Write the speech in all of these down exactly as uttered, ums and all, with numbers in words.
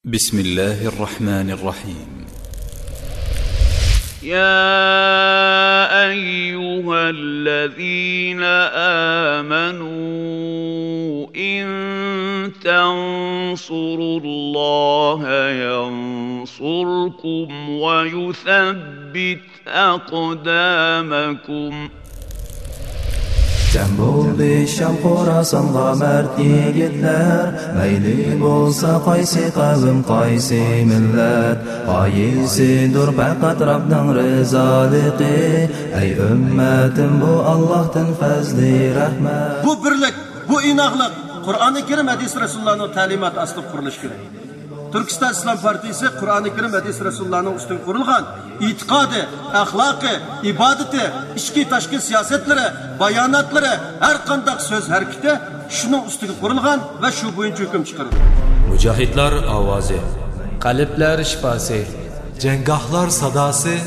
بسم الله الرحمن الرحيم. يا أيها الذين آمنوا إن تنصروا الله ينصركم ويثبت أقدامكم. جەم بولدى شام خوراسانغا مەرد يىگىتلەر، مەيلى بولسا قايسى قەۋم، قايسى مىللەت، غايىسىدۇر پەقەت رەبنىڭ رىزالىقى. ئەي ئۈممەتىم، بۇ ئاللاھتىن پەزلى رەھمەت. بۇ بىرلىك، بۇ ئىناقلىق قۇرئانى كەرىم، ھەدىس رەسۇلۇللانىڭ تەلىماتى ئاستىدا قۇرۇلۇشى كېرەك. تۈركىستان ئىسلام پارتىيىسى قۇرئانى كەرىم، ھەدىس رەسۇلۇللانىڭ ئۈستىگە قۇرۇلغان ئېتىقادى، ئەخلاقى، ئىبادىتى، ئىچكى تاشقى سىياسەتلىرى، باياناتلىرى، ھەر قانداق سۆز ھەرىكىتى شۇنىڭ ئۈستىگە قۇرۇلغان ۋە شۇ بويىچە ھۆكۈم چىقىرىدۇ. مۇجاھىدلار ئاۋازى. قەلبلەر شىپاسى. جەڭگاھلار ساداسى.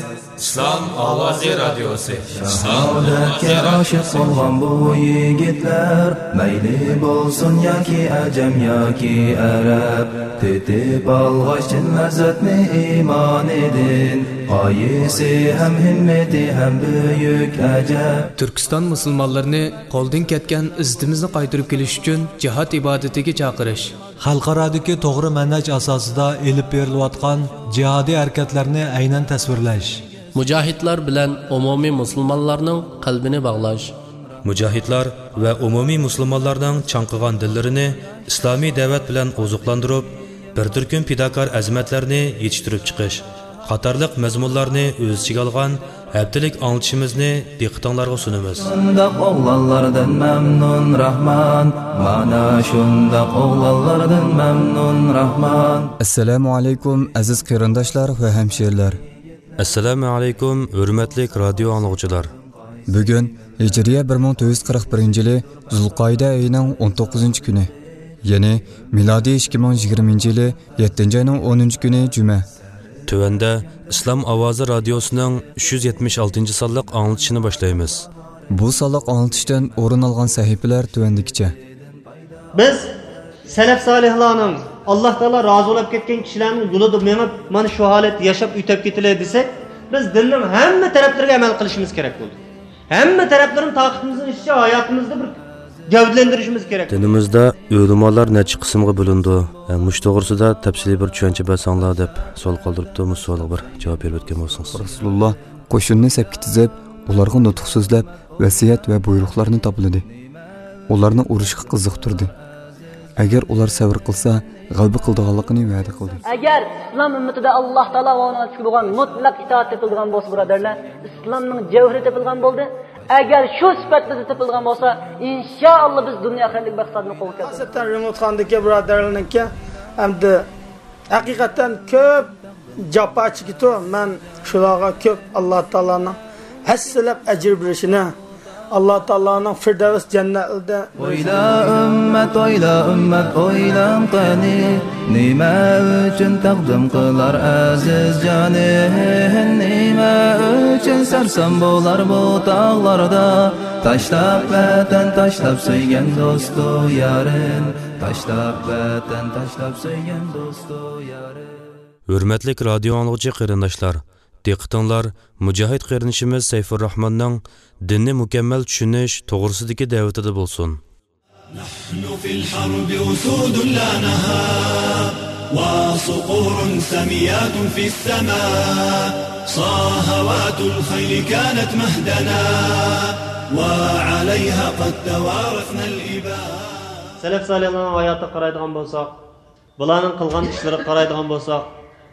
ئىسلام ئاۋازى رادىيوسى. شاھادەتكە ئاشىق بولغان بۇ يىگىتلەر، مەيلى بولسۇن ياكى ئەجەم ياكى ئەرەب، تېتىپ ئالغاچ چىن لەززەتنى ئىمانىدىن، غايىسى ھەم ھىممىتى ھەم بۈيۈك ئەجەب. تۈركىستان مۇسۇلمانلىرىنى قولدىن كەتكەن ئىززىتىمىزنى قايتۇرۇپ كېلىش ئۈچۈن جىھاد ئىبادىتىگە چاقىرىش. خەلقئارادىكى توغرا مەنھەج ئاساسىدا ئېلىپ بېرىلىۋاتقان جىھادىي ھەرىكەتلەرنى ئەينەن تەسۋىرلەش. مۇجاھىدلار بىلەن ئومۇمىي مۇسۇلمانلارنىڭ قەلبىنى باغلاش. مۇجاھىدلار ۋە ئومۇمىي مۇسۇلمانلارنىڭ چاڭقىغان دىللىرىنى ئىسلامىي دەۋەت بىلەن ئوزۇقلاندۇرۇپ، بىر تۈركۈم پىداكار ئەزىمەتلەرنى يېتىشتۈرۈپ چىقىش قاتارلىق مەزمۇنلارنى ئۆز ئىچىگە ئالغان ھەپتىلىك ئاڭلىتىشىمىزنى دىققىتىڭلارغا سۇنىمىز. شۇنداق ئوغلانلاردىن مەمنۇن راھمان، مانا شۇنداق ئوغلانلاردىن مەمنۇن راھمان. ئەسسالامۇ ئەلەيكۇم، ئەزىز قېرىنداشلار ۋە ھەمشىرىلەر. ئەسسالامۇ ئەلەيكۇم، ھۆرمەتلىك رادىيو ئاڭلىغۇچىلار. بۈگۈن ھىجرىيە بىر مىڭ تۆت يۈز قىرىق بىرىنچى يىلى زۇلقائىدە ئېيىنىڭ ئون توققۇزىنچى كۈنى، يەنى مىلادىي ئىككى مىڭ يىگىرمىنچى يىلى يەتتىنچى ئاينىڭ ئونىنچى كۈنى جۈمە. تۆۋەندە ئىسلام ئاۋازى رادىيوسىنىڭ ئۈچ يۈز يەتمىش ئالتىنچى سانلىق ئاڭلىتىشىنى باشلايمىز. بۇ سانلىق ئاڭلىتىشتىن ئورۇن ئالغان سەھىپىلەر تۆۋەندىكىچە. بىز سەلەف سالىھلارنىڭ، ئاللا تائالا رازى بولۇپ كەتكەن كىشىلەرنىڭ يولىدا مېڭىپ، مانا شۇ ھالەتتە ياشاپ ئۆتۈپ كېتىلى دېسەك، بىز دىننىڭ ھەممە تەرەپلىرىگە ئەمەل قىلىشىمىز كېرەك بولدى. ھەممە تەرەپلىرىنى تاقىتىمىزنىڭ ئىچىچە ھاياتىمىزدا بىر گەۋدىلەندۈرۈشىمىز كېرەك. دىنىمىزدا ئۆلىمالار نەچچە قىسىمغا بۆلۈنىدۇ؟ مۇشۇ توغرىسىدا تەپسىلىي بىر چۈشەنچە بەرسەڭلار، دەپ سوئال قالدۇرۇپتۇ. مۇشۇ سوئالغا بىر جاۋاب بېرىۋەتكەن بولسىڭىز. رەسۇلۇللا قوشۇننى سەپكە تىزىپ، ئۇلارغا نۇتۇق سۆزلەپ، ۋەسىيەت ۋە بۇيرۇقلارنى تاپىلىدى. ئۇلارنى ئۇرۇشقا قىزىقتۇردى. ئەگەر ئۇلار سەۋر قىلسا، غەلىبە قىلىدىغانلىقىنى ۋەدە قىلدى. ئەگەر ئىسلام ئۈممىتىدە ئاللا تائالا ۋە ئۇنىڭ ئەلچىسىگە بولغان مۇتلەق ئىتائەت تېپىلىدىغان بولسا، بۇرادەرلەر، ئىسلامنىڭ جەۋھىرى تېپىلغان بولدى. ئەگەر شۇ سۈپەت بىزدە تېپىلغان بولسا، ئىنشائاللا بىز دۇنيا ئاخىرەتلىك مەقسەتنى قولغا كەلتۈرىمىز. خاسەتەن رېمونت خاندىكى بۇرادەرلەرنىڭكى ئەمدى ھەقىقەتەن كۆپ جاپا چېكىتۇ. مەن شۇلارغا كۆپ ئاللا تائالانىڭ ھەسسىلەپ ئەجىر بېرىشىنى، ئاللا تائالانىڭ فىردەۋس جەننەتلىرىدە. ئويلا ئۈممەت، ئويلا ئۈممەت، ئويلاڭ قېنى، نېمە ئۈچۈن تەقدىم قىلار ئەزىز جانى؟ نېمە ئۈچۈن سەرسان بولار بۇ تاغلاردا؟ تاشلاپ ۋەتەن، تاشلاپ سۆيگەن دوستۇ يارىن، تاشلاپ ۋەتەن، تاشلاپ سۆيگەن دوستۇ يارىن. ھۆرمەتلىك رادىيو ئاڭلىغۇچى قېرىنداشلار، دىققىتىڭلار مۇجاھىد قېرىندىشىمىز سەيفۇرراھماننىڭ دىننى مۇكەممەل چۈشىنىش توغرىسىدىكى دەۋىتىدە بولسۇن. نحن في الحرب أسود لا نهاب، وصقور سميات في السماء، صاهوات الخيل كانت مهدنا، وعليها قد توارثنا الإباء. سەلەف سالىھلارنىڭ ھاياتىغا قارايدىغان بولساق، بۇلارنىڭ قىلغان ئىشلىرىغا قارايدىغان بولساق،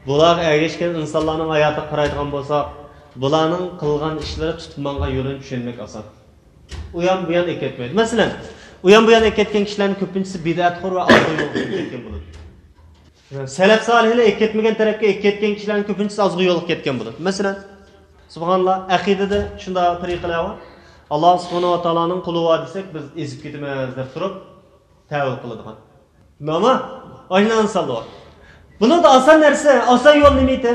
بۇلارغا ئەگەشكەن ئىنسانلارنىڭ ھاياتىغا قارايدىغان بولساق، بۇلارنىڭ قىلغان ئىشلىرى تۇتۇپ ماڭغان يولىنى چۈشەنمەك ئاسان. ئۇيان بۇيان ئېكەتمەيدۇ. مەسىلەن، ئۇيان بۇيان ئېكەتكەن كىشىلەرنىڭ كۆپىنچىسى بىدئەتخور ۋە ئازغۇن يولغا كىرىپ كەتكەن بولىدۇ. سەلەف سالىھلار ئېكەتمىگەن تەرەپكە ئېكەتكەن كىشىلەرنىڭ كۆپىنچىسى ئازغۇن يولغا كەتكەن بولىدۇ. مەسىلەن، سۇبھاناللا، ئەقىدىدە شۇنداق تەرىقىلەر بار. ئاللا سۇبھانەھۇ ۋە تائالانىڭ قۇلى بار دېسەك، بىز ئېزىپ كېتىمىز دەپ تۇرۇپ، تەۋىل قىلىدىغان. ئەمما ئاشۇنداق ئىنسانلار بار. بۇنىڭدا ئاسان نەرسە، ئاسان يول نېمە ئىدى؟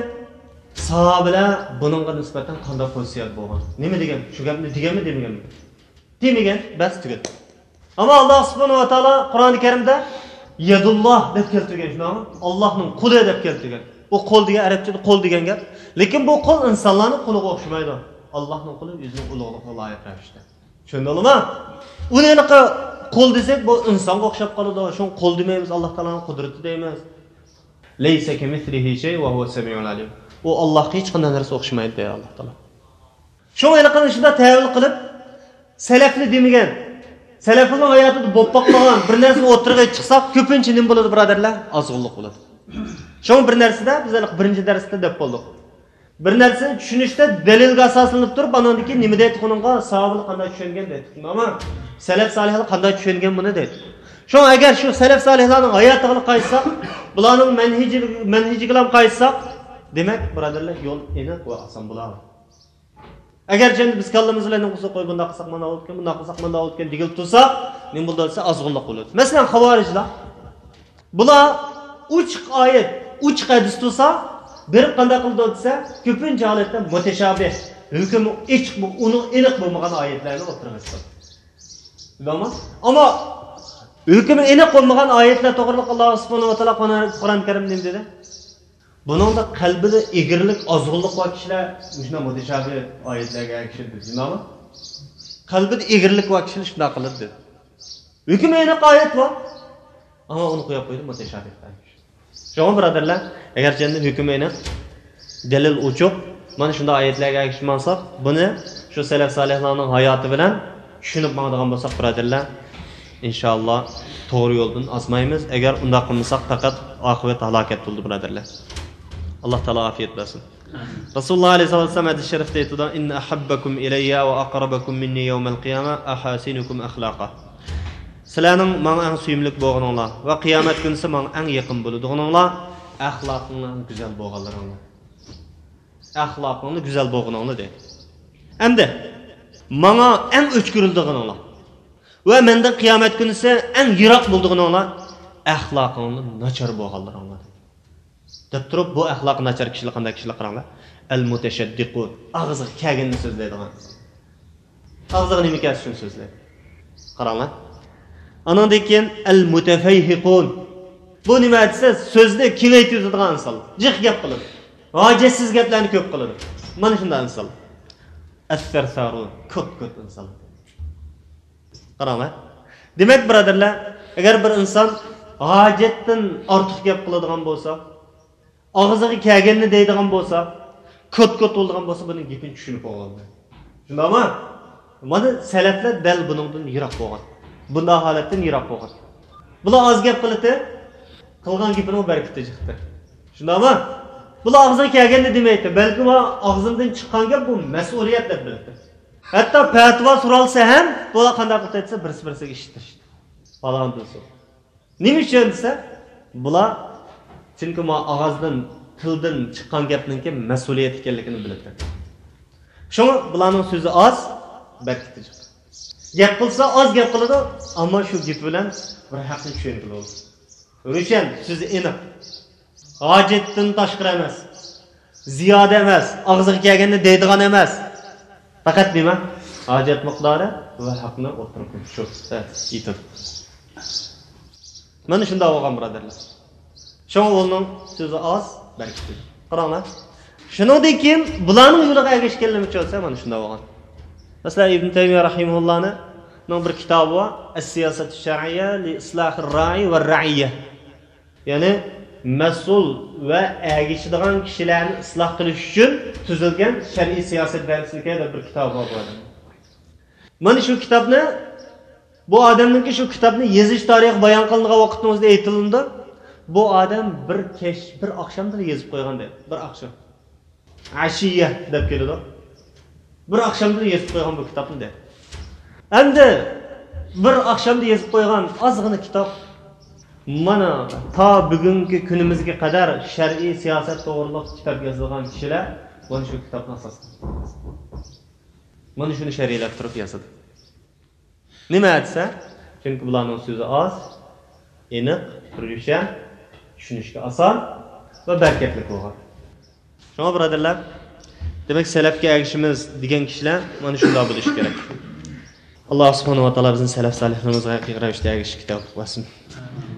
ساھابىلەر بۇنىڭغا نىسبەتەن قانداق پوزىتسىيەدە بولغان؟ نېمە دېگەن؟ شۇ گەپنى دېگەنمۇ، دېمىگەنمۇ؟ دېمىگەن، بەس، تۈگەتتى. ئەمما ئاللا سۇبھانەھۇ ۋە تائالا قۇرئانى كەرىمدە يەدۇللا دەپ كەلتۈرگەن، شۇنداقمۇ؟ ئاللاھنىڭ قولى دەپ كەلتۈرگەن. ئۇ قول دېگەن، ئەرەبچىدە قول دېگەن گەپ. لېكىن بۇ قول ئىنسانلارنىڭ قولىغا ئوخشىمايدۇ. ئاللاھنىڭ قولى ئۆزىنىڭ ئۇلۇغلۇقىغا لايىق رەۋىشتە. چۈشەندىڭلارمۇ؟ ئۇنى ھېلىقى قول دېسەك، بۇ ئىنسانغا ئوخشاپ قالىدۇ. شۇڭا قول دېمەيمىز، ئاللاھ تائالانىڭ قۇدرىتى دەيمىز. لەيسە كەمىسلىھى شەي ۋە ھۇۋە سەمىئۇل ئەلىم. ئۇ ئاللاھقا ھېچقانداق نەرسە ئوخشىمايدۇ دەيدۇ ئاللاھ تائالا. شۇڭا ھېلىقىنى شۇنداق تەۋىل قىلىپ، سەلەفنى دېمىگەن، سەلەفنىڭ ھاياتىدا بولۇپ باقمىغان بىر نەرسىنى ئوتتۇرىغا چىقساق، كۆپىنچە نېمە بولىدۇ، بۇرادەرلەر؟ ئازغۇنلۇق بولىدۇ. شۇڭا بىر نەرسىدە، بىز ھېلىقى بىرىنچى دەرستە دەپ بولدۇق. بىر نەرسىنى چۈشىنىشتە دەلىلگە ئاساسلىنىپ تۇرۇپ، ئاندىن كېيىن نېمە دەيدىغىنىڭغا، ساھابىلەر قانداق چۈشەنگەن دەيدۇ. ئەمما سەلەف سالىھلار قانداق چۈشەنگەن بۇنى دەيدۇ. شۇڭا ئەگەر شۇ سەلەف سالىھلارنىڭ ھاياتىغا قايتساق، بۇلارنىڭ مەنھىجى، مەنھىجىگىلا قايتساق، دېمەك، بۇرادەرلەر، يول ئېنىق ۋە ئاسان بولار. ئەگەر جەمدە بىز كاللىمىز بىلەن نېمە قىلسا، قوي، بۇنداق قىلساق مانداق بولىدىكەن، بۇنداق قىلساق مانداق بولىدىكەن دېگىلى تۇرساق، نېمە بولىدۇ دېسە، ئازغۇنلۇق بولىدۇ. مەسىلەن، خاۋارىجلار، بۇلار ئوچۇق ئايەت، ئوچۇق ھەدىس تۇرسا، بېرىپ قانداق قىلىدۇ دېسە، كۆپىنچە ھالەتتە مۇتەشابىھ، ھۆكمى ئېچىق، ئۇنىڭ ئېنىق بولمىغان ئايەتلەرنى ئوتتۇرىغا چىقىرىدۇ. بىلدىڭمۇ؟ ئەمما ھۆكمى ئېنىق بولمىغان ئايەتلەر توغرىلىق ئاللاھ سۇبھانەھۇ ۋە تائالا قۇرئان، قۇرئان كەرىمدە نېمە دېدى؟ بۇنىڭدا قەلبىدە ئېگىرلىك، ئازغۇنلۇق بار كىشىلەر مۇشۇنداق مۇتەشابىھ ئايەتلەرگە ئەگىشىدۇ، دېدى. شۇنداقمۇ؟ قەلبىدە ئېگىرلىك بار كىشىلەر شۇنداق قىلىدۇ، دېدى. ھۆكمى ئېنىق ئايەت بار، ئەمما ئۇنى قويۇپ قويدى مۇتەشابىھ ئايەت. شۇڭا، بۇرادەرلەر، ئەگەرچە ئەمدى ھۆكمى ئېنىق، دەلىل ئوچۇق، مانا شۇنداق ئايەتلەرگە ئەگىشىپ ماڭساق، بۇنى شۇ سەلەف سالىھلارنىڭ ھاياتى بىلەن چۈشىنىپ ماڭىدىغان بولساق، بۇرادەرلەر، ئىنشائاللا، توغرا يولدىن ئازمايمىز. ئەگەر ئۇنداق قىلمىساق، پەقەت ئاقىۋەت ھالاكەت بولىدۇ، بۇرادەرلەر. ئاللاھ تائالا ئافىيەت بەرسۇن. رەسۇلۇللاھ ئەلەيھىسسالاتۇ ۋەسسالام ھەدىس شەرىفتە ئېيتىدۇ، «إن أحبكم إلي وأقربكم مني يوم القيامة أحاسنكم أخلاقا.» سىلەرنىڭ ماڭا ئەڭ سۆيۈملۈك بولغىنىڭلار ۋە قىيامەت كۈنىسى ماڭا ئەڭ يېقىن بولىدىغىنىڭلار، ئەخلاقىڭلار ئەڭ گۈزەل بولغانلىرىڭلار. ئەخلاقىڭلار گۈزەل بولغىنىڭلار، دەيدۇ. ئەمدى ماڭا ئەڭ ئۆچ كۆرۈلىدىغىنىڭلار ۋە مەندىن قىيامەت كۈنىسى ئەڭ يىراق بولىدىغىنىڭلار، ئەخلاقىڭلار ناچار بولغانلىرىڭلار، دەيدۇ. دەپ تۇرۇپ، بۇ ئەخلاقى ناچار كىشىلەر قانداق كىشىلەر، قاراڭلار. ئەل مۇتەشەددىقۇن، ئاغزىغا كەلگەننى سۆزلەيدىغان. ئاغزىغا نېمە كەلسە شۇنى سۆزلەيدۇ. قاراڭلار. ئانىڭدىن كېيىن ئەل مۇتەفەيھىقۇن. بۇ نېمە دېسە، سۆزنى كېڭەيتىۋېتىدىغان ئىنسان. جىق گەپ قىلىدۇ. ھاجەتسىز گەپلەرنى كۆپ قىلىدۇ. مانا شۇنداق ئىنسان. ئەسسەرسارۇن، كوت-كوت ئىنسان. قاراڭلار. دېمەك، بۇرادەرلەر، ئەگەر بىر ئىنسان ھاجەتتىن ئارتۇق گەپ قىلىدىغان بولسا، ئاغزىغا كەلگەننى دەيدىغان بولسا، كوت-كوت بولىدىغان بولسا، بۇنىڭ گېپىنى چۈشىنىپ بولغان. شۇنداقمۇ؟ مانا سەلەفلەر دەل بۇنىڭدىن يىراق بولغان. بۇنداق ھالەتتىن يىراق بولغان. بۇلار ئاز گەپ قىلىتتى، قىلغان گېپىنىڭ بەرىكىتى چىقتى. شۇنداقمۇ؟ بۇلار ئاغزىغا كەلگەننى دېمەيتتى، بەلكى ئۇ ئاغزىمدىن چىققان گەپ بۇ مەسئۇلىيەت دەپ بىلىتتى. ھەتتا پەتىۋا سورالسا ھەم، بۇلار قانداق قىلىپ دېسە، بىرسى-بىرسىگە ئىشىتتى. پالان دېسۇن. نېمە ئۈچۈن دېسە، بۇلار، چۈنكى ما ئاغزىدىن، تىلدىن چىققان گەپنىڭكى مەسئۇلىيەت ئىكەنلىكىنى بىلىدۇ. شۇڭا بۇلارنىڭ سۆزى ئاز، بەرىكىتى جىق. گەپ قىلسا ئاز گەپ قىلىدۇ، ئەمما شۇ گېپى بىلەن بىر ھەقنى چۈشەنگىلى بولىدۇ. روشەن، سۆزى ئېنىق. ھاجەتتىن تاشقىرى ئەمەس. زىيادە ئەمەس، ئاغزىغا كەلگەننى دەيدىغان ئەمەس. پەقەت نېمە؟ ھاجەت مىقدارى ۋە ھەقنى ئوتتۇرىغا قويۇپ شۇ، ھە، ئېيتىدۇ. مانا شۇنداق بولغان، بۇرادەرلەر. شۇڭا ئۇنىڭ سۆزى ئاز، بەرىكىتى. قاراڭلار. شۇنىڭدىن كېيىن بۇلارنىڭ يولىغا ئەگەشكەنلىرى ئۈچۈن بولسا مانا شۇنداق بولغان. مەسىلەن، ئىبن تەيمىيە رەھىمەھۇللانىڭ بىر كىتابى بار، ئەس-سىياسەتۇ شەرئىيە لى ئىسلاھىر رايى ۋە رەئىيە. يەنى مەسئۇل ۋە ئەگىشىدىغان كىشىلەرنى ئىسلاھ قىلىش ئۈچۈن تۈزۈلگەن شەرئىي سىياسەت دەرسلىكى دەپ بىر كىتابى بار بۇ ئادەمنىڭ. مانا شۇ كىتابنى، بۇ ئادەمنىڭكى شۇ كىتابنى يېزىش تارىخى بايان قىلىنغان ۋاقىتنىڭ ئۆزىدە ئېيتىلىنىدۇ. بۇ ئادەم بىر كەچ، بىر ئاخشامدىلا يېزىپ قويغان دەيدۇ. بىر ئاخشام. ئەشىيە دەپ كېلىدۇ. بىر ئاخشامدا يېزىپ قويغان بۇ كىتابنى دەيدۇ. ئەمدى بىر ئاخشامدا يېزىپ قويغان ئازغىنە كىتاب. مانا تا بۈگۈنكى كۈنىمىزگە قەدەر شەرئىي سىياسەت توغرىلىق كىتاب يازىدىغان كىشىلەر مانا شۇ كىتابنى ئاساس قىلغان. مانا شۇنى شەرھلەپ تۇرۇپ يازىدۇ. نېمە دېسە، چۈنكى بۇلارنىڭ سۆزى ئاز، ئېنىق، روشەن، چۈشىنىشكە ئاسان ۋە بەرىكەتلىك بولغان. شۇڭا، بۇرادەرلەر، دېمەك، سەلەفكە ئەگىشىمىز دېگەن كىشىلەر مانا شۇنداق بولۇشى كېرەك. ئاللا سۇبھانەھۇ ۋە تائالا بىزنى سەلەف سالىھلىرىمىزغا ھەقىقىي رەۋىشتە ئەگىشىشكە تەۋپىق بەرسۇن.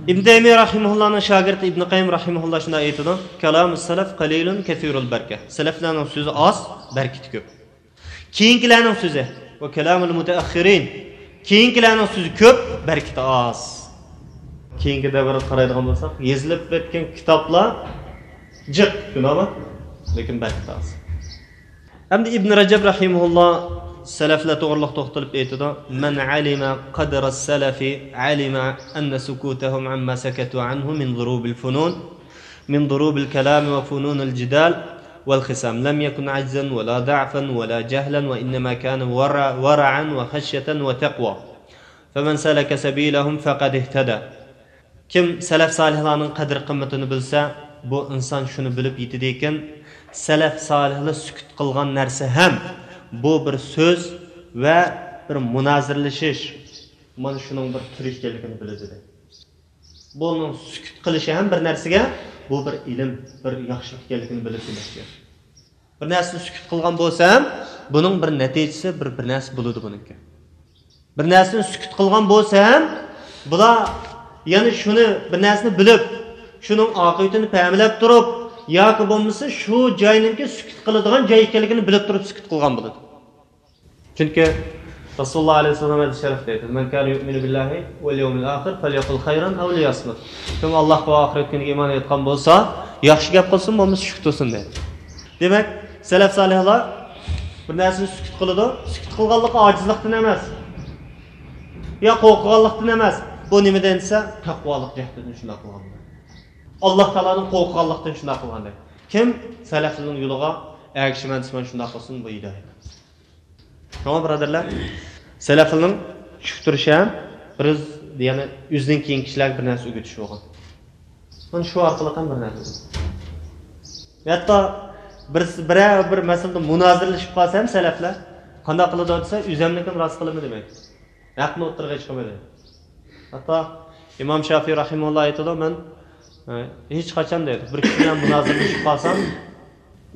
ئىبن تەيمىيە رەھىمەھۇللانىڭ شاگىرتى ئىبن قەييىم رەھىمەھۇللا شۇنداق ئېيتىدۇ، كالامۇس سەلەف قەلىلۇن كەسىرۇل بەركە. سەلەفلەرنىڭ سۆزى ئاز، بەرىكىتى كۆپ. كېيىنكىلەرنىڭ سۆزى، ۋە كالامۇل مۇتەئەخخىرىن، كېيىنكىلەرنىڭ سۆزى كۆپ، بەرىكىتى ئاز. كېيىنكى دەۋرگە قارايدىغان بولساق، يېزىلىپ ئۆتكەن كىتابلار جىق، شۇنداقمۇ؟ لېكىن بەرىكىتى ئاز. ئەمدى ئىبن رەجەب رەھىمەھۇللا سەلەفلەر توغرىلىق توختىلىپ ئېيتىدۇ، مەن ئەلىمە قەدرەس سەلەفى ئەلىمە ئەننە سۇكۇتەھۇم ئەمما سەكەتۇ ئەنھۇ مىن ضۇرۇبىل فۇنۇن، مىن ضۇرۇبىل كەلامى ۋە فۇنۇنىل جىدال ۋەل خىسام، لەم يەكۇن ئەجزەن ۋەلا ضەئفەن ۋەلا جەھلەن ۋە ئىننەما كانە ۋەرە-، ۋەرەئەن ۋە خەشيەتەن ۋە تەقۋا. فەمەن سەلەكە سەبىلەھۇم فەقەد ئىھتەدە. كىم سەلەف سالىھلارنىڭ قەدىر-قىممىتىنى بىلسە، بۇ ئىنسان شۇنى بىلىپ يېتىدىكەن، سەلەف سالىھلار سۈكۈت قىلغان نەرسە ھەم بۇ بىر سۆز ۋە بىر مۇنازىرىلىشىش، مانا شۇنىڭ بىر تۈرى ئىكەنلىكىنى بىلىدۇ، دەيدۇ. بۇنىڭ سۈكۈت قىلىشى ھەم بىر نەرسىگە، بۇ بىر ئىلىم، بىر ياخشىلىق ئىكەنلىكىنى بىلىپ دېمەكچى. بىر نەرسىنى سۈكۈت قىلغان بولسا ھەم، بۇنىڭ بىر نەتىجىسى، بىر، بىر نەرسە بولىدۇ بۇنىڭكى. بىر نەرسىنى سۈكۈت قىلغان بولسا ھەم، بۇلار يەنە شۇنى، بىر نەرسىنى بىلىپ، شۇنىڭ ئاقىۋىتىنى پەملەپ تۇرۇپ، ياكى بولمىسا شۇ جاينىڭكى سۈكۈت قىلىدىغان جاي ئىكەنلىكىنى بىلىپ تۇرۇپ سۈكۈت قىلغان بولىدۇ. چۈنكى رەسۇلۇللا ئەلەيھىسسالام ھەدىس شەرىپتە ئېيتىدۇ، مەن كانە يۇئمىنۇ بىللاھى ۋەل يەۋمىل ئاخىر فەليەقۇل خەيرەن ئەۋ لىيەسمۇت. كىم ئاللاھقا ۋە ئاخىرەت كۈنىگە ئىمان ئېيتقان بولسا، ياخشى گەپ قىلسۇن، بولمىسا چۈشۈپ تۇرسۇن، دەيدۇ. دېمەك، سەلەف سالىھلار بىر نەرسىنى سۈكۈت قىلىدۇ. سۈكۈت قىلغانلىقى ئاجىزلىقتىن ئەمەس، يا قورقۇغانلىقتىن ئەمەس. بۇ نېمىدىن دېسە، تەقۋالىق جەھەتتىن شۇنداق قىلغان. ئاللاھ تائالادىن قورققانلىقتىن شۇنداق قىلغان، دەيدۇ. كىم؟ سەلەفلەرنىڭ يولىغا ئەگىشىمەن دېسە، مانا شۇنداق قىلسۇن، بۇ ھىدايەت. شۇڭا، بۇرادەرلەر، سەلەفلەرنىڭ چۈشۈپ تۇرۇشى ھەم بىر، يەنى ئۆزىدىن كېيىنكى كىشىلەرگە بىر نەرسە ئۆگىتىش بولغان. مانا شۇ ئارقىلىق ھەم بىر نەرسە. ھەتتا بىر، بىرەر بىر مەسىلىدە مۇنازىرىلىشىپ قالسا ھەم سەلەفلەر قانداق قىلىدۇ دېسە، ئۆزەمنىڭكىنى راست قىلىمەن دېمەيدۇ. ھەقنى ئوتتۇرىغا چىقىمىدى. ھەتتا ئىمام شافىي رەھىمەھۇللا ئېيتىدۇ، مەن، ئە، ھېچقاچان، دەيدۇ، بىر كىشى بىلەن مۇنازىرىلىشىپ قالسام،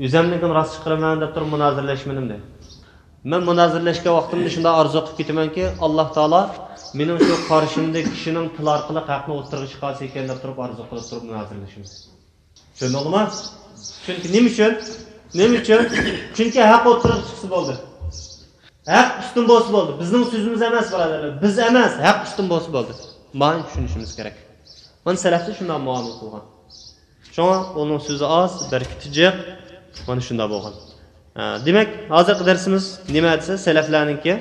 ئۆزەمنىڭكىنى راست چىقىرىمەن دەپ تۇرۇپ مۇنازىرىلەشمىدىم، دەيدۇ. مەن مۇنازىرىلەشكەن ۋاقتىمدا شۇنداق ئارزۇ قىلىپ كېتىمەنكى، ئاللاھ تائالا مېنىڭ شۇ قارشىمدىكى كىشىنىڭ تىلى ئارقىلىق ھەقنى ئوتتۇرىغا چىقارسا ئىكەن دەپ تۇرۇپ ئارزۇ قىلىپ تۇرۇپ مۇنازىرىلىشىمەن. چۈشەندىڭلارمۇ؟ چۈنكى نېمە ئۈچۈن؟ نېمە ئۈچۈن؟ چۈنكى ھەق ئوتتۇرىغا چىقسا بولدى. ھەق ئۈستۈن بولسا بولدى. بىزنىڭ سۆزىمىز ئەمەس، بۇرادەرلەر. بىز ئەمەس، ھەق ئۈستۈن بولسا بولدى. مانا چۈشىنىشىمىز كېرەك. مانا سەلەفلەر شۇنداق مۇئامىلە قىلغان. شۇڭا ئۇنىڭ سۆزى ئاز، بەرىكىتى جىق. مانا شۇنداق بولغان. ھە، دېمەك، ھازىرقى دەرسىمىز نېمە دېسە، سەلەفلەرنىڭكى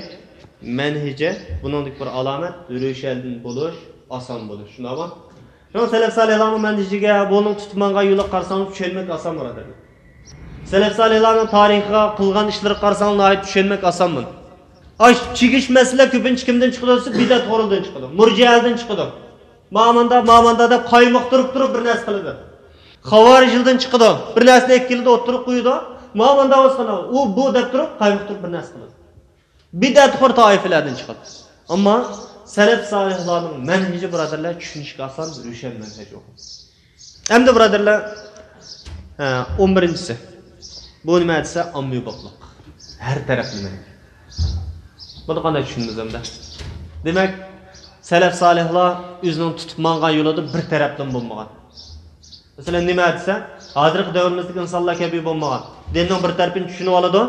مەنھىجى، بۇنىڭدىكى بىر ئالامەت، روشەن بولۇش، ئاسان بولۇش. شۇنداقمۇ؟ شۇڭا سەلەف سالىھلارنىڭ مەنھىجىگە، بۇنىڭ تۇتۇپ ماڭغان يولىغا قارىساڭلار چۈشەنمەك ئاسان بۇرادەرلەر. سەلەف سالىھلارنىڭ تارىخىغا، قىلغان ئىشلىرىغا قارىساڭلار ناھايىتى چۈشەنمەك ئاسان بۇنى. ئاش چىگىش مەسىلە كۆپىنچە كىمدىن چىقىدۇ دېسە، بىدئەت ئورۇندىن چىقىدۇ، مۇرجىئەلدىن چىقىدۇ. ماماندا، ماماندا دەپ قايمۇقتۇرۇپ تۇرۇپ بىر نەرسە قىلىدۇ. خاۋارىجلىدىن چىقىدۇ. بىر نەرسىنى ئېلىپ كېلىدۇ، ئوتتۇرىغا قويىدۇ. ماماندا بولسا، ئۇ، بۇ دەپ تۇرۇپ قايمۇقتۇرۇپ بىر نەرسە قىلىدۇ. بىدئەتخور تائىپىلەردىن چىقىدۇ. ئەمما سەلەف سالىھلارنىڭ مەنھىجى، بۇرادەرلەر، چۈشىنىشكە ئاسان، روشەن مەنھەج ئۇ. ئەمدى، بۇرادەرلەر، ھە، ئون بىرىنچىسى. بۇ نېمە دېسە، ئاممىبابلىق. ھەر تەرەپلىمە. بۇنى قانداق چۈشىنىمىز ئەمدى؟ دېمەك، سەلەف سالىھلار ئۆزىنىڭ تۇتۇپ ماڭغان يولىدا بىر تەرەپلىمە بولمىغان. مەسىلەن، نېمە دېسە، ھازىرقى دەۋرىمىزدىكى ئىنسانلار كەبى بولمىغان. دىننىڭ بىر تەرىپىنى چۈشىنىۋالىدۇ.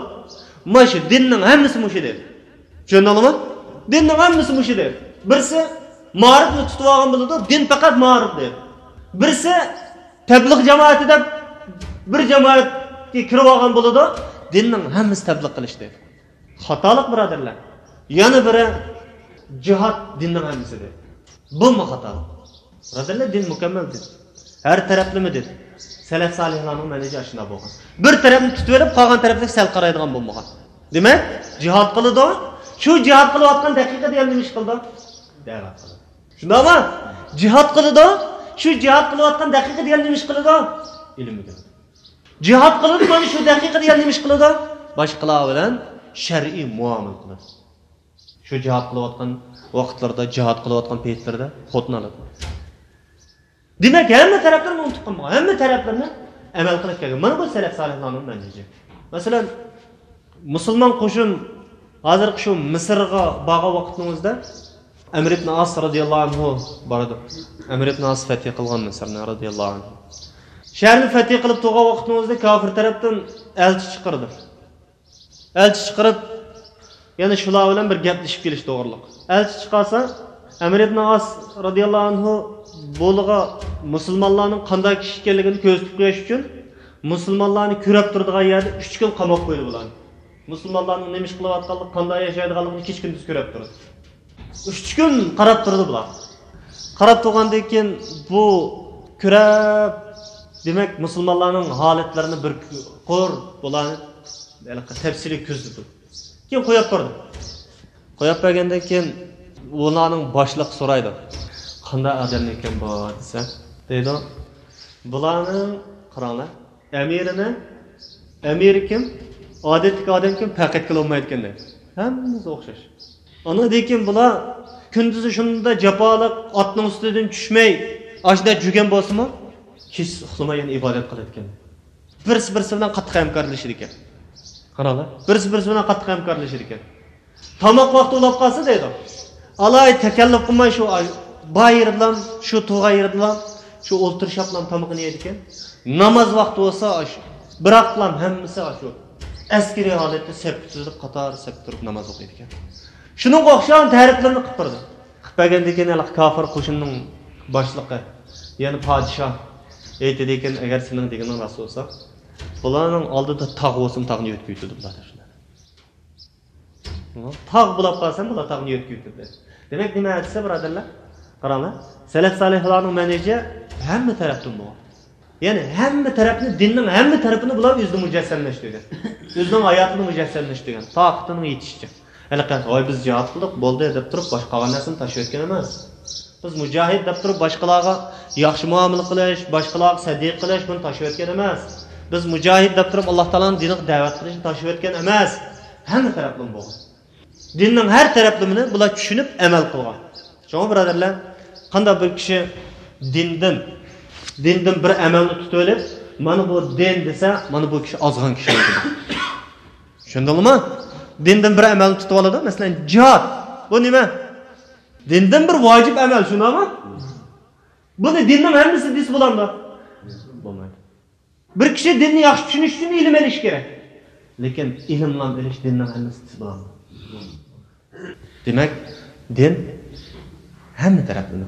مانا شۇ دىننىڭ ھەممىسى مۇشۇ دەيدۇ. چۈشەندىڭلارمۇ؟ دىننىڭ ھەممىسى مۇشۇ دەيدۇ. بىرسى مائارىپنى تۇتۇۋالغان بولىدۇ، دىن پەقەت مائارىپ دەيدۇ. بىرسى تەبلىغ جامائىتى دەپ بىر جامائەتكە كىرىۋالغان بولىدۇ، دىننىڭ ھەممىسى تەبلىغ قىلىش دەيدۇ. خاتالىق، بۇرادەرلەر. يەنە بىرى، جىھاد دىننىڭ ھەممىسى دەيدۇ. بۇمۇ خاتالىق. بۇرادەرلەر، دىن مۇكەممەل دىن. ھەر تەرەپلىمە دىن. سەلەف سالىھلارنىڭ مەنھىجى ئاشۇنداق بولغان. بىر تەرەپنى تۇتۇۋېلىپ، قالغان تەرەپلىك سەل قارايدىغان بولمىغان. دېمەك، جىھاد قىلىدۇ. شۇ جىھاد قىلىۋاتقان دەقىقىدە يەنە نېمە ئىش قىلىدۇ؟ دەۋەت قىلىدۇ. شۇنداقمۇ؟ جىھاد قىلىدۇ. شۇ جىھاد قىلىۋاتقان دەقىقىدە يەنە نېمە ئىش قىلىدۇ؟ ئىلىم ئۆگىنىدۇ. جىھاد قىلىدۇ، مانا شۇ دەقىقىدە يەنە نېمە ئىش قىلىدۇ؟ باشقىلار بىلەن شەرئىي مۇئامىلە قىلىدۇ. شۇ جىھاد قىلىۋاتقان ۋاقىتلىرىدا، جىھاد قىلىۋاتقان پېيىتلىرىدا خوتۇن ئالىدۇ. دېمەك، ھەممە تەرەپلىرىنى ئۇنتۇپ قالمىغان، ھەممە تەرەپلىرىنى ئەمەل قىلىپ كەلگەن. مانا بۇ سەلەف سالىھلارنىڭ مەنھىجى. مەسىلەن، مۇسۇلمان قوشۇن ھازىرقى شۇ مىسىرغا بارغان ۋاقىتنىڭ ئۆزىدە ئەمر ئىبن ئاس رازىياللاھۇ ئەنھۇ بارىدۇ. ئەمر ئىبن ئاس فەتھى قىلغان مىسىرنى رازىياللاھۇ ئەنھۇ. شەھەرنى فەتھى قىلىپ تۇرغان ۋاقتىنىڭ ئۆزىدە كاپىر تەرەپتىن ئەلچى چىقىرىدۇ. ئەلچى چىقىرىپ، يەنە شۇلار بىلەن بىر گەپلىشىپ كېلىش توغرىلىق. ئەلچى چىقارسا، ئەمر ئىبن ئاس رازىياللاھۇ ئەنھۇ بۇلىغا مۇسۇلمانلارنىڭ قانداق كىشى ئىكەنلىكىنى كۆرسىتىپ قويۇش ئۈچۈن، مۇسۇلمانلارنى كۆرەپ تۇرىدىغان يەردە ئۈچ كۈن قاماپ قويدى بۇلارنى. مۇسۇلمانلارنىڭ نېمە ئىش قىلىۋاتقانلىقى، قانداق ياشايدىغانلىقىنى كېچە كۈندۈز كۆرەپ تۇرىدۇ. ئۈچ كۈن قاراپ تۇرىدۇ بۇلار. قاراپ تۇرغاندىن كېيىن بۇ كۆرەپ، دېمەك، مۇسۇلمانلارنىڭ ھالەتلىرىنى بىر قۇر بۇلارنى ھېلىقى تەپسىلىي كۆزىتىدۇ. كېيىن قويۇپ بەردى. قويۇپ بەرگەندىن كېيىن ئۇلارنىڭ باشلىقى سورايدۇ، «قانداق ئادەم ئىكەن بۇ؟» دېسە، دەيدۇ، «بۇلارنىڭ، قاراڭلار، ئەمىرىنى، ئەمىرى كىم؟ ئادەتتىكى ئادەم كىم؟ پەرق ئەتكىلى بولمايدىكەن» دەيدۇ. ھەممىسى ئوخشاش. ئاندىن كېيىن بۇلار كۈندۈزى شۇنداق جاپالىق، ئاتنىڭ ئۈستىدىن چۈشمەي، ئاشۇنداق جۈگەن بولسىمۇ، كېچىسى ئۇخلىماي يەنە ئىبادەت قىلىدىكەن. بىرسى بىرسى بىلەن قاتتىق ھەمكارلىشىدىكەن. قاراڭلار، بىرسى بىرسى بىلەن قاتتىق ھەمكارلىشىدىكەن. تاماق ۋاقتى بولۇپ قالسا دەيدۇ، ئالاھىدە تەكەللۇپ قىلماي شۇ باي يېرىدىلا، شۇ تۇرغان يېرىدىلا، شۇ ئولتۇرۇشۇپلا تامىقىنى يەيدىكەن. ناماز ۋاقتى بولسا ئاشۇ، بىراقلا ھەممىسى ئاشۇ ئەسكىرىي ھالەتتە سەپكە تىزىلىپ، قاتار سەپكە تۇرۇپ ناماز ئوقۇيدىكەن. شۇنىڭغا ئوخشىغان تەرىپلىرىنى قىلىپ بېرىدۇ. قىلىپ بەرگەندىن كېيىن ھېلىقى كاپىر قوشۇننىڭ باشلىقى، يەنى پادىشاھ ئېيتىدىكەن، «ئەگەر سېنىڭ دېگىنىڭ راست بولسا، بۇلارنىڭ ئالدىدا تاغ بولسىمۇ تاغنى يۆتكە يۆتىدى بۇلار» دەپ. تاغ بولاپ قالسام، بۇلار تاغنى يۆتكە يۆتىدى. دېمەك، نېمە دېسە، بۇرادەرلەر؟ قاراڭلار، سەلەف سالىھلارنىڭ مەنھىجى ھەممە تەرەپتىن بولغان. يەنى ھەممە تەرەپنى، دىننىڭ ھەممە تەرىپىنى بۇلار ئۆزىدە مۇجەسسەملەشتۈرگەن. ئۆزىنىڭ ھاياتىدا مۇجەسسەملەشتۈرگەن. تاقىتىنىڭ يېتىشىچە. ھېلىقى، «ۋاي، بىز جىھاد قىلدۇق، بولدى» دەپ تۇرۇپ، باشقا قالغان نەرسىنى تاشلىۋەتكەن ئەمەس. بىز مۇجاھىد دەپ تۇرۇپ، باشقىلارغا ياخشى مۇئامىلە قىلىش، باشقىلارغا سەدىقە قىلىش، بۇنى تاشلىۋەتكەن ئەمەس. بىز مۇجاھىد دەپ تۇرۇپ، ئاللا تائالانىڭ دىنىغا دەۋەت قىلىشنى تاشلىۋەتكەن ئەمەس. ھەممە تەرەپلىمە بولغان. دىننىڭ ھەر تەرەپلىمىنى بۇلار چۈشىنىپ ئەمەل قىلغان. شۇڭا، بۇرادەرلەر، قانداق بىر كىشى دىندىن، دىندىن بىر ئەمەلنى تۇتۇۋېلىپ، «مانا بۇ دىن» دېسە، مانا بۇ كىشى ئازغان كىشى بولىدۇ. چۈشەندىڭلارمۇ؟ دىندىن بىر ئەمەلنى تۇتۇۋالىدۇ. مەسىلەن، جىھاد. بۇ نېمە؟ دىندىن بىر ۋاجىپ ئەمەل، شۇنداقمۇ؟ بۇنى دىننىڭ ھەممىسى دېسە بولامدۇ؟ بولمايدۇ. بىر كىشى دىننى ياخشى چۈشىنىش ئۈچۈن ئىلىم ئېلىشى كېرەك. لېكىن ئىلىملا ئېلىش دىننىڭ ھەممىسى دېسە بولامدۇ؟ دېمەك، دىن ھەممە تەرەپلىمە.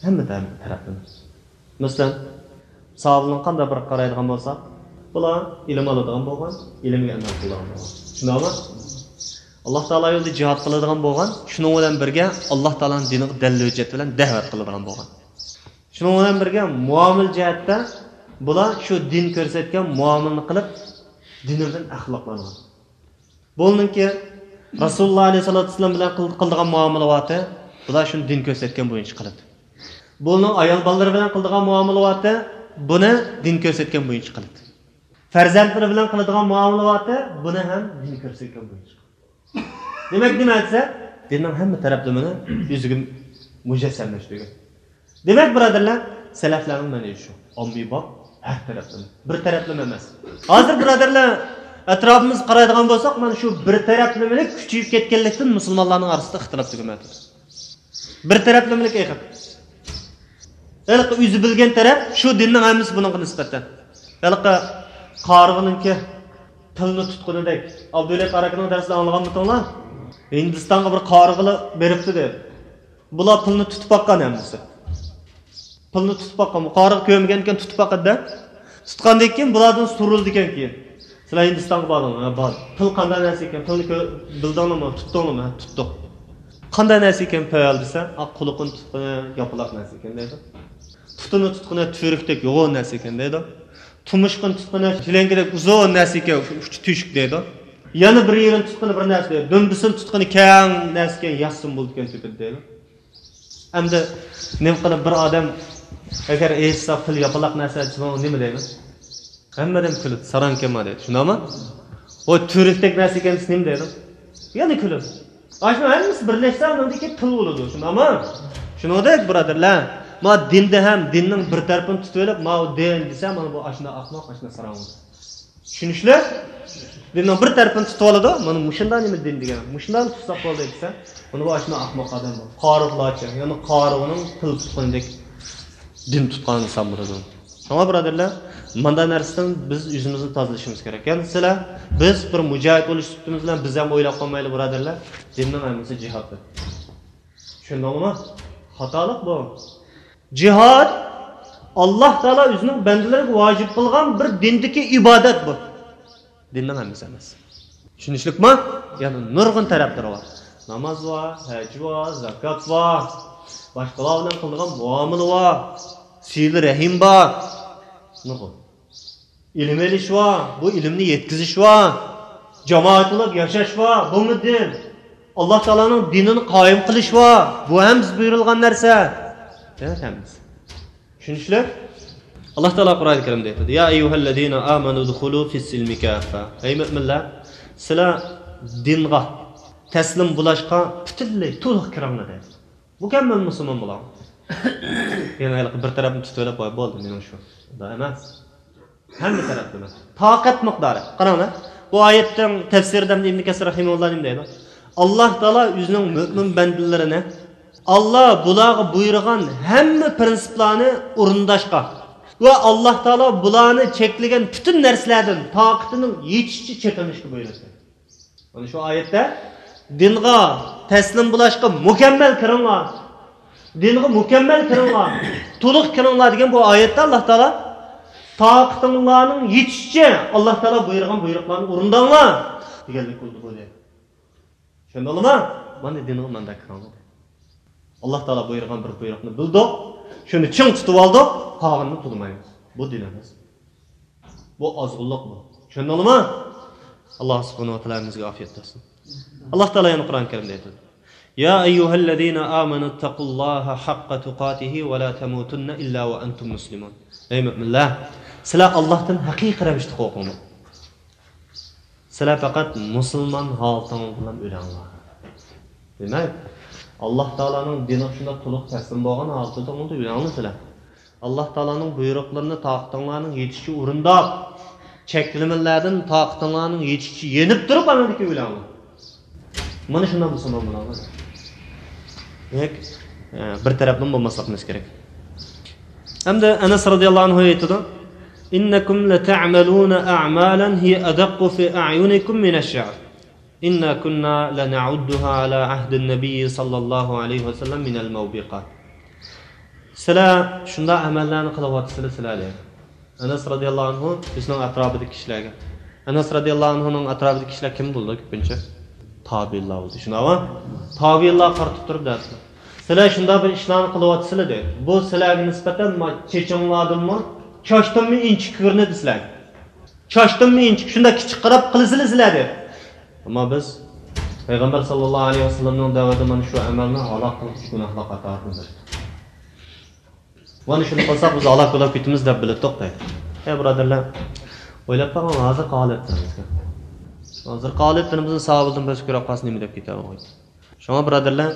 ھەممە تەرەپ-، تەرەپلىمە. مەسىلەن، ساھابىلەرنى قانداق بىر قارايدىغان بولساق، بۇلار ئىلىم ئالىدىغان بولغان، ئىلىمگە ئەمەل قىلىدىغان بولغان. شۇنداقمۇ؟ ئاللا تائالا يولىدا جىھاد قىلىدىغان بولغان، شۇنىڭ بىلەن بىرگە ئاللا تائالانىڭ دىنىغا دەلىل ھۆججەت بىلەن دەۋەت قىلىدىغان بولغان. شۇنىڭ بىلەن بىرگە مۇئامىلە جەھەتتە بۇلار شۇ دىن كۆرسەتكەن مۇئامىلىنى قىلىپ، دىنى بىلەن ئەخلاقلانغان. بۇنىڭكى رەسۇلۇللا ئەلەيھىسسالاتۇ ۋەسسالام بىلەن قىل-، قىلىدىغان مۇئامىلە بارتى، بۇلار شۇنى دىن كۆرسەتكەن بويىچە قىلىدۇ. بۇنىڭ ئايال بالىلىرى بىلەن قىلىدىغان مۇئامىلە بارتى، بۇنى دىن كۆرسەتكەن بويىچە قىلىدۇ. پەرزەنتلىرى بىلەن قىلىدىغان مۇئامىلە بارتى، بۇنى ھەم دىن كۆرسەتكەن بويىچە قىلىدۇ. دېمەك، نېمە دېسە، دىننىڭ ھەممە تەرەپلىمىنى ئۆزىگە مۇجەسسەملەشتۈرگەن. دېمەك، بۇرادەرلەر، سەلەفلەرنىڭ مەنھىجى شۇ. ئاممىباب، ھەر تەرەپلىمە. بىر تەرەپلىمە ئەمەس. ھازىر، بۇرادەرلەر، ئەتراپىمىزغا قارايدىغان بولساق، مانا شۇ بىر تەرەپلىمىلىك كۈچىيىپ كەتكەنلىكتىن مۇسۇلمانلارنىڭ ئارىسىدا ئىختىلاپ تۈگىمەيدۇ. بىر تەرەپلىمىلىك ئېغىر. ھېلىقى ئۆزى بىلگەن تەرەپ شۇ دىننىڭ ھەممىسى بۇنىڭغا نىسبەتەن. ھېلىقى قارىغىنىڭكى پىلنى تۇتقىنىدەك. ئابدۇللا قاراكىنىڭ دەرسىدە ئاڭلىغانمىدىڭلار؟ ھىندىستانغا بىر قارىغىلا بېرىپتۇ دەپ. بۇلار پىلنى تۇتۇپ باققان ھەممىسى. پىلنى تۇتۇپ باققان. بۇ قارىغا كۆرمىگەنكەن، تۇتۇپ باقىدۇ-دە. تۇتقاندىن كېيىن بۇلاردىن سورىلىدىكەنكى، «سىلەر ھىندىستانغا باردىڭلار؟» «ھە، باردۇق.» «پىل قانداق نەرسە ئىكەن؟ پىلنى كۆ-، بىلدىڭلارمۇ؟» «تۇتتۇڭلارمۇ؟» «ھە، تۇتتۇق.» «قانداق نەرسە ئىكەن پىل؟» دېسە، «ئا، قۇلىقىنى تۇتقىنى ياپىلاق نەرسە ئىكەن» دەيدۇ. «پۇتىنى تۇتقىنى تۈۋرۈكتەك يوغان نەرسە ئىكەن» دەيدۇ. «تۇمشۇقىنى تۇتقىنى جىلەڭگىدەك ئۇزۇن نەرسە ئىكەن، ئۇچى تۆشۈك» دەيدۇ. «يەنە بىر يېرىنى تۇتقىنى بىر نەرسە» دەيدۇ. «دۈمبىسىنى تۇتقىنى كەڭ نەرسە ئىكەن، ياسسىمۇ بولىدىكەن تۆپىدە» دەيدۇ. ئەمدى نېمە قىلىپ بىر ئادەم ئەگەر ئېيتسا پىل ياپىلاق نەرسە دېسە، نېمە دەيمىز؟ ھەممە ئادەم كۈلىدۇ، ساراڭ ئىكەنما دەيدۇ. شۇنداقمۇ؟ ۋاي، تۈۋرۈكتەك نەرسە ئىكەن دېسە نېمە دەيدۇ؟ يەنە كۈلىدۇ. ئاشۇنىڭ ھەممىسى بىرلەشسە ئۇنىڭدىكى پىل بولىدۇ. شۇنداقمۇ؟ شۇنىڭدەك بۇرادەرلەر، ما دىندا ھەم دىننىڭ بىر تەرىپىنى تۇتۇۋېلىپ، ماۋۇ دىن دېسە، مانا بۇ ئاشۇنداق ئەخمەق، ئاشۇنداق ساراڭ بولىدۇ. چۈشىنىشلىك؟ دىننىڭ بىر تەرىپىنى تۇتۇپ ئالىدۇ، مانا مۇشۇنداق نېمە دىن دېگەن، مۇشۇنداقلا تۇتساق بولدى دېسە، بۇنى بۇ ئاشۇنداق ئەخمەق ئادەم بۇ. قارىغۇلارچە، يەنى قارىغۇنىڭ پىل تۇتقىنىدەك دىن تۇتقان ئىنسان بولىدۇ. شۇڭا بۇرادەرلەر، مانداق نەرسىدىن بىز ئۆزىمىزنى تازىلىشىمىز كېرەك. يەنە سىلەر، بىز بىر مۇجاھىد بولۇش سۈپىتىمىز بىلەن بىز ھەم ئويلاپ قالمايلى بۇرادەرلەر، دىننىڭ ھەممىسى جىھاد دەپ. چۈشەندىڭلىمۇ؟ خاتالىق بۇ. جىھاد، ئاللاھ تائالا ئۆزىنىڭ بەندىلىرىگە ۋاجىپ قىلغان بىر دىندىكى ئىبادەت بۇ. دىننىڭ ھەممىسى ئەمەس. چۈشىنىشلىكمۇ؟ يەنە نۇرغۇن تەرەپلىرى بار. ناماز بار، ھەج بار، زاكات بار، باشقىلار بىلەن قىلىدىغان مۇئامىلە بار، سىلە رەھىم بار. نۇرغۇن. ئىلىم ئېلىش بار، بۇ ئىلىمنى يەتكۈزۈش بار. جامائەت بولۇپ ياشاش بار، بۇمۇ دىن. ئاللاھ تائالانىڭ دىنىنى قايىم قىلىش بار، بۇ ھەم بىز بۇيرۇلغان نەرسە. دېمەك ھەممىسى. چۈشىنىشلىك؟ ئاللاھ تائالا قۇرئان كەرىمدە ئېيتىدۇ، يا أيها الذين آمنوا ادخلوا في السلم كافة. ئەي مۆمىنلەر، سىلەر دىنغا تەسلىم بولۇشقا پۈتۈنلەي تولۇق كىرىڭلار دەيدۇ. مۇكەممەل مۇسۇلمان بولۇڭ. يەنى ھېلىقى بىر تەرەپنى تۇتۇۋېلىپ، ۋاي بولدى، مېنىڭ شۇ. ئۇنداق ئەمەس. ھەممە تەرەپلىمە. تاقەت مىقدارى. قاراڭلار، بۇ ئايەتنىڭ تەپسىرىدە ئىبن كەسىر رەھىمەھۇللاھ نېمە دەيدۇ؟ ئاللاھ تائالا ئۆزىنىڭ مۆمىن بەندىلىرىنى، ئاللاھ بۇلارغا بۇيرۇغان ھەممە پرىنسىپلارنى ئورۇنداشقا ۋە ئاللاھ تائالا بۇلارنى چەكلىگەن پۈتۈن نەرسىلەردىن تاقىتىنىڭ يېتىشىچە چېكىنىشكە بۇيرۇتتى. مانا شۇ ئايەتتە دىنغا تەسلىم بولۇشقا مۇكەممەل كىرىڭلار. دىنغا مۇكەممەل كىرىڭلار. تولۇق كىرىڭلار دېگەن بۇ ئايەتتە ئاللاھ تائالا تاقىتىڭلارنىڭ يېتىشىچە ئاللاھ تائالا بۇيرۇغان بۇيرۇقلارنى ئورۇنداڭلار دېگەنلىك بولدى بۇ دەيدۇ. چۈشەندىڭلارمۇ؟ مانا دىنغا مانداق كىرىڭلار. ئاللاھ تائالا بۇيرۇغان بىر بۇيرۇقنى بىلدۇق، شۇنى چىڭ تۇتۇۋالدۇق، قالغىنىنى تونۇمايمىز. بۇ دىن ئەمەس. بۇ ئازغۇنلۇق بۇ. چۈشەندىڭلارمۇ؟ ئاللاھ سۇبھانەھۇ ۋە تائالا ھەممىمىزگە ئاپىيەت بەرسۇن. ئاللاھ تائالا يەنە قۇرئان كەرىمدە ئېيتىدۇ، يا أيها الذين آمنوا اتقوا الله حق تقاته ولا تموتن إلا وأنتم مسلمون. ئەي مۆمىنلەر، سىلەر ئاللاھتىن ھەقىقىي رەۋىشتە قورقۇڭلار. سىلەر پەقەت مۇسۇلمان ھالىتىڭلار بىلەن ئۆلۈڭلار. دېمەك، ئاللاھ تائالانىڭ دىنىغا شۇنداق تولۇق تەسلىم بولغان ھالىتىڭلاردا ئۆلۈڭلار سىلەر. ئاللاھ تائالانىڭ بۇيرۇقلىرىنى تاقىتىڭلارنىڭ يېتىشىچە ئورۇنداپ، چەكلىمىلەردىن تاقىتىڭلارنىڭ يېتىشىچە يېنىپ تۇرۇپ، ئاندىن كېيىن ئۆلۈڭلار. مانا شۇنداق مۇسۇلمان بولۇڭلار. دېمەك، ئە، بىر تەرەپلىمە بولماسلىقىمىز كېرەك. ھەمدە ئەنەس رەزىيەللاھۇ ئەنھۇ ئېيتىدۇ، إنكم لتعملون أعمالا هي أدق في أعينكم من الشعر. إنا كنا لنعدها على عهد النبي صلى الله عليه وسلم من الموبقات. سىلەر شۇنداق ئەمەللەرنى قىلىۋاتىسىلەر سىلەر، دەيدۇ. ئەنەس رەزىيەللاھۇ ئەنھۇ بىزنىڭ ئەتراپىدىكى كىشىلەرگە. ئەنەس رەزىيەللاھۇ ئەنھۇنىڭ ئەتراپىدىكى كىشىلەر كىم بولىدۇ كۆپىنچە؟ تابىئىنلار بولىدۇ، شۇنداقمۇ؟ تابىئىنلار قارىتىپ تۇرۇپ دەپتۇ. سىلەر شۇنداق بىر ئىشلارنى قىلىۋاتىسىلەر، دەيدۇ. بۇ سىلەرگە نىسبەتەن ما-، چېچىڭلاردىنمۇ، چاچتىنمۇ ئىنچىكە كۆرۈنىدۇ سىلەرگە. چاچتىنمۇ ئىنچىكە، شۇنداق كىچىك قاراپ قىلىسىلەر سىلەر، دەيدۇ. ئەمما بىز پەيغەمبەر ساللاللاھۇ ئەلەيھى ۋەسەللەمنىڭ دەۋرىدە مانا شۇ ئەمەلنى ھالاك قىلغۇچى گۇناھلار قاتارىدىن بىر. مانا شۇنى قىلساق بىز ھالاك بولاپ كېتىمىز دەپ بىلىتتۇق دەيدۇ. ئەي بۇرادەرلەر، ئويلاپ باقىڭ، ھازىرقى ھالەتلىرىمىزگە. ھازىرقى ھالەتلىرىمىزنى ساۋۇلدىن بەش كۆرۈپ قالسا نېمە دەپ كېتەلەيدۇ؟ شۇڭا بۇرادەرلەر،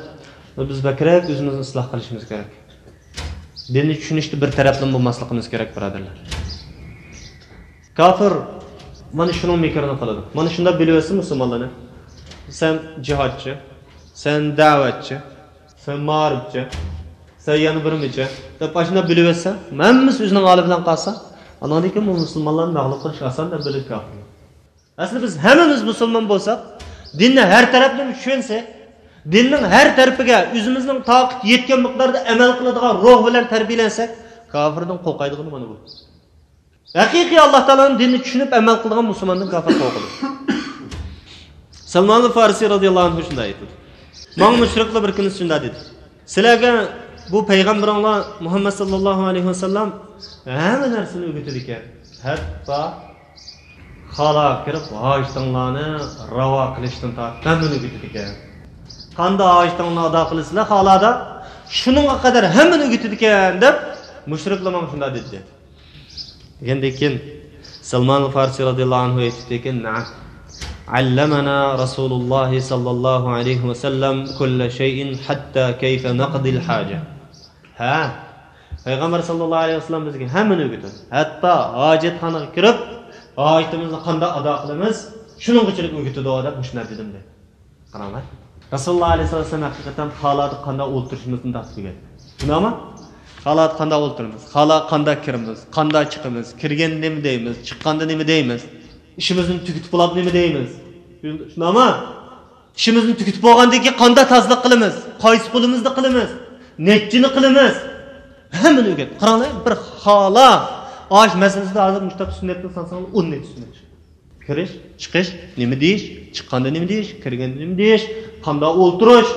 بىز بەكرەك ئۆزىمىزنى ئىسلاھ قىلىشىمىز كېرەك. دىننى چۈشىنىشتە بىر تەرەپلىمە بولماسلىقىمىز كېرەك بۇرادەرلەر. كاپىر مانا شۇنىڭ مىكرىنى قىلىدۇ. مانا شۇنداق بىلىۋەتسە مۇسۇلمانلارنى. سەن جىھادچى، سەن دەۋەتچى، سەن مائارىپچى، سەن يەنە بىرمىچە دەپ ئاشۇنداق بىلىۋەتسە، ھەممىسى ئۆزىنىڭ ھالى بىلەن قالسا، ئاناندىن كېيىن بۇ مۇسۇلمانلارنى مەغلۇپ قىلىش ئاسان دەپ بىلىدۇ كاپىر. ئەسلى بىز ھەممىمىز مۇسۇلمان بولساق، دىننى ھەر تەرەپلىمە چۈشەنسەك، دىننىڭ ھەر تەرىپىگە ئۆزىمىزنىڭ تاقىتى يەتكەن مىقداردا ئەمەل قىلىدىغان روھ بىلەن تەربىيەلەنسەك، كاپىردىن قورقايدىغىنى مانا بۇ. ھەقىقىي ئاللا تائالانىڭ دىنىنى چۈشىنىپ ئەمەل قىلىدىغان مۇسۇلماندىن كاپىر قورقىدۇ. سەلمانۇل فارسى رەزىياللاھۇ ئەنھۇ شۇنداق ئېيتىدۇ. ماڭا مۇشرىكلار بىر كۈنى شۇنداق دېدى. سىلەرگە بۇ پەيغەمبىرىڭلار مۇھەممەد ساللاللاھۇ ئەلەيھى ۋەسەللەم ھەممە نەرسىنى ئۆگىتىدىكەن. ھەتتا خالاغا كىرىپ ھاجىتىڭلارنى راۋا قىلىشتىن تارتىپ ھەممىنى ئۆگىتىدىكەن. قانداق ھاجىتىڭلارنى ئادا قىلىسىلەر خالادا، شۇنىڭغا قەدەر ھەممىنى ئۆگىتىدىكەن دەپ مۇشرىكلار ماڭا شۇنداق دېدى. دېگەندىن كېيىن سەلمان فارسى رەزىياللاھۇ ئەنھۇ ئېيتىپتىكەن، نەئەم. علمنا رسول الله صلى الله عليه وسلم كل شيء حتى كيف نقضي الحاجة. ھە، پەيغەمبەر ساللاللاھۇ ئەلەيھى ۋەسەللەم بىزگە ھەممىنى ئۆگىتىدۇ. ھەتتا ھاجەتخانىغا كىرىپ، ھاجىتىمىزنى قانداق ئادا قىلىمىز، شۇنىڭغىچىلىك ئۆگىتىدۇ دەپ مۇشۇنداق دېدىم دەيدۇ. قاراڭلار. رەسۇلۇللا ئەلەيھىسسالام ھەقىقەتەن خالادى قانداق ئولتۇرۇشىمىزنى تارتىپ ئۆگەتتى. شۇنداقمۇ؟ خالادى قانداق ئولتۇرىمىز، خالا قانداق كىرىمىز، قانداق چىقىمىز، كىرگەندە نېمە دەيمىز، چىققاندا نېمە دەيمىز، ئىشىمىزنى تۈگىتىپ بولاپ نېمە دەيمىز. شۇنداقمۇ؟ ئىشىمىزنى تۈگىتىپ بولغاندىن كېيىن قانداق تازىلىق قىلىمىز، قايسى قولىمىزدا قىلىمىز، نەچچىنى قىلىمىز، ھەممىنى ئۆگەت. قاراڭلار، بىر خالا ئاش مەسىلىسىدە ھازىر مۇشۇ كىتاب سۈننەتنى سانىساڭلار ئون نەچچە سۈننەت چىقىدۇ. كىرىش، چىقىش، نېمە دېيىش، چىققاندا نېمە دېيىش، كىرگەندە نېمە دېيىش، قانداق ئولتۇرۇش،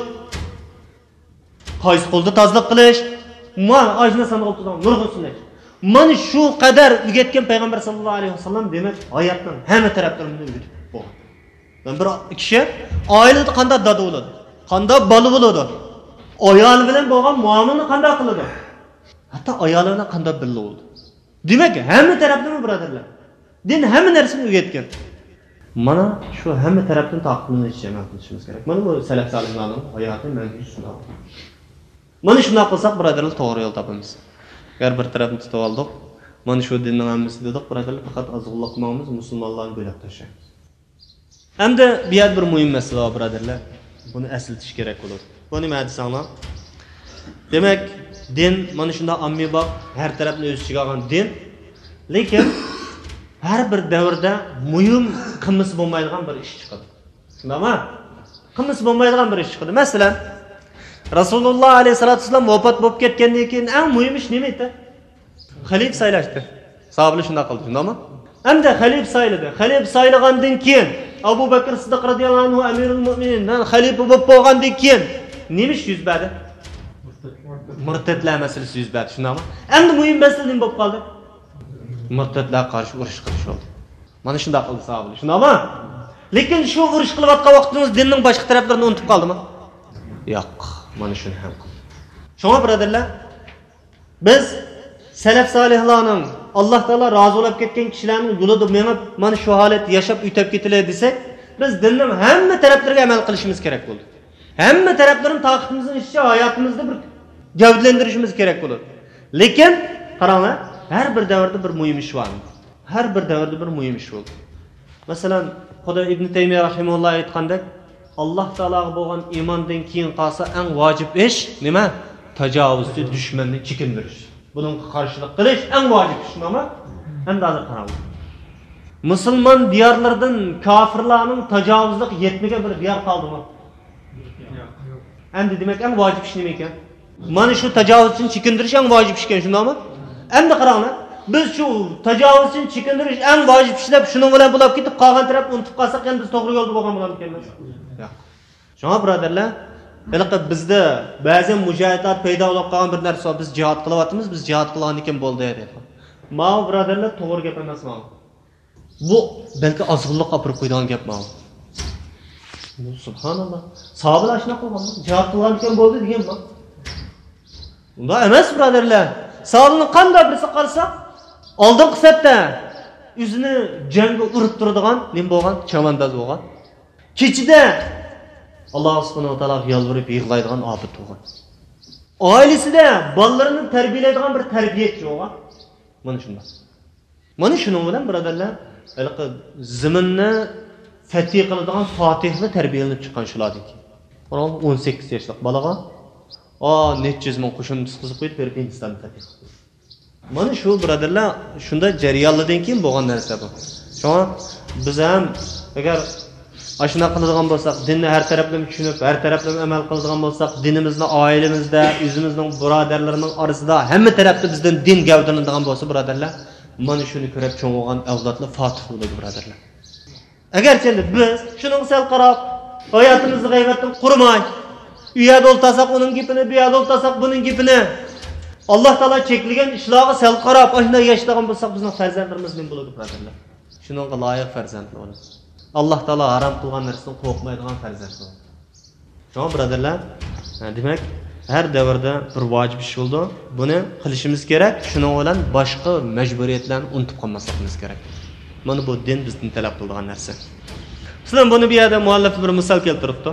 قايسى قولدا تازىلىق قىلىش. مانا ئاشۇنداق سانىغا ئولتۇرىدىغان نۇرغۇن سۈننەت. مانا شۇ قەدەر ئۆگەتكەن پەيغەمبەر ساللاللاھۇ ئەلەيھى ۋەسەللەم، دېمەك، ھاياتنىڭ ھەممە تەرەپلىرىنى ئۆگىتىپ بولغان. مەن بىر كىشى ئائىلىدە قانداق دادا بولىدۇ، قانداق بالا بولىدۇ، ئايالى بىلەن بولغان مۇئامىلىنى قانداق قىلىدۇ، ھەتتا ئايالى بىلەن قانداق بىللە بولىدۇ. دېمەك، ھەممە تەرەپلىمە، بۇرادەرلەر. دىن ھەممە نەرسىنى ئۆگەتكەن. مانا شۇ ھەممە تەرەپتىن تارقىتىلىشىچە ئەمەل قىلىشىمىز كېرەك. مانا بۇ سەلەف سالىھلارنىڭ ھاياتى مەنھىجى شۇنداق. مانا شۇنداق قىلساق، بۇرادەرلەر، توغرا يول تاپىمىز. ئەگەر بىر تەرەپنى تۇتۇپ ئالدۇق، مانا شۇ دىننىڭ ھەممىسى دېدۇق، بۇرادەرلەر، پەقەت ئازغۇنلۇققا ماڭىمىز، مۇسۇلمانلارنى بۆلەپ تاشلايمىز. ئەمدى بۇ يەردە بىر مۇھىم مەسىلە بار، بۇرادەرلەر. بۇنى ئەسلىتىش كېرەك بولىدۇ. بۇ نېمە دېسەڭلار؟ دېمەك، دىن مانا شۇنداق ئاممىباب، ھەر تەرەپنى ئۆز ئىچىگە ئالغان دىن. لېكىن ھەر بىر دەۋردە مۇھىم، قىلمىسا بولمايدىغان بىر ئىش چىقىدۇ. شۇنداقمۇ؟ قىلمىسا بولمايدىغان بىر ئىش چىقىدۇ. مەسىلەن، رەسۇلۇللا ئەلەيھىسسالاتۇ ۋەسسالام ۋاپات بولۇپ كەتكەندىن كېيىن ئەڭ مۇھىم ئىش نېمە ئىدى؟ خەلىپە سايلاشتى. ساھابىلەر شۇنداق قىلدى، شۇنداقمۇ؟ ئەمدى خەلىپە سايلىدى. خەلىپە سايلىغاندىن كېيىن ئەبۇ بەكرى سىددىق رەزىياللاھۇ ئەنھۇ ئەمىرۇل مۇئمىنىن، مەن خەلىپە بولۇپ بولغاندىن كېيىن نېمە ئىش يۈز بەردى؟ مۇرتەتلەر مەسىلىسى يۈز بەردى، شۇنداقمۇ؟ ئەمدى مۇھىم مەسىلە نېمە بولۇپ قالدى؟ مۇرتەتلەرگە قارشى ئۇرۇش قىلىش بولدى. مانا شۇنداق قىلدى ساھابىلەر، شۇنداقمۇ؟ لېكىن شۇ ئۇرۇش قىلىۋاتقان ۋاقتىمىز دىننىڭ باشقا تەرەپلىرىنى ئۇنتۇپ قالدىمۇ؟ ياق، مانا شۇنى ھەم قىلدى. شۇڭا، بۇرادەرلەر، بىز سەلەف سالىھلارنىڭ، ئاللا تائالا رازى بولۇپ كەتكەن كىشىلەرنىڭ يولىدا مېڭىپ، مانا شۇ ھالەتتە ياشاپ ئۆتۈپ كېتىلى دېسەك، بىز دىننىڭ ھەممە تەرەپلىرىگە ئەمەل قىلىشىمىز كېرەك بولىدۇ. ھەممە تەرەپلىرىنى تاقىتىمىزنىڭ ئىچىدە ھاياتىمىزدا بىر گەۋدىلەندۈرۈشىمىز كېرەك بولىدۇ. لېكىن، قاراڭلار، ھەر بىر دەۋردە بىر مۇھىم ئىش بار. ھەر بىر دەۋردە بىر مۇھىم ئىش بولىدۇ. مەسىلەن، خۇدا ئىبن تەيمىيە رەھىمەھۇللا ئېيتقاندەك، ئاللا تائالاغا بولغان ئىماندىن كېيىن قالسا ئەڭ ۋاجىپ ئىش نېمە؟ تاجاۋۇزچى، دۈشمەننى چېكىندۈرۈش. بۇنىڭغا قارشىلىق قىلىش ئەڭ ۋاجىپ ئىش، شۇنداقمۇ؟ ئەمدى ھازىر قاراڭلار. مۇسۇلمان دىيارلىرىدىن كاپىرلارنىڭ تاجاۋۇزلۇقى يەتمىگەن بىر دىيار قالدىمۇ؟ ئەمدى دېمەك، ئەڭ ۋاجىپ ئىش نېمە ئىكەن؟ مانا شۇ تاجاۋۇزچىنى چېكىندۈرۈش ئەڭ ۋاجىپ ئىش ئىكەن، شۇنداقمۇ؟ ئەمدى قاراڭلار، بىز شۇ تاجاۋۇزچىنى چېكىندۈرۈش ئەڭ ۋاجىپ ئىش دەپ، شۇنىڭ بىلەن بولاپ كېتىپ، قالغان تەرەپنى ئۇنتۇپ قالساق، يەنە بىز توغرا يولدا بولغان بولامىكەنمىز؟ ياق. شۇڭا، بۇرادەرلەر، ھېلىقى بىزدە بەزى مۇجاھىدلار پەيدا بولۇپ قالغان بىر نەرسە بار، بىز جىھاد قىلىۋاتىمىز، بىز جىھاد قىلغاندىن كېيىن بولدى دەيدۇ. ماۋۇ، بۇرادەرلەر، توغرا گەپ ئەمەس ماۋۇ. بۇ بەلكى ئازغۇنلۇققا ئاپىرىپ قويىدىغان گەپ ماۋۇ. سۇبھاناللا. ساھابىلەر ئاشۇنداق قىلغانمۇ؟ جىھاد قىلغاندىن كېيىن بولدى دېگەنمۇ؟ ئۇنداق ئەمەس، بۇرادەرلەر. ساھابىلەرنىڭ قانداق بىرسىگە قارىساق، ئالدىنقى سەپتە ئۆزىنى جەڭگە ئۇرۇپ تۇرىدىغان نېمە بولغان؟ چەۋەنداز بولغان. كېچىدە ئاللا سۇبھانەھۇ ۋە تائالاغا يالۋۇرۇپ يىغلايدىغان ئابىد بولغان. ئائىلىسىدە بالىلىرىنى تەربىيەلەيدىغان بىر تەربىيەچى بولغان. مانا شۇنداق. مانا شۇنىڭ بىلەن، بۇرادەرلەر، ھېلىقى زېمىننى فەتھى قىلىدىغان فاتىھلار تەربىيەلىنىپ چىققان شۇلاردىن كېيىن. قاراڭ، ئون سەككىز ياشلىق بالىغا، ئا، نەچچە يۈز مىڭ قوشۇن تۇتقۇزۇپ قويۇپ، بېرىپ ھىندىستاننى فەتھى قىلدى. مانا شۇ، بۇرادەرلەر، شۇنداق جەريانلاردىن كېيىن بولغان نەرسە بۇ. شۇڭا بىز ھەم ئەگەر ئاشۇنداق قىلىدىغان بولساق، دىننى ھەر تەرەپلىمە چۈشىنىپ، ھەر تەرەپلىمە ئەمەل قىلىدىغان بولساق، دىنىمىزنى ئائىلىمىزدە، ئۆزىمىزنىڭ بۇرادەرلىرىنىڭ ئارىسىدا ھەممە تەرەپتە بىزدىن دىن گەۋدىلىنىدىغان بولسا، بۇرادەرلەر، مانا شۇنى كۆرۈپ چوڭ بولغان ئەۋلادلار فاتىھ بولىدۇ، بۇرادەرلەر. ئەگەرچە ئەمدى بىز شۇنىڭغا سەل قاراپ، ھاياتىمىزنى غەيۋەتتىن قۇرۇماي، ئۇ يەردە ئولتۇرساق ئۇنىڭ گېپىنى، بۇ يەردە ئولتۇرساق بۇنىڭ گېپىنى، ئاللا تائالا چەكلىگەن ئىشلارغا سەل قاراپ، ئاشۇنداق ياشىدىغان بولساق، بىزنىڭ پەرزەنتلىرىمىز نېمە بولىدۇ، بۇرادەرلەر؟ شۇنىڭغا لايىق پەرزەنتلەر بولىدۇ. ئاللا تائالا ھارام قىلغان نەرسىدىن قورقمايدىغان پەرزەنتلەر بولىدۇ. شۇڭا، بۇرادەرلەر، دېمەك، ھەر دەۋردە بىر ۋاجىپ ئىش بولىدۇ. بۇنى قىلىشىمىز كېرەك. شۇنىڭ بىلەن باشقا مەجبۇرىيەتلەرنى ئۇنتۇپ قالماسلىقىمىز كېرەك. مانا بۇ دىن بىزدىن تەلەپ قىلىدىغان نەرسە. مەسىلەن، بۇنى بۇ يەردە مۇئەللىپ بىر مىسال كەلتۈرۈپتۇ.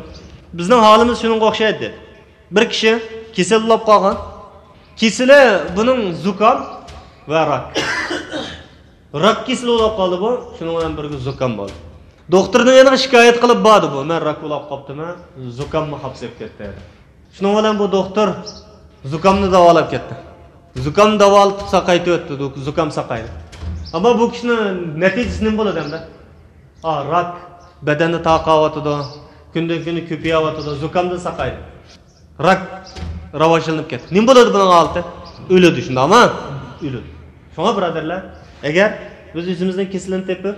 بىزنىڭ ھالىمىز شۇنىڭغا ئوخشايدۇ، دېدى. بىر كىشى كېسەل بولۇپ قالغان. كېسىلى بۇنىڭ زۇكام ۋە راك. راك كېسىلى بولۇپ قالدى بۇ، شۇنىڭ بىلەن بىرگە زۇكام بولدى. دوختۇرنىڭ يېنىغا شىكايەت قىلىپ باردى بۇ، مەن راك بولۇپ قاپتىمەن، زۇكاممۇ خاپسىپ كەتتى. شۇنىڭ بىلەن بۇ دوختۇر زۇكامنى داۋالاپ كەتتى. زۇكامنى داۋالىتىپ ساقايتىۋەتتى، زۇكام ساقايدى. ئەمما بۇ كىشىنىڭ نەتىجىسى نېمە بولىدۇ ئەمدى؟ ئا، راك بەدەننى تارقاۋاتىدۇ، كۈندىن كۈنگە كۆپىيەۋاتىدۇ، زۇكامدىن ساقايدى. راك راۋاجلىنىپ كەتتى. نېمە بولىدۇ بۇنىڭ ھالىتى؟ ئۆلىدۇ، شۇنداقمۇ؟ ئۆلىدۇ. شۇڭا بۇرادەرلەر، ئەگەر بىز ئۆزىمىزنىڭ كېسىلىنى تېپىپ،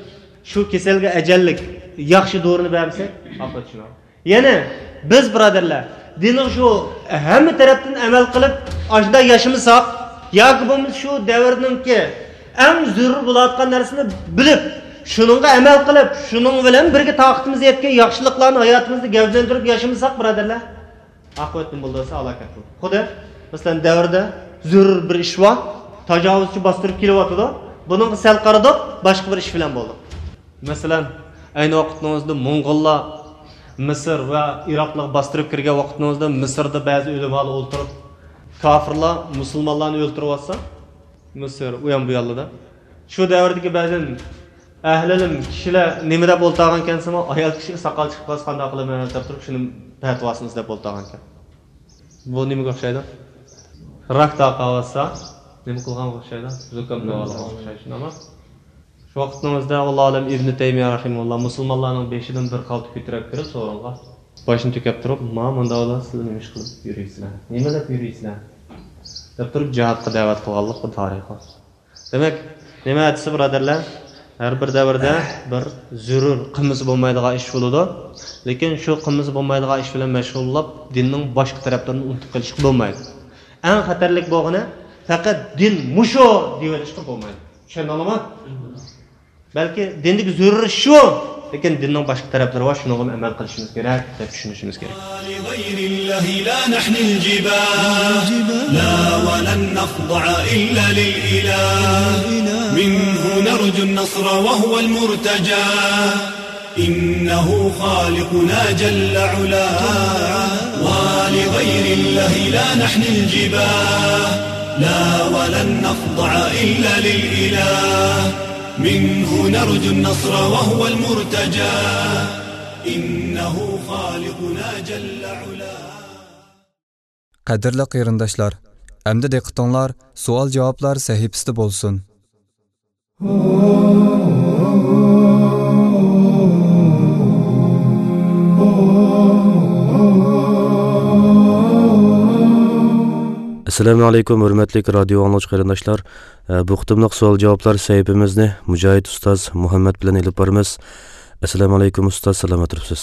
شۇ كېسەلگە ئەجەللىك ياخشى دورىنى بەرمىسەك، ئاقىۋەت شۇنداق. يەنى بىز بۇرادەرلەر، دىننىڭ شۇ ھەممە تەرەپتىن ئەمەل قىلىپ، ئاشۇنداق ياشىمىساق، ياكى بولمىسا شۇ دەۋرنىڭكى ئەڭ زۆرۈر بولۇۋاتقان نەرسىنى بىلىپ، شۇنىڭغا ئەمەل قىلىپ، شۇنىڭ بىلەن بىرگە تاقىتىمىز يەتكەن ياخشىلىقلارنى ھاياتىمىزدا گەۋدىلەندۈرۈپ ياشىمىساق، بۇرادەرلەر، ئاقىۋەت نېمە بولىدۇ دېسە، ھالاكەت بولىدۇ. خۇددى، مەسىلەن، دەۋردە زۆرۈر بىر ئىش بار، تاجاۋۇزچى باستۇرۇپ كېلىۋاتىدۇ. بۇنىڭغا سەل قارىدۇق، باشقا بىر ئىش بىلەن بولدۇق. مەسىلەن، ئەينى ۋاقىتنىڭ ئۆزىدە موڭغۇللار مىسىر ۋە ئىراقلارغا باستۇرۇپ كىرگەن ۋاقىتنىڭ ئۆزىدە مىسىردا بەزى ئۆلىمالار ئولتۇرۇپ، كاپىرلار مۇسۇلمانلارنى ئۆلتۈرۈۋاتسا، مىسىر ئۇيان بۇيانلىدا. شۇ دەۋردىكى بەزى ئەھلىلىم كىشىلەر نېمە دەپ ئولتۇرغانكەنسىمۇ، ئايال كىشىگە ساقال چىقىپ قالسا قانداق قىلىمەن دەپ تۇرۇپ، شۇنى پەتىۋاسىنى ئىزدەپ ئولتۇرغانكەن. بۇ نېمىگە ئوخشايدۇ؟ راك تارقاۋاتسا، نېمە قىلغانغا ئوخشايدۇ؟ زۇكام داۋالىغانغا ئوخشايدۇ، شۇنداقمۇ؟ شۇ ۋاقىتنىڭ ئۆزىدە، ئاللا ئالەم، ئىبنى تەيمىيە رەھىمۇللا مۇسۇلمانلارنىڭ بېشىدىن بىر خالتا كۆتۈرۈپ كىرىپ سورۇنغا، باشىنى تۆكۈپ تۇرۇپ، ما مۇنداق بولار، سىلەر نېمە ئىش قىلىپ يۈرۈيسىلەر؟ نېمە دەپ يۈرۈيسىلەر؟ دەپ تۇرۇپ جىھادقا دەۋەت قىلغانلىق بىر تارىخى بار. دېمەك، نېمە دېسە، بۇرادەرلەر، ھەر بىر دەۋردە بىر زۆرۈر، قىلمىسا بولمايدىغان ئىش بولىدۇ. لېكىن شۇ قىلمىسا بولمايدىغان ئىش بىلەن مەشغۇللاپ، دىننىڭ باشقا تەرەپلىرىنى ئۇنتۇپ قېلىشقا بولمايدۇ. ئەڭ خەتەرلىك بولغىنى، پەقەت دىن مۇشۇ دېيىۋېلىشقا بولمايدۇ. چۈشەندىڭلارمۇ؟ بەلكى دىندىكى زۆرۈر ئىش شۇ، لېكىن دىننىڭ باشقا تەرەپلىرى بار، شۇنىڭغىمۇ ئەمەل قىلىشىمىز كېرەك دەپ چۈشىنىشىمىز كېرەك. لغير الله لا نحني الجباه، لا ولن نخضع إلا للإله، منه نرجو النصر وهو المرتجى، إنه خالقنا جل علاه، ولغير الله لا نحني الجباه، لا ولن نخضع إلا للإله، منه نرجو النصر وهو المرتجى، إنه خالقنا جل علاه. قەدىرلىك قېرىنداشلار، ئەمدى دىققىتىڭلار سوئال-جاۋابلار سەھىپىسىدە بولسۇن. ئەسسالامۇ ئەلەيكۇم، ھۆرمەتلىك رادىيو ئاڭلىغۇچى قېرىنداشلار. ئە، بۇ قېتىملىق سوئال-جاۋابلار سەھىپىمىزنى مۇجاھىد ئۇستاز مۇھەممەد بىلەن ئېلىپ بارىمىز. ئەسسالامۇ ئەلەيكۇم ئۇستاز، سالامەت تۇرۇپسىز؟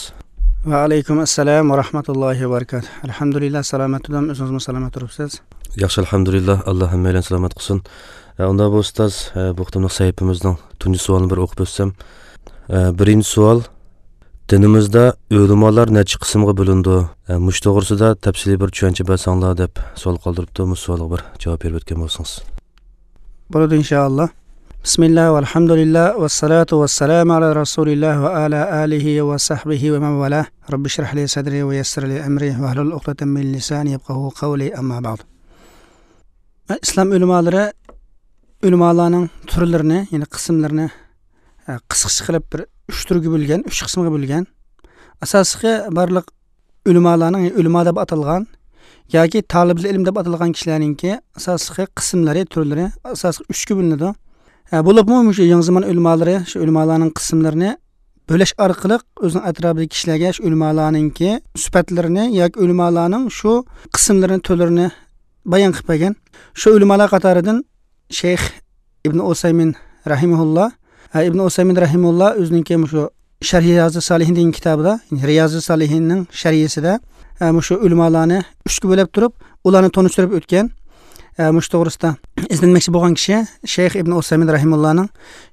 ۋەئەلەيكۇم ئەسسالام ۋە رەھمەتۇللاھى ۋە بەرىكاتۇھ. ئەلھەمدۇلىللا، سالامەت تۇردۇم، ئۆزىڭىزمۇ سالامەت تۇرۇپسىز؟ ياخشى، ئەلھەمدۇلىللا، ئاللا ھەممەيلەن سالامەت قىلسۇن. ئە، ئۇنداق بولسا ئۇستاز، ئە، بۇ قېتىملىق سەھىپىمىزنىڭ تۇنجى سوئالىنى بىر ئوقۇپ ئۆتسەم. ئە، بىرىنچى سوئال، دىنىمىزدا ئۆلىمالار نەچچە قىسىمغا بۆلۈنىدۇ؟ ئە، مۇشۇ توغرىسىدا تەپسىلىي بىر چۈشەنچە بەرسەڭلار دەپ سوئال قالدۇرۇپتۇ. مۇشۇ سوئالغا بىر جاۋاب بېرىپ ئۆتكەن بولسىڭىز. بولىدۇ، ئىنشائاللا. بسم الله والحمد لله والصلاة والسلام على رسول الله وعلى آله وصحبه ومن والاه. رب اشرح لي صدري ويسر لي أمري واحلل عقدة من لساني يفقهوا قولي، أما بعد. ئىسلام ئۆلىمالىرى ئۆلىمالارنىڭ تۈرلىرىنى، يەنى قىسىملىرىنى، ئە، قىسقىچە قىلىپ بىر ئۈچ تۈرگە بۆلگەن، ئۈچ قىسىمغا بۆلگەن. ئاساسلىقى بارلىق ئۆلىمالارنىڭ، ئۆلىما دەپ ئاتالغان ياكى تالىبىل ئىلىم دەپ ئاتالغان كىشىلەرنىڭكى ئاساسلىقى قىسىملىرى، تۈرلىرى ئاساسلىقى ئۈچكە بۆلۈنىدۇ. ھە، بولۇپمۇ مۇشۇ يېڭى زامان ئۆلىمالىرى شۇ ئۆلىمالارنىڭ قىسىملىرىنى بۆلۈش ئارقىلىق ئۆزىنىڭ ئەتراپىدىكى كىشىلەرگە شۇ ئۆلىمالارنىڭكى سۈپەتلىرىنى ياكى ئۆلىمالارنىڭ شۇ قىسىملىرىنى، تۈرلىرىنى بايان قىلىپ بەرگەن. شۇ ئۆلىمالار قاتارىدىن شەيخ ئىبن ئۇسەيمىن رەھىمەھۇللا، ھە، ئىبن ئۇسەيمىن رەھىمەھۇللا ئۆزىنىڭكى مۇشۇ شەرھ رىيازۇ سالىھىن دېگەن كىتابىدا، يەنى رىيازۇ سالىھىننىڭ شەرھىسىدە، ھە، مۇشۇ ئۆلىمالارنى ئۈچكە بۆلۈپ تۇرۇپ، ئۇلارنى تونۇشتۇرۇپ ئۆتكەن. ھە، مۇشۇ توغرىسىدا ئىزدەنمەكچى بولغان كىشى شەيخ ئىبن ئۇسەيمىن رەھىمەھۇللانىڭ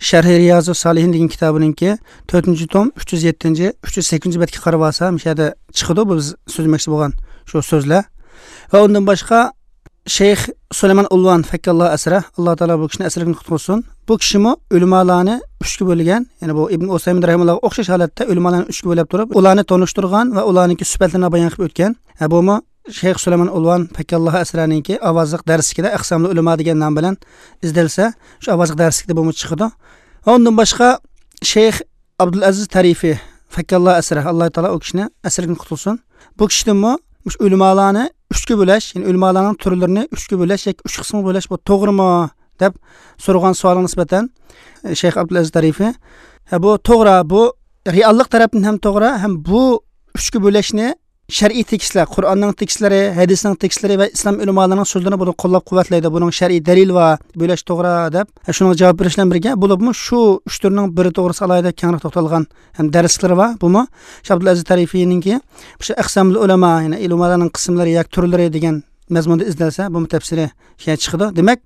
شەرھى رىيازۇ سالىھىن دېگەن كىتابىنىڭكى تۆتىنچى توم ئۈچ يۈز يەتتىنچى، ئۈچ يۈز سەككىزىنچى بەتكە قارىۋالسا، مۇشۇ يەردە چىقىدۇ بۇ بىز سۆزلىمەكچى بولغان شۇ سۆزلەر. ۋە ئۇندىن باشقا شەيخ سۇلايمان ئۇلۋان فەككاللا ئەسرە، ئاللا تائالا بۇ كىشىنى ئەسىرىدىن قۇتقۇزسۇن. بۇ كىشىمۇ ئۆلىمالارنى ئۈچكە بۆلگەن، يەنى بۇ ئىبن ئۇسەيمىن رەھىمەھۇللاغا ئوخشاش ھالەتتە ئۆلىمالارنى ئۈچكە بۆلۈپ تۇرۇپ، ئۇلارنى تونۇشتۇرغان ۋە ئۇلارنىڭكى سۈپەتلىرىنى بايان قىلىپ ئۆتكەن. ھە، بۇمۇ شەيخ سۇلايمان ئۇلۋان پەككاللاھ ئەسرەنىڭكى ئاۋازلىق دەرسلىكىدە ئەقسامۇل ئۆلىما دېگەن نام بىلەن ئىزدەنسە، شۇ ئاۋازلىق دەرسلىكتە بۇمۇ چىقىدۇ. ۋە ئۇندىن باشقا شەيخ ئابدۇلئەزىز تەرىفى پەككاللاھ ئەسرە، ئاللاھ تائالا ئۇ كىشىنى ئەسىرىدىن قۇتۇلسۇن. بۇ كىشىدىنمۇ مۇشۇ ئۆلىمالارنى ئۈچكە بۆلەش، يەنى ئۆلىمالارنىڭ تۈرلىرىنى ئۈچكە بۆلەش ياكى ئۈچ قىسىمغا بۆلەش، بۇ توغرىمۇ دەپ سورىغان سوئالغا نىسبەتەن، شەيخ ئابدۇلئەزىز تەرىفى، ھە، بۇ توغرا، بۇ رېئاللىق تەرەپتىن ھەم توغرا، ھەم بۇ ئۈچكە بۆلەشنى شەرئىي تېكىستلەر، قۇرئاننىڭ تېكىستلىرى، ھەدىسنىڭ تېكىستلىرى ۋە ئىسلام ئۆلىمالىرىنىڭ سۆزلىرىنى بۇنى قوللاپ قۇۋۋەتلەيدۇ. بۇنىڭ شەرئىي دەلىلى بار، بۆلەش توغرا دەپ، شۇنىڭغا جاۋاب بېرىش بىلەن بىرگە، بولۇپمۇ شۇ ئۈچ تۈرنىڭ بىرى توغرىسىدا ئالاھىدە كەڭرەك توختالغان ھەم دەرسلىرى بار. بۇمۇ شەيخ ئابدۇلئەزىز تەرىفىنىڭكى شۇ ئەقسامۇل ئۆلەما، يەنى ئۆلىمالارنىڭ قىسىملىرى ياكى تۈرلىرى دېگەن مەزمۇندا ئىزدەلسە، بۇمۇ تەپسىلىي شۇ يەردە چىقىدۇ. دېمەك،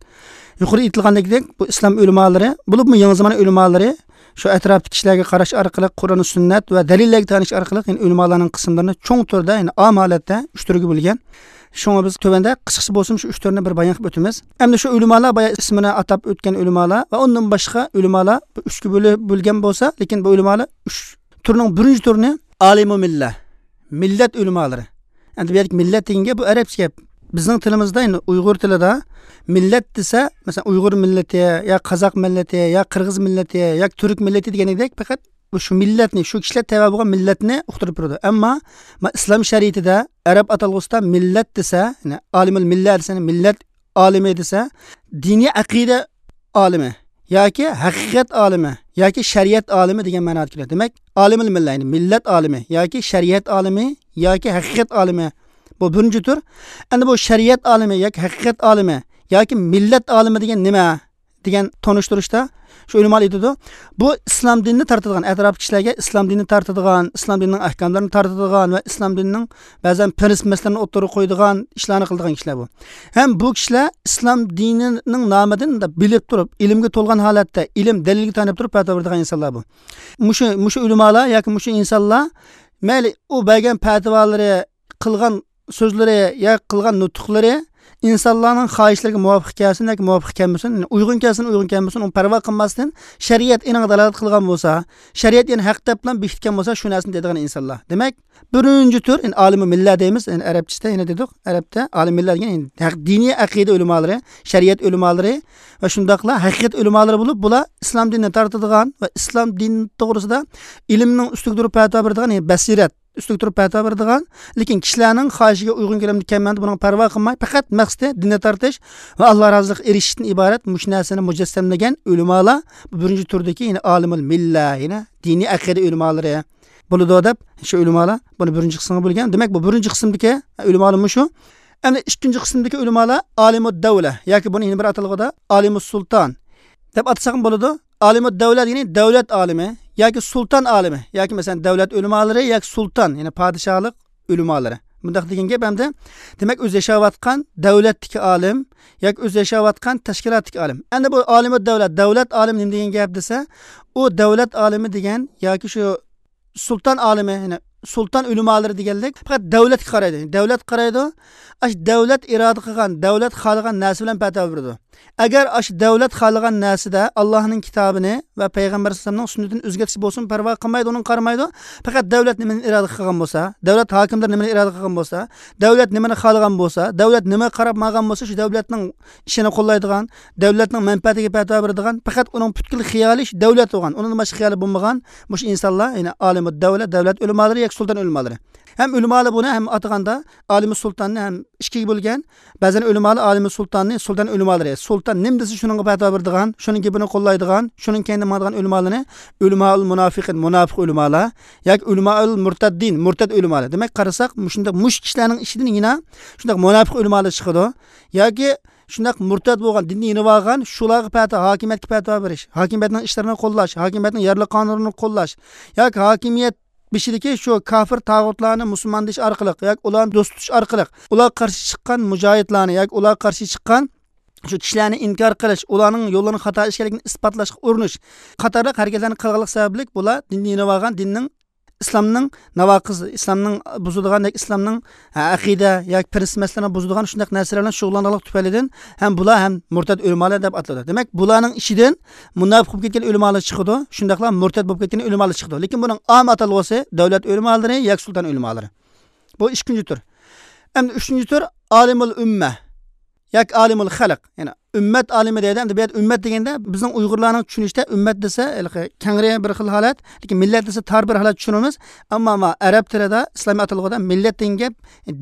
يۇقىرىدا ئېيتىلغاندەك، بۇ ئىسلام ئۆلىمالىرى، بولۇپمۇ يېڭى زامان ئۆلىمالىرى، شۇ ئەتراپتىكى كىشىلەرگە قاراش ئارقىلىق، قۇرئان، سۈننەت ۋە دەلىللەرگە تايىنىش ئارقىلىق، يەنى ئۆلىمالارنىڭ قىسىملىرىنى چوڭ تۈردە، يەنى ئام ھالەتتە ئۈچ تۈرگە بۆلگەن. شۇڭا بىز تۆۋەندە قىسقىچە بولسىمۇ شۇ ئۈچ تۈرنى بىر بايان قىلىپ ئۆتىمىز. ئەمدى شۇ ئۆلىمالار، بايا ئىسمىنى ئاتاپ ئۆتكەن ئۆلىمالار ۋە ئۇندىن باشقا ئۆلىمالار بۇ ئۈچكە بۆلۈ-، بۆلگەن بولسا، لېكىن بۇ ئۆلىمالار ئۈچ تۈرنىڭ بىرىنچى تۈرىنى ئالىمۇ مىللە، مىللەت ئۆلىمالىرى. ئەمدى بۇ يەردىكى مىللەت دېگەن گەپ بۇ ئەرەبچە گەپ. بىزنىڭ تىلىمىزدا، يەنى ئۇيغۇر تىلىدا مىللەت دېسە، مەسىلەن، ئۇيغۇر مىللىتى يا قازاق مىللىتى يا قىرغىز مىللىتى يا تۈرك مىللىتى دېگەندەك پەقەت شۇ مىللەتنى، شۇ كىشىلەر تەۋە بولغان مىللەتنى ئۇقتۇرۇپ بېرىدۇ. ئەمما ما-، ئىسلام شەرىئىتىدە ئەرەب ئاتالغۇسىدا مىللەت دېسە، يەنى ئالىمۇل مىللە دېسە، يەنى مىللەت ئالىمى دېسە، دىنىي ئەقىدە ئالىمى ياكى ھەقىقەت ئالىمى ياكى شەرىئەت ئالىمى دېگەن مەنادا كېلىدۇ. دېمەك، ئالىمۇل مىللە، يەنى مىللەت ئالىمى ياكى شەرىئەت ئالىمى ياكى ھەقىقەت ئالىمى، بۇ بىرىنچى تۈر. ئەمدى بۇ شەرىئەت ئالىمى ياكى ھەقىقەت ئالىمى ياكى مىللەت ئالىمى دېگەن نېمە؟ دېگەن تونۇشتۇرۇشتا شۇ ئۆلىمالار ئېيتىدۇ، بۇ ئىسلام دىنىنى تارتىدىغان، ئەتراپتىكى كىشىلەرگە ئىسلام دىنىنى تارتىدىغان، ئىسلام دىنىنىڭ ئەھكاملىرىنى تارتىدىغان ۋە ئىسلام دىنىنىڭ بەزەن پىرىنسىپ مەسىلىلىرىنى ئوتتۇرىغا قويىدىغان ئىشلارنى قىلىدىغان كىشىلەر بۇ. ھەم بۇ كىشىلەر ئىسلام دىنىنىڭ نامىدىن بىلىپ تۇرۇپ، ئىلىمگە تولغان ھالەتتە، ئىلىم دەلىلگە تايىنىپ تۇرۇپ پەتىۋا بېرىدىغان ئىنسانلار بۇ. مۇشۇ، مۇشۇ ئۆلىمالار ياكى مۇشۇ ئىنسانلار، مەيلى ئۇ بەرگەن پەتىۋالىرى، قىلغان سۆزلىرى يا قىلغان نۇتۇقلىرى ئىنسانلارنىڭ خاھىشلىرىغا مۇۋاپىق كەلسۇن ياكى مۇۋاپىق كەلمىسۇن، يەنى ئۇيغۇن كەلسۇن، ئۇيغۇن كەلمىسۇن، ئۇنى پەرۋا قىلماستىن، شەرىئەت ئېنىغا دالالەت قىلغان بولسا، شەرىئەت يەنى ھەق دەپلا بېكىتكەن بولسا، شۇ نەرسىنى دەيدىغان ئىنسانلار. دېمەك، بىرىنچى تۈر، يەنى ئالىمۇ مىللە دەيمىز، يەنى ئەرەبچىسىدە يەنە دېدۇق، ئەرەبتە ئالىم مىللە دېگەن، يەنى ھەق، دىنىي ئەقىدە ئۆلىمالىرى، شەرىئەت ئۆلىمالىرى ۋە شۇنداقلا ھەقىقەت ئۆلىمالىرى بولۇپ، بۇلار ئىسلام دىنىنى تارتىدىغان ۋە ئىسلام دىنى توغرىسىدا ئىلىمنىڭ ئۈستىگە تۇرۇپ پەتىۋا بېرىدىغان، يەنى بەسىرەت، ئۈستىگە تۇرۇپ پەتىۋا بېرىدىغان، لېكىن كىشىلەرنىڭ خاھىشىغا ئۇيغۇن كېلەمدۇ كەلمەمدۇ، بۇنىڭغا پەرۋا قىلماي، پەقەت مەقسىتى دىننى تارتىش ۋە ئاللا رازىلىقىغا ئېرىشىشتىن ئىبارەت مۇشۇ نەرسىنى مۇجەسسەملىگەن ئۆلىمالار بۇ بىرىنچى تۈردىكى، يەنى ئالىمۇل مىللە، يەنى دىنىي ئەقىدە ئۆلىمالىرى بولىدۇ دەپ، شۇ ئۆلىمالار بۇنى بىرىنچى قىسىمغا بۆلگەن. دېمەك، بۇ بىرىنچى قىسىمدىكى ئۆلىمالار مۇشۇ. ئەمدى ئىككىنچى قىسىمدىكى ئۆلىمالار ئالىمۇد دەۋلە ياكى بۇنى يەنە بىر ئاتالغۇدا ئالىمۇس سۇلتان دەپ ئاتىساقمۇ بولىدۇ. ئالىمۇد دەۋلە دېگىنى دەۋلەت ئالىمى ياكى سۇلتان ئالىمى ياكى مەسىلەن دەۋلەت ئۆلىمالىرى ياكى سۇلتان، يەنى پادىشاھلىق ئۆلىمالىرى. بۇنداق دېگەن گەپ ئەمدى، دېمەك، ئۆزى ياشاۋاتقان دەۋلەتتىكى ئالىم ياكى ئۆزى ياشاۋاتقان تەشكىلاتتىكى ئالىم. ئەمدى بۇ ئالىمۇد دەۋلە، دەۋلەت ئالىمى نېمە دېگەن گەپ دېسە، ئۇ دەۋلەت ئالىمى دېگەن ياكى شۇ سۇلتان ئالىمى، يەنى سۇلتان ئۆلىمالىرى دېگەنلىك پەقەت دەۋلەتكە قارايدۇ. دەۋلەتكە قارايدۇ. ئاشۇ دەۋلەت ئىرادە قىلغان، دەۋلەت خالىغان نەرسە بىلەن پەتىۋا بېرىدۇ. ئەگەر ئاشۇ دەۋلەت خالىغان نەرسىدە ئاللاھنىڭ كىتابىنى ۋە پەيغەمبەر ئەلەيھىسسالامنىڭ سۈننىتىنى ئۆزگەرتىش بولسۇن، پەرۋا قىلمايدۇ، ئۇنىڭغا قارىمايدۇ. پەقەت دەۋلەت نېمىنى ئىرادە قىلغان بولسا، دەۋلەت ھاكىملىرى نېمىنى ئىرادە قىلغان بولسا، دەۋلەت نېمىنى خالىغان بولسا، دەۋلەت نېمىگە قاراپ ماڭغان بولسا، شۇ دەۋلەتنىڭ ئىشىنى قوللايدىغان، دەۋلەتنىڭ مەنپەئەتىگە پەتىۋا بېرىدىغان، پەقەت ئۇنىڭ پۈتكۈل خىيالى شۇ دەۋلەت بولغان، ئۇنىڭدىن باشقا خىيالى بولمىغان مۇشۇ ئىنسانلار، يەنى ئالىمۇد دەۋلە، دەۋلەت ئۆلىمالىرى ياكى سۇلتان ئۆلىمالىرى. ھەم ئۆلىمالار بۇنى ھەم ئاتىغاندا ئالىمۇ سۇلتاننى ھەم ئىككىگە بۆلگەن. بەزەن ئۆلىمالار ئالىمۇ سۇلتاننى، سۇلتان ئۆلىمالىرى، سۇلتان نېمە دېسە شۇنىڭغا پەتىۋا بېرىدىغان، شۇنىڭ گېپىنى قوللايدىغان، شۇنىڭ كەينىدە ماڭىدىغان ئۆلىمالارنى ئۆلىمائۇل مۇنافىقىن، مۇناپىق ئۆلىمالار ياكى ئۆلىمائۇل مۇرتەددىن، مۇرتەد ئۆلىمالار. دېمەك، قارىساق، مۇشۇنداق مۇشۇ كىشىلەرنىڭ ئىچىدىن يەنە شۇنداق مۇناپىق ئۆلىمالار چىقىدۇ ياكى شۇنداق مۇرتەد بولغان، دىندىن يېنىۋالغان، شۇلارغا پەتىۋا، ھاكىمىيەتكە پەتىۋا بېرىش، ھاكىمىيەتنىڭ ئىشلىرىنى قوللاش، ھاكىمىيەتنىڭ يارلىق قانۇنىنى قوللاش ياكى ھاكىمىيەت بېشىدىكى شۇ كاپىر تاغۇتلارنى مۇسۇلمان دېيىش ئارقىلىق ياكى ئۇلارنى دوست تۇتۇش ئارقىلىق ئۇلارغا قارشى چىققان مۇجاھىدلارنى ياكى ئۇلارغا قارشى چىققان شۇ كىشىلەرنى ئىنكار قىلىش، ئۇلارنىڭ يوللىرىنىڭ خاتا ئىكەنلىكىنى ئىسپاتلاشقا ئۇرۇنۇش قاتارلىق ھەرىكەتلەرنى قىلغانلىق سەۋەبلىك بۇلار دىندىن يېنىۋالغان، دىننىڭ، ئىسلامنىڭ ناۋاقىز، ئىسلامنىڭ بۇزىدىغان ياكى ئىسلامنىڭ، ھە، ئەقىدە ياكى پىرىنسىپ مەسىلىلەرنى بۇزىدىغان شۇنداق نەرسىلەر بىلەن شۇغۇللانغانلىق تۈپەيلىدىن ھەم بۇلار ھەم مۇرتەد ئۆلىمالار دەپ ئاتىلىدۇ. دېمەك، بۇلارنىڭ ئىچىدىن مۇناپىق بولۇپ كەتكەن ئۆلىمالار چىقىدۇ، شۇنداقلا مۇرتەد بولۇپ كەتكەن ئۆلىمالار چىقىدۇ. لېكىن بۇنىڭ ئام ئاتالغۇسى دەۋلەت ئۆلىمالىرى ياكى سۇلتان ئۆلىمالىرى. بۇ ئىككىنچى تۈر. ئەمدى ئۈچىنچى تۈر ئالىمۇل ئۈممە ياكى ئالىمۇل خەلق. يەنى ئۈممەت ئالىمى دەيدۇ. ئەمدى بۇ يەردە ئۈممەت دېگەندە بىزنىڭ ئۇيغۇرلارنىڭ چۈشىنىشىدە ئۈممەت دېسە ھېلىقى كەڭرى بىر خىل ھالەت، لېكىن مىللەت دېسە تار بىر ھالەت چۈشىنىمىز. ئەمما ما ئەرەب تىلىدا، ئىسلامىي ئاتالغۇدا مىللەت دېگەن گەپ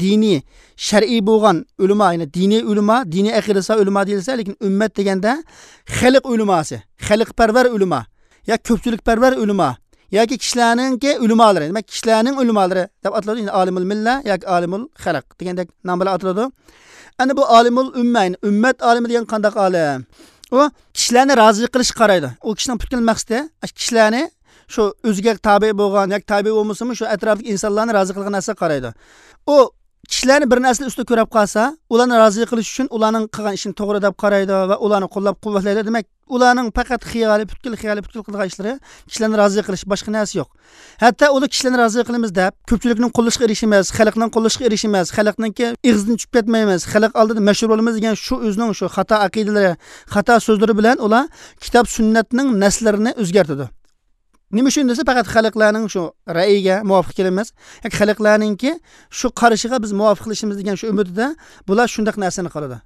دىنىي، شەرئىي بولغان ئۆلىما، يەنى دىنىي ئۆلىما، دىنىي ئەقىدىسى ئۆلىما دېيىلسە، لېكىن ئۈممەت دېگەندە خەلق ئۆلىماسى، خەلقپەرۋەر ئۆلىما يا كۆپچىلىكپەرۋەر ئۆلىما ياكى كىشىلەرنىڭكى ئۆلىمالىرى، دېمەك، كىشىلەرنىڭ ئۆلىمالىرى دەپ ئاتىلىدۇ. يەنى ئالىمۇل مىللە ياكى ئالىمۇل خەلق دېگەندەك نام بىلەن ئاتىلىدۇ. ئەنە بۇ ئالىمۇل ئۈممە، يەنى ئۈممەت ئالىمى دېگەن قانداق ئالىم؟ ئۇ كىشىلەرنى رازى قىلىشقا قارايدۇ. ئۇ كىشىنىڭ پۈتكۈل مەقسىتى ئاشۇ كىشىلەرنى شۇ ئۆزىگە تابىئ بولغان ياكى تابىئ بولمىسىمۇ شۇ ئەتراپتىكى ئىنسانلارنى رازى قىلغان نەرسىگە قارايدۇ. ئۇ كىشىلەرنى بىر نەرسىلەر ئۈستىدە كۆرۈپ قالسا، ئۇلارنى رازى قىلىش ئۈچۈن ئۇلارنىڭ قىلغان ئىشىنى توغرا دەپ قارايدۇ ۋە ئۇلارنى قوللاپ قۇۋۋەتلەيدۇ. دېمەك، ئۇلارنىڭ پەقەت خىيالى، پۈتكۈل خىيالى، پۈتكۈل قىلىدىغان ئىشلىرى كىشىلەرنى رازى قىلىش، باشقا نەرسە يوق. ھەتتا ئۇلار كىشىلەرنى رازى قىلىمىز دەپ، كۆپچىلىكنىڭ قوللىشىغا ئېرىشىمىز، خەلقنىڭ قوللىشىغا ئېرىشىمىز، خەلقنىڭكى ئېغىزىدىن چۈشۈپ كەتمەيمىز، خەلق ئالدىدا مەشھۇر بولىمىز دېگەن شۇ ئۆزىنىڭ شۇ خاتا ئەقىدىلىرى، خاتا سۆزلىرى بىلەن ئۇلار كىتاب سۈننەتنىڭ نەسلىرىنى ئۆزگەرتىدۇ. نېمە ئۈچۈن دېسە، پەقەت خەلقلەرنىڭ شۇ رەئىگە مۇۋاپىق كېلىمىز ياكى خەلقلەرنىڭكى شۇ قارىشىغا بىز مۇۋاپىقلىشىمىز دېگەن شۇ ئۈمىدىدە بۇلار شۇنداق نەرسىنى قىلىدۇ.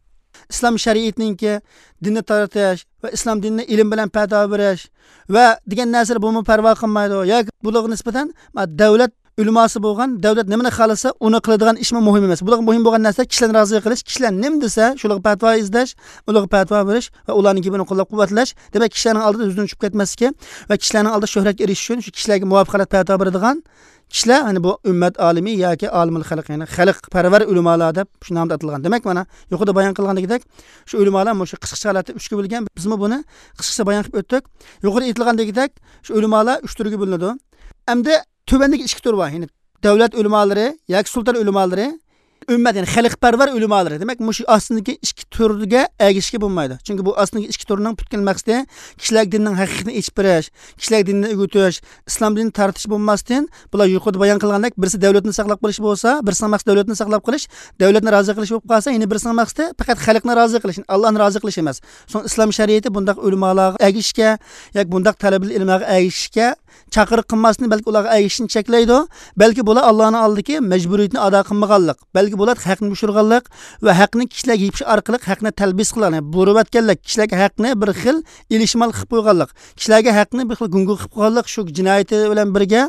ئىسلام شەرىئىتىنىڭكى دىننى تارتىش ۋە ئىسلام دىنىنى ئىلىم بىلەن پەتىۋا بېرىش ۋە دېگەن نەرسىلەر بۇمۇ پەرۋا قىلمايدۇ. ياكى بۇلارغا نىسبەتەن، ما، دۆلەت ئۆلىماسى بولغان، دۆلەت نېمىنى خالىسا، ئۇنى قىلىدىغان ئىشمۇ مۇھىم ئەمەس. بۇلارغا مۇھىم بولغان نەرسە كىشىلەرنى رازى قىلىش، كىشىلەر نېمە دېسە، شۇلارغا پەتىۋا ئىزدەش، ئۇلارغا پەتىۋا بېرىش ۋە ئۇلارنىڭ گېپىنى قوللاپ قۇۋۋەتلەش. دېمەك، كىشىلەرنىڭ ئالدىدا ئۆزىدىن چۈشۈپ كەتمەسلىكى ۋە كىشىلەرنىڭ ئالدىدا شۆھرەتكە ئېرىشىش ئۈچۈن شۇ كىشىلەرگە مۇۋاپىق ھالەتتە پەتىۋا بېرىدىغان كىشىلەر، يەنى بۇ ئۈممەت ئالىمى ياكى ئالىمۇل خەلق، يەنى خەلقپەرۋەر ئۆلىمالار دەپ شۇ نامدا ئاتالغان. دېمەك، مانا يۇقىرىدا بايان قىلغاندىكىدەك، شۇ ئۆلىمالار مۇشۇ قىسقىچە ھالەتتە ئۈچكە بۆلگەن، بىزمۇ بۇنى قىسقىچە بايان قىلىپ ئۆتتۇق. يۇقىرىدا ئېيتىلغاندىكىدەك، شۇ ئۆلىمالار ئۈچ تۈرگە بۆلۈنىدۇ. ئەمدى تۆۋەندىكى ئىككى تۈر بار، يەنى دۆلەت ئۆلىمالىرى ياكى سۇلتان ئۆلىمالىرى، ئۈممەت، يەنى خەلقپەرۋەر ئۆلىمالىرى. دېمەك، مۇشۇ ئاستىدىكى ئىككى تۈرگە ئەگىشىشكە بولمايدۇ. چۈنكى بۇ ئاستىدىكى ئىككى تۈرنىڭ پۈتكۈل مەقسىتى كىشىلەرگە دىننىڭ ھەقىقىتىنى ئېچىپ بېرىش، كىشىلەرگە دىننى ئۆگىتىش، ئىسلام دىنىنى تارتىش بولماستىن، بۇلار يۇقىرىدا بايان قىلغاندەك، بىرسى دۆلەتنى ساقلاپ قېلىش بولسا، بىرسىنىڭ مەقسىتى دۆلەتنى ساقلاپ قېلىش، دۆلەتنى رازى قىلىش بولۇپ قالسا، يەنە بىرسىنىڭ مەقسىتى پەقەت خەلقنى رازى قىلىش، ئاللانى رازى قىلىش ئەمەس. سوڭ ئىسلام شەرىئىتى بۇنداق ئۆلىمالارغا ئەگىشىشكە ياكى بۇنداق تەلىبىل ئىلىملارغا ئەگىشىشكە چاقىرىق قىلماستىن، بەلكى ئۇلارغا ئەگىشىشنى چەكلەيدۇ. بەلكى بۇلار ئاللانىڭ ئالدىدىكى مەجبۇرىيىتىنى ئادا قىلمىغانلىق، بەلكى بۇلار ھەقنى يوشۇرغانلىق ۋە ھەقنى كىشىلەرگە يېپىش ئارقىلىق ھەقنى تەلبىس قىلغان، يەنى بۇرۇۋەتكەنلىك، كىشىلەرگە ھەقنى بىر خىل ئېلىشمال قىلىپ قويغانلىق، كىشىلەرگە ھەقنى بىر خىل گۇڭگۇ قىلىپ قويغانلىق، شۇ جىنايىتى بىلەن بىرگە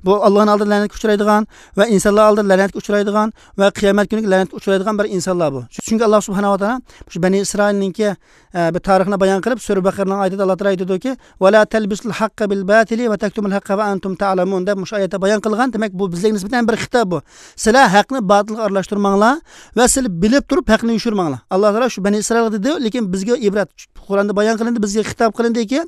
بۇ ئاللانىڭ ئالدىدا لەنەتكە ئۇچرايدىغان ۋە ئىنسانلار ئالدىدا لەنەتكە ئۇچرايدىغان ۋە قىيامەت كۈنى لەنەتكە ئۇچرايدىغان بىر ئىنسانلار بۇ. چۈنكى ئاللا سۇبھانەھۇ ۋە تائالا شۇ بەنى ئىسرائىلنىڭكى، ئە، بىر تارىخىنى بايان قىلىپ، سۈرە بەقەرىنىڭ ئايىتىدە ئاللا تائالا ئېيتىدۇكى، «ۋە لا تەلبىسۇل ھەققە بىل باتىلى ۋە تەكتۇمۇل ھەققە ۋە ئەنتۇم تەئلەمۇن» دەپ مۇشۇ ئايەتتە بايان قىلغان. دېمەك، بۇ بىزگە نىسبەتەن بىر خىتاب بۇ. سىلەر ھەقنى باتىلغا ئارىلاشتۇرماڭلار ۋە سىلەر بىلىپ تۇرۇپ ھەقنى يوشۇرماڭلار. ئاللا تائالا شۇ بەنى ئىسرائىلغا دېدى، لېكىن بىزگە ئىبرەت، قۇرئاندا بايان قىلىندى، بىزگە خىتاب قىلىندىكى،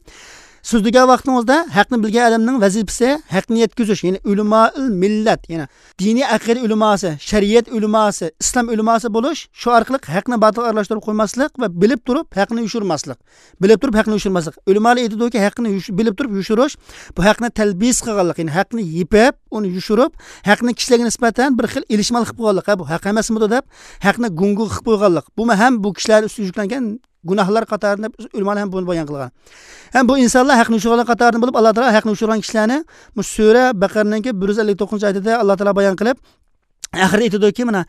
سۆزلىگەن ۋاقتىڭىزدا ھەقنى بىلگەن ئادەمنىڭ ۋەزىپىسى ھەقنى يەتكۈزۈش، يەنى ئۆلىمائىل مىللەت، يەنى دىنىي ئەقىدە ئۆلىماسى، شەرىئەت ئۆلىماسى، ئىسلام ئۆلىماسى بولۇش، شۇ ئارقىلىق ھەقنى باتىلغا ئارىلاشتۇرۇپ قويماسلىق ۋە بىلىپ تۇرۇپ ھەقنى يوشۇرماسلىق. بىلىپ تۇرۇپ ھەقنى يوشۇرماسلىق. ئۆلىمالار ئېيتىدۇكى، ھەقنى يوش-، بىلىپ تۇرۇپ يوشۇرۇش، بۇ ھەقنى تەلبىس قىلغانلىق، يەنى ھەقنى يېپىپ، ئۇنى يوشۇرۇپ، ھەقنى كىشىلەرگە نىسبەتەن بىر خىل ئېلىشمال قىلىپ قويغانلىق. ھە، بۇ ھەق ئەمەسمىدۇ دەپ، ھەقنى گۇڭگۇ قىلىپ قويغانلىق. بۇمۇ ھەم بۇ كىشىلەر ئۈستىگە يۈكلەنگەن گۇناھلار قاتارىدىن دەپ ئۆلىمالار ھەم بۇنى بايان قىلغان. ھەم بۇ ئىنسانلار ھەقنى يوشۇرغانلار قاتارىدىن بولۇپ، ئاللا تائالا ھەقنى يوشۇرغان كىشىلەرنى بۇ سۈرە بەقەرىنىڭكى بىر يۈز ئەللىك توققۇزىنچى ئايىتىدە ئاللا تائالا بايان قىلىپ، ئاخىرىدا ئېيتىدۇكى، مانا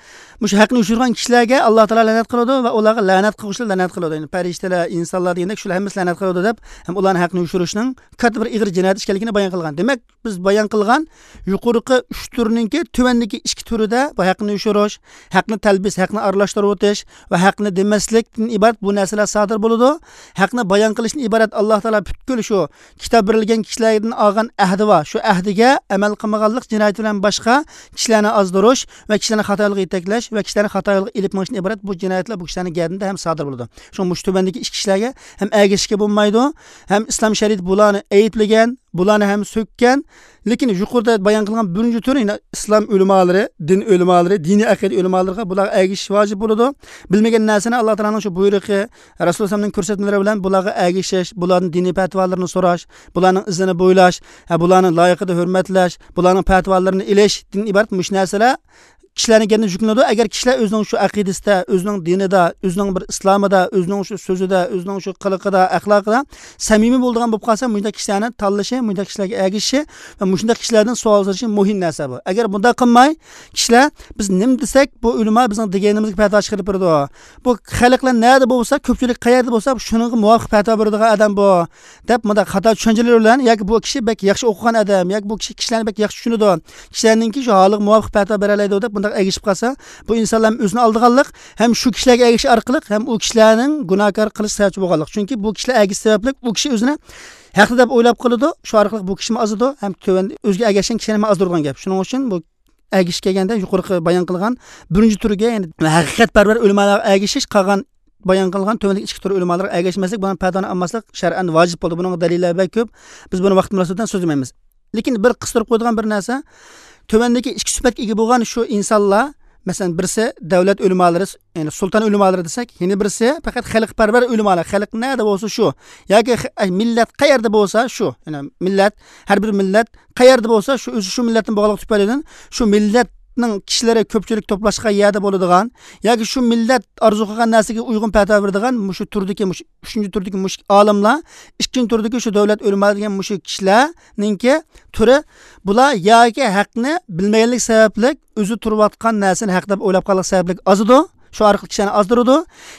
مۇشۇ ھەقنى يوشۇرغان كىشىلەرگە ئاللا تائالا لەنەت قىلىدۇ ۋە ئۇلارغا لەنەت قىلغۇچىلار لەنەت قىلىدۇ. يەنى پەرىشتىلەر، ئىنسانلار دېگەندەك شۇلار ھەممىسى لەنەت قىلىدۇ دەپ، ھەم ئۇلارنى ھەقنى يوشۇرۇشنىڭ كاتتا بىر ئېغىر جىنايەت ئىكەنلىكىنى بايان قىلغان. دېمەك، بىز بايان قىلغان يۇقىرىقى ئۈچ تۈرنىڭكى تۆۋەندىكى ئىككى تۈرىدە بۇ ھەقنى يوشۇرۇش، ھەقنى تەلبىس، ھەقنى ئارىلاشتۇرۇۋېتىش ۋە ھەقنى دېمەسلىكتىن ئىبارەت بۇ نەرسىلەر سادىر بولىدۇ. ھەقنى بايان قىلىشتىن ئىبارەت ئاللا تائالا پۈتكۈل شۇ كىتاب بېرىلگەن كىشىلەردىن ئالغان ئەھدى بار. شۇ ئەھدىگە ئەمەل قىلمىغانلىق جىنايىتى بىلەن باشقا كىشىلەرنى ئازدۇرۇش ۋە كىشىلەرنى خاتا يولغا يېتەكلەش ۋە كىشىلەرنى خاتا يولغا ئېلىپ مېڭىشتىن ئىبارەت بۇ جىنايەتلەر بۇ كىشىلەرنىڭ گەدىنىدە ھەم سادىر بولىدۇ. شۇڭا مۇشۇ تۆۋەندىكى ئىككى كىشىلەرگە ھەم ئەگىشىشكە بولمايدۇ، ھەم ئىسلام شەرىئىتى بۇلارنى ئەيىبلىگەن، بۇلارنى ھەم سۆككەن. لېكىن يۇقىرىدا بايان قىلغان بىرىنچى تۈر، يەنى ئىسلام ئۆلىمالىرى، دىن ئۆلىمالىرى، دىنىي ئەقىدە ئۆلىمالىرىغا بۇلارغا ئەگىشىش ۋاجىپ بولىدۇ. بىلمىگەن نەرسىنى ئاللا تائالانىڭ شۇ بۇيرۇقى، رەسۇل ئەلەيھىسسالامنىڭ كۆرسەتمىلىرى بىلەن بۇلارغا ئەگىشىش، بۇلاردىن دىنىي پەتىۋالىرىنى سوراش، بۇلارنىڭ ئىزىنى بويلاش، ھە، بۇلارنى لايىقىدا ھۆرمەتلەش، بۇلارنىڭ پەتىۋالىرىنى ئېلىشتىن ئىبارەت مۇشۇ نەرسىلەر كىشىلەرنىڭ گېپىنى يۈكلىنىدۇ. ئەگەر كىشىلەر ئۆزىنىڭ شۇ ئەقىدىسىدە، ئۆزىنىڭ دىنىدا، ئۆزىنىڭ بىر ئىسلامىدا، ئۆزىنىڭ شۇ سۆزىدە، ئۆزىنىڭ شۇ قىلىقىدا، ئەخلاقىدا سەمىمىي بولىدىغان بولۇپ قالسا، مۇشۇنداق كىشىلەرنى تاللىشى، مۇشۇنداق كىشىلەرگە ئەگىشىشى ۋە مۇشۇنداق كىشىلەردىن سوئال سورىشى مۇھىم نەرسە بۇ. ئەگەر بۇنداق قىلماي، كىشىلەر، بىز نېمە دېسەك، بۇ ئۆلىما بىزنىڭ دېگىنىمىزگە پەتىۋا چىقىرىپ بېرىدۇ. بۇ خەلقلەر نەدە بولسا، كۆپچىلىك قەيەردە بولسا، شۇنىڭغا مۇۋاپىق پەتىۋا بېرىدىغان ئادەم بۇ، دەپ، مۇنداق خاتا چۈشەنچىلەر بىلەن، ياكى بۇ كىشى بەك ياخشى ئوقۇغان ئادەم، ياكى بۇ كىشى كىشىلەرنى بەك ياخشى چۈشىنىدۇ، كىشىلەرنىڭكى شۇ ھالىغا مۇۋاپىق پەتىۋا بېرەلەيدۇ دەپ، بۇنداق ئەگىشىپ قالسا، بۇ ئىنسانلار ھەم ئۆزىنى ئالدىغانلىق، ھەم شۇ كىشىلەرگە ئەگىشىش ئارقىلىق ھەم ئۇ كىشىلەرنىڭ گۇناھكار قىلىش سەۋەبچى بولغانلىق. چۈنكى بۇ كىشىلەر ئەگىشىش سەۋەبلىك ئۇ كىشى ئۆزىنى ھەقلىق دەپ ئويلاپ قالىدۇ، شۇ ئارقىلىق بۇ كىشىمۇ ئازىدۇ، ھەم تۆۋەن ئۆزىگە ئەگەشكەن كىشىلەرمۇ ئازدۇرىدىغان گەپ. شۇنىڭ ئۈچۈن بۇ ئەگىشىش كەلگەندە يۇقىرىقى بايان قىلغان بىرىنچى تۈرگە، يەنى ھەقىقەتپەرۋەر ئۆلىمالارغا ئەگىشىش، قالغان بايان قىلغان تۆۋەندىكى ئىككى تۈر ئۆلىمالارغا ئەگەشمەسلىك، بۇنىڭ پەتىۋانى ئالماسلىق شەرئەن ۋاجىپ بولدى. بۇنىڭغا دەلىللەر بەك كۆپ. بىز بۇنى ۋاقىت مۇناسىۋىتى بىلەن سۆزلىمەيمىز. لېكىن بىر قىستۇرۇپ قويىدىغان بىر نەرسە، تۆۋەندىكى ئىككى سۈپەتكە ئىگە بولغان شۇ ئىنسانلار، مەسىلەن، بىرسى دەۋلەت ئۆلىمالىرى، يەنى سۇلتان ئۆلىمالىرى دېسەك، يەنە بىرسى پەقەت خەلقپەرۋەر ئۆلىمالار، خەلق نەدە بولسا شۇ، ياكى خ-، ئەي، مىللەت قەيەردە بولسا شۇ، يەنى مىللەت، ھەر بىر مىللەت قەيەردە بولسا شۇ، ئۆزى شۇ مىللەتتىن بولغانلىقى تۈپەيلىدىن، شۇ مىللەتنىڭ كىشىلىرى كۆپچىلىك توپلاشقان يەردە بولىدىغان ياكى شۇ مىللەت ئارزۇ قىلغان نەرسىگە ئۇيغۇن پەتىۋا بېرىدىغان مۇشۇ تۈردىكى، مۇشۇ ئۈچىنچى تۈردىكى مۇشۇ ئالىملار، ئىككىنچى تۈردىكى شۇ دەۋلەت ئۆلىمالىرى دېگەن مۇشۇ كىشىلەرنىڭكى تۈرى، بۇلار ياكى ھەقنى بىلمىگەنلىك سەۋەبلىك ئۆزى تۇرۇۋاتقان نەرسىنى ھەق دەپ ئويلاپ قالغان سەۋەبلىك ئازىدۇ، شۇ ئارقىلىق كىشىلەرنى ئازدۇرىدۇ.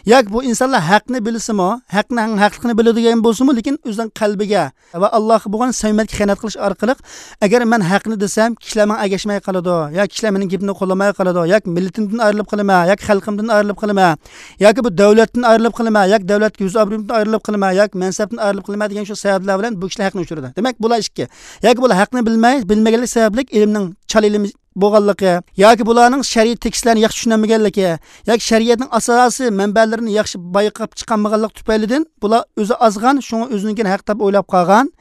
ياكى بۇ ئىنسانلار ھەقنى بىلسىمۇ، ھەقنىڭ ھەقلىقىنى بىلىدىغان بولسىمۇ، لېكىن ئۆزىنىڭ قەلبىگە ۋە ئاللاھقا بولغان سەمىمىيەتكە خىيانەت قىلىش ئارقىلىق، ئەگەر مەن ھەقنى دېسەم، كىشىلەر ماڭا ئەگەشمەي قالىدۇ، ياكى كىشىلەر مېنىڭ گېپىمنى قوللىماي قالىدۇ، ياكى مىللىتىمدىن ئايرىلىپ قالىمەن، ياكى خەلقىمدىن ئايرىلىپ قالىمەن، ياكى بۇ دۆلەتتىن ئايرىلىپ قالىمەن، ياكى دۆلەتكە يۈز ئابرۇيۇمدىن ئايرىلىپ قالىمەن، ياكى مەنسەپتىن ئايرىلىپ قالىمەن دېگەن شۇ سەۋەبلەر بىلەن بۇ كىشىلەر ھەقنى ئۇچۇرىدۇ. دېمەك، بۇلار ئىككى. ياكى بۇلار ھەقنى بىلمەي، بىلمىگەنلىك سەۋەبلىك ئىلىمنىڭ چال ئىلىم بولغانلىقى ياكى بۇلارنىڭ شەرئىي تېكىستلەرنى ياخشى چۈشىنەلمىگەنلىكى ياكى شەرىئەتنىڭ ئاساسىي مەنبەلىرىنى ياخشى بايقاپ چىقالمىغانلىقى تۈپەيلىدىن بۇلار ئۆزى ئازغان، شۇڭا ئۆزىنىڭكىنى ھەق دەپ ئويلاپ قالغان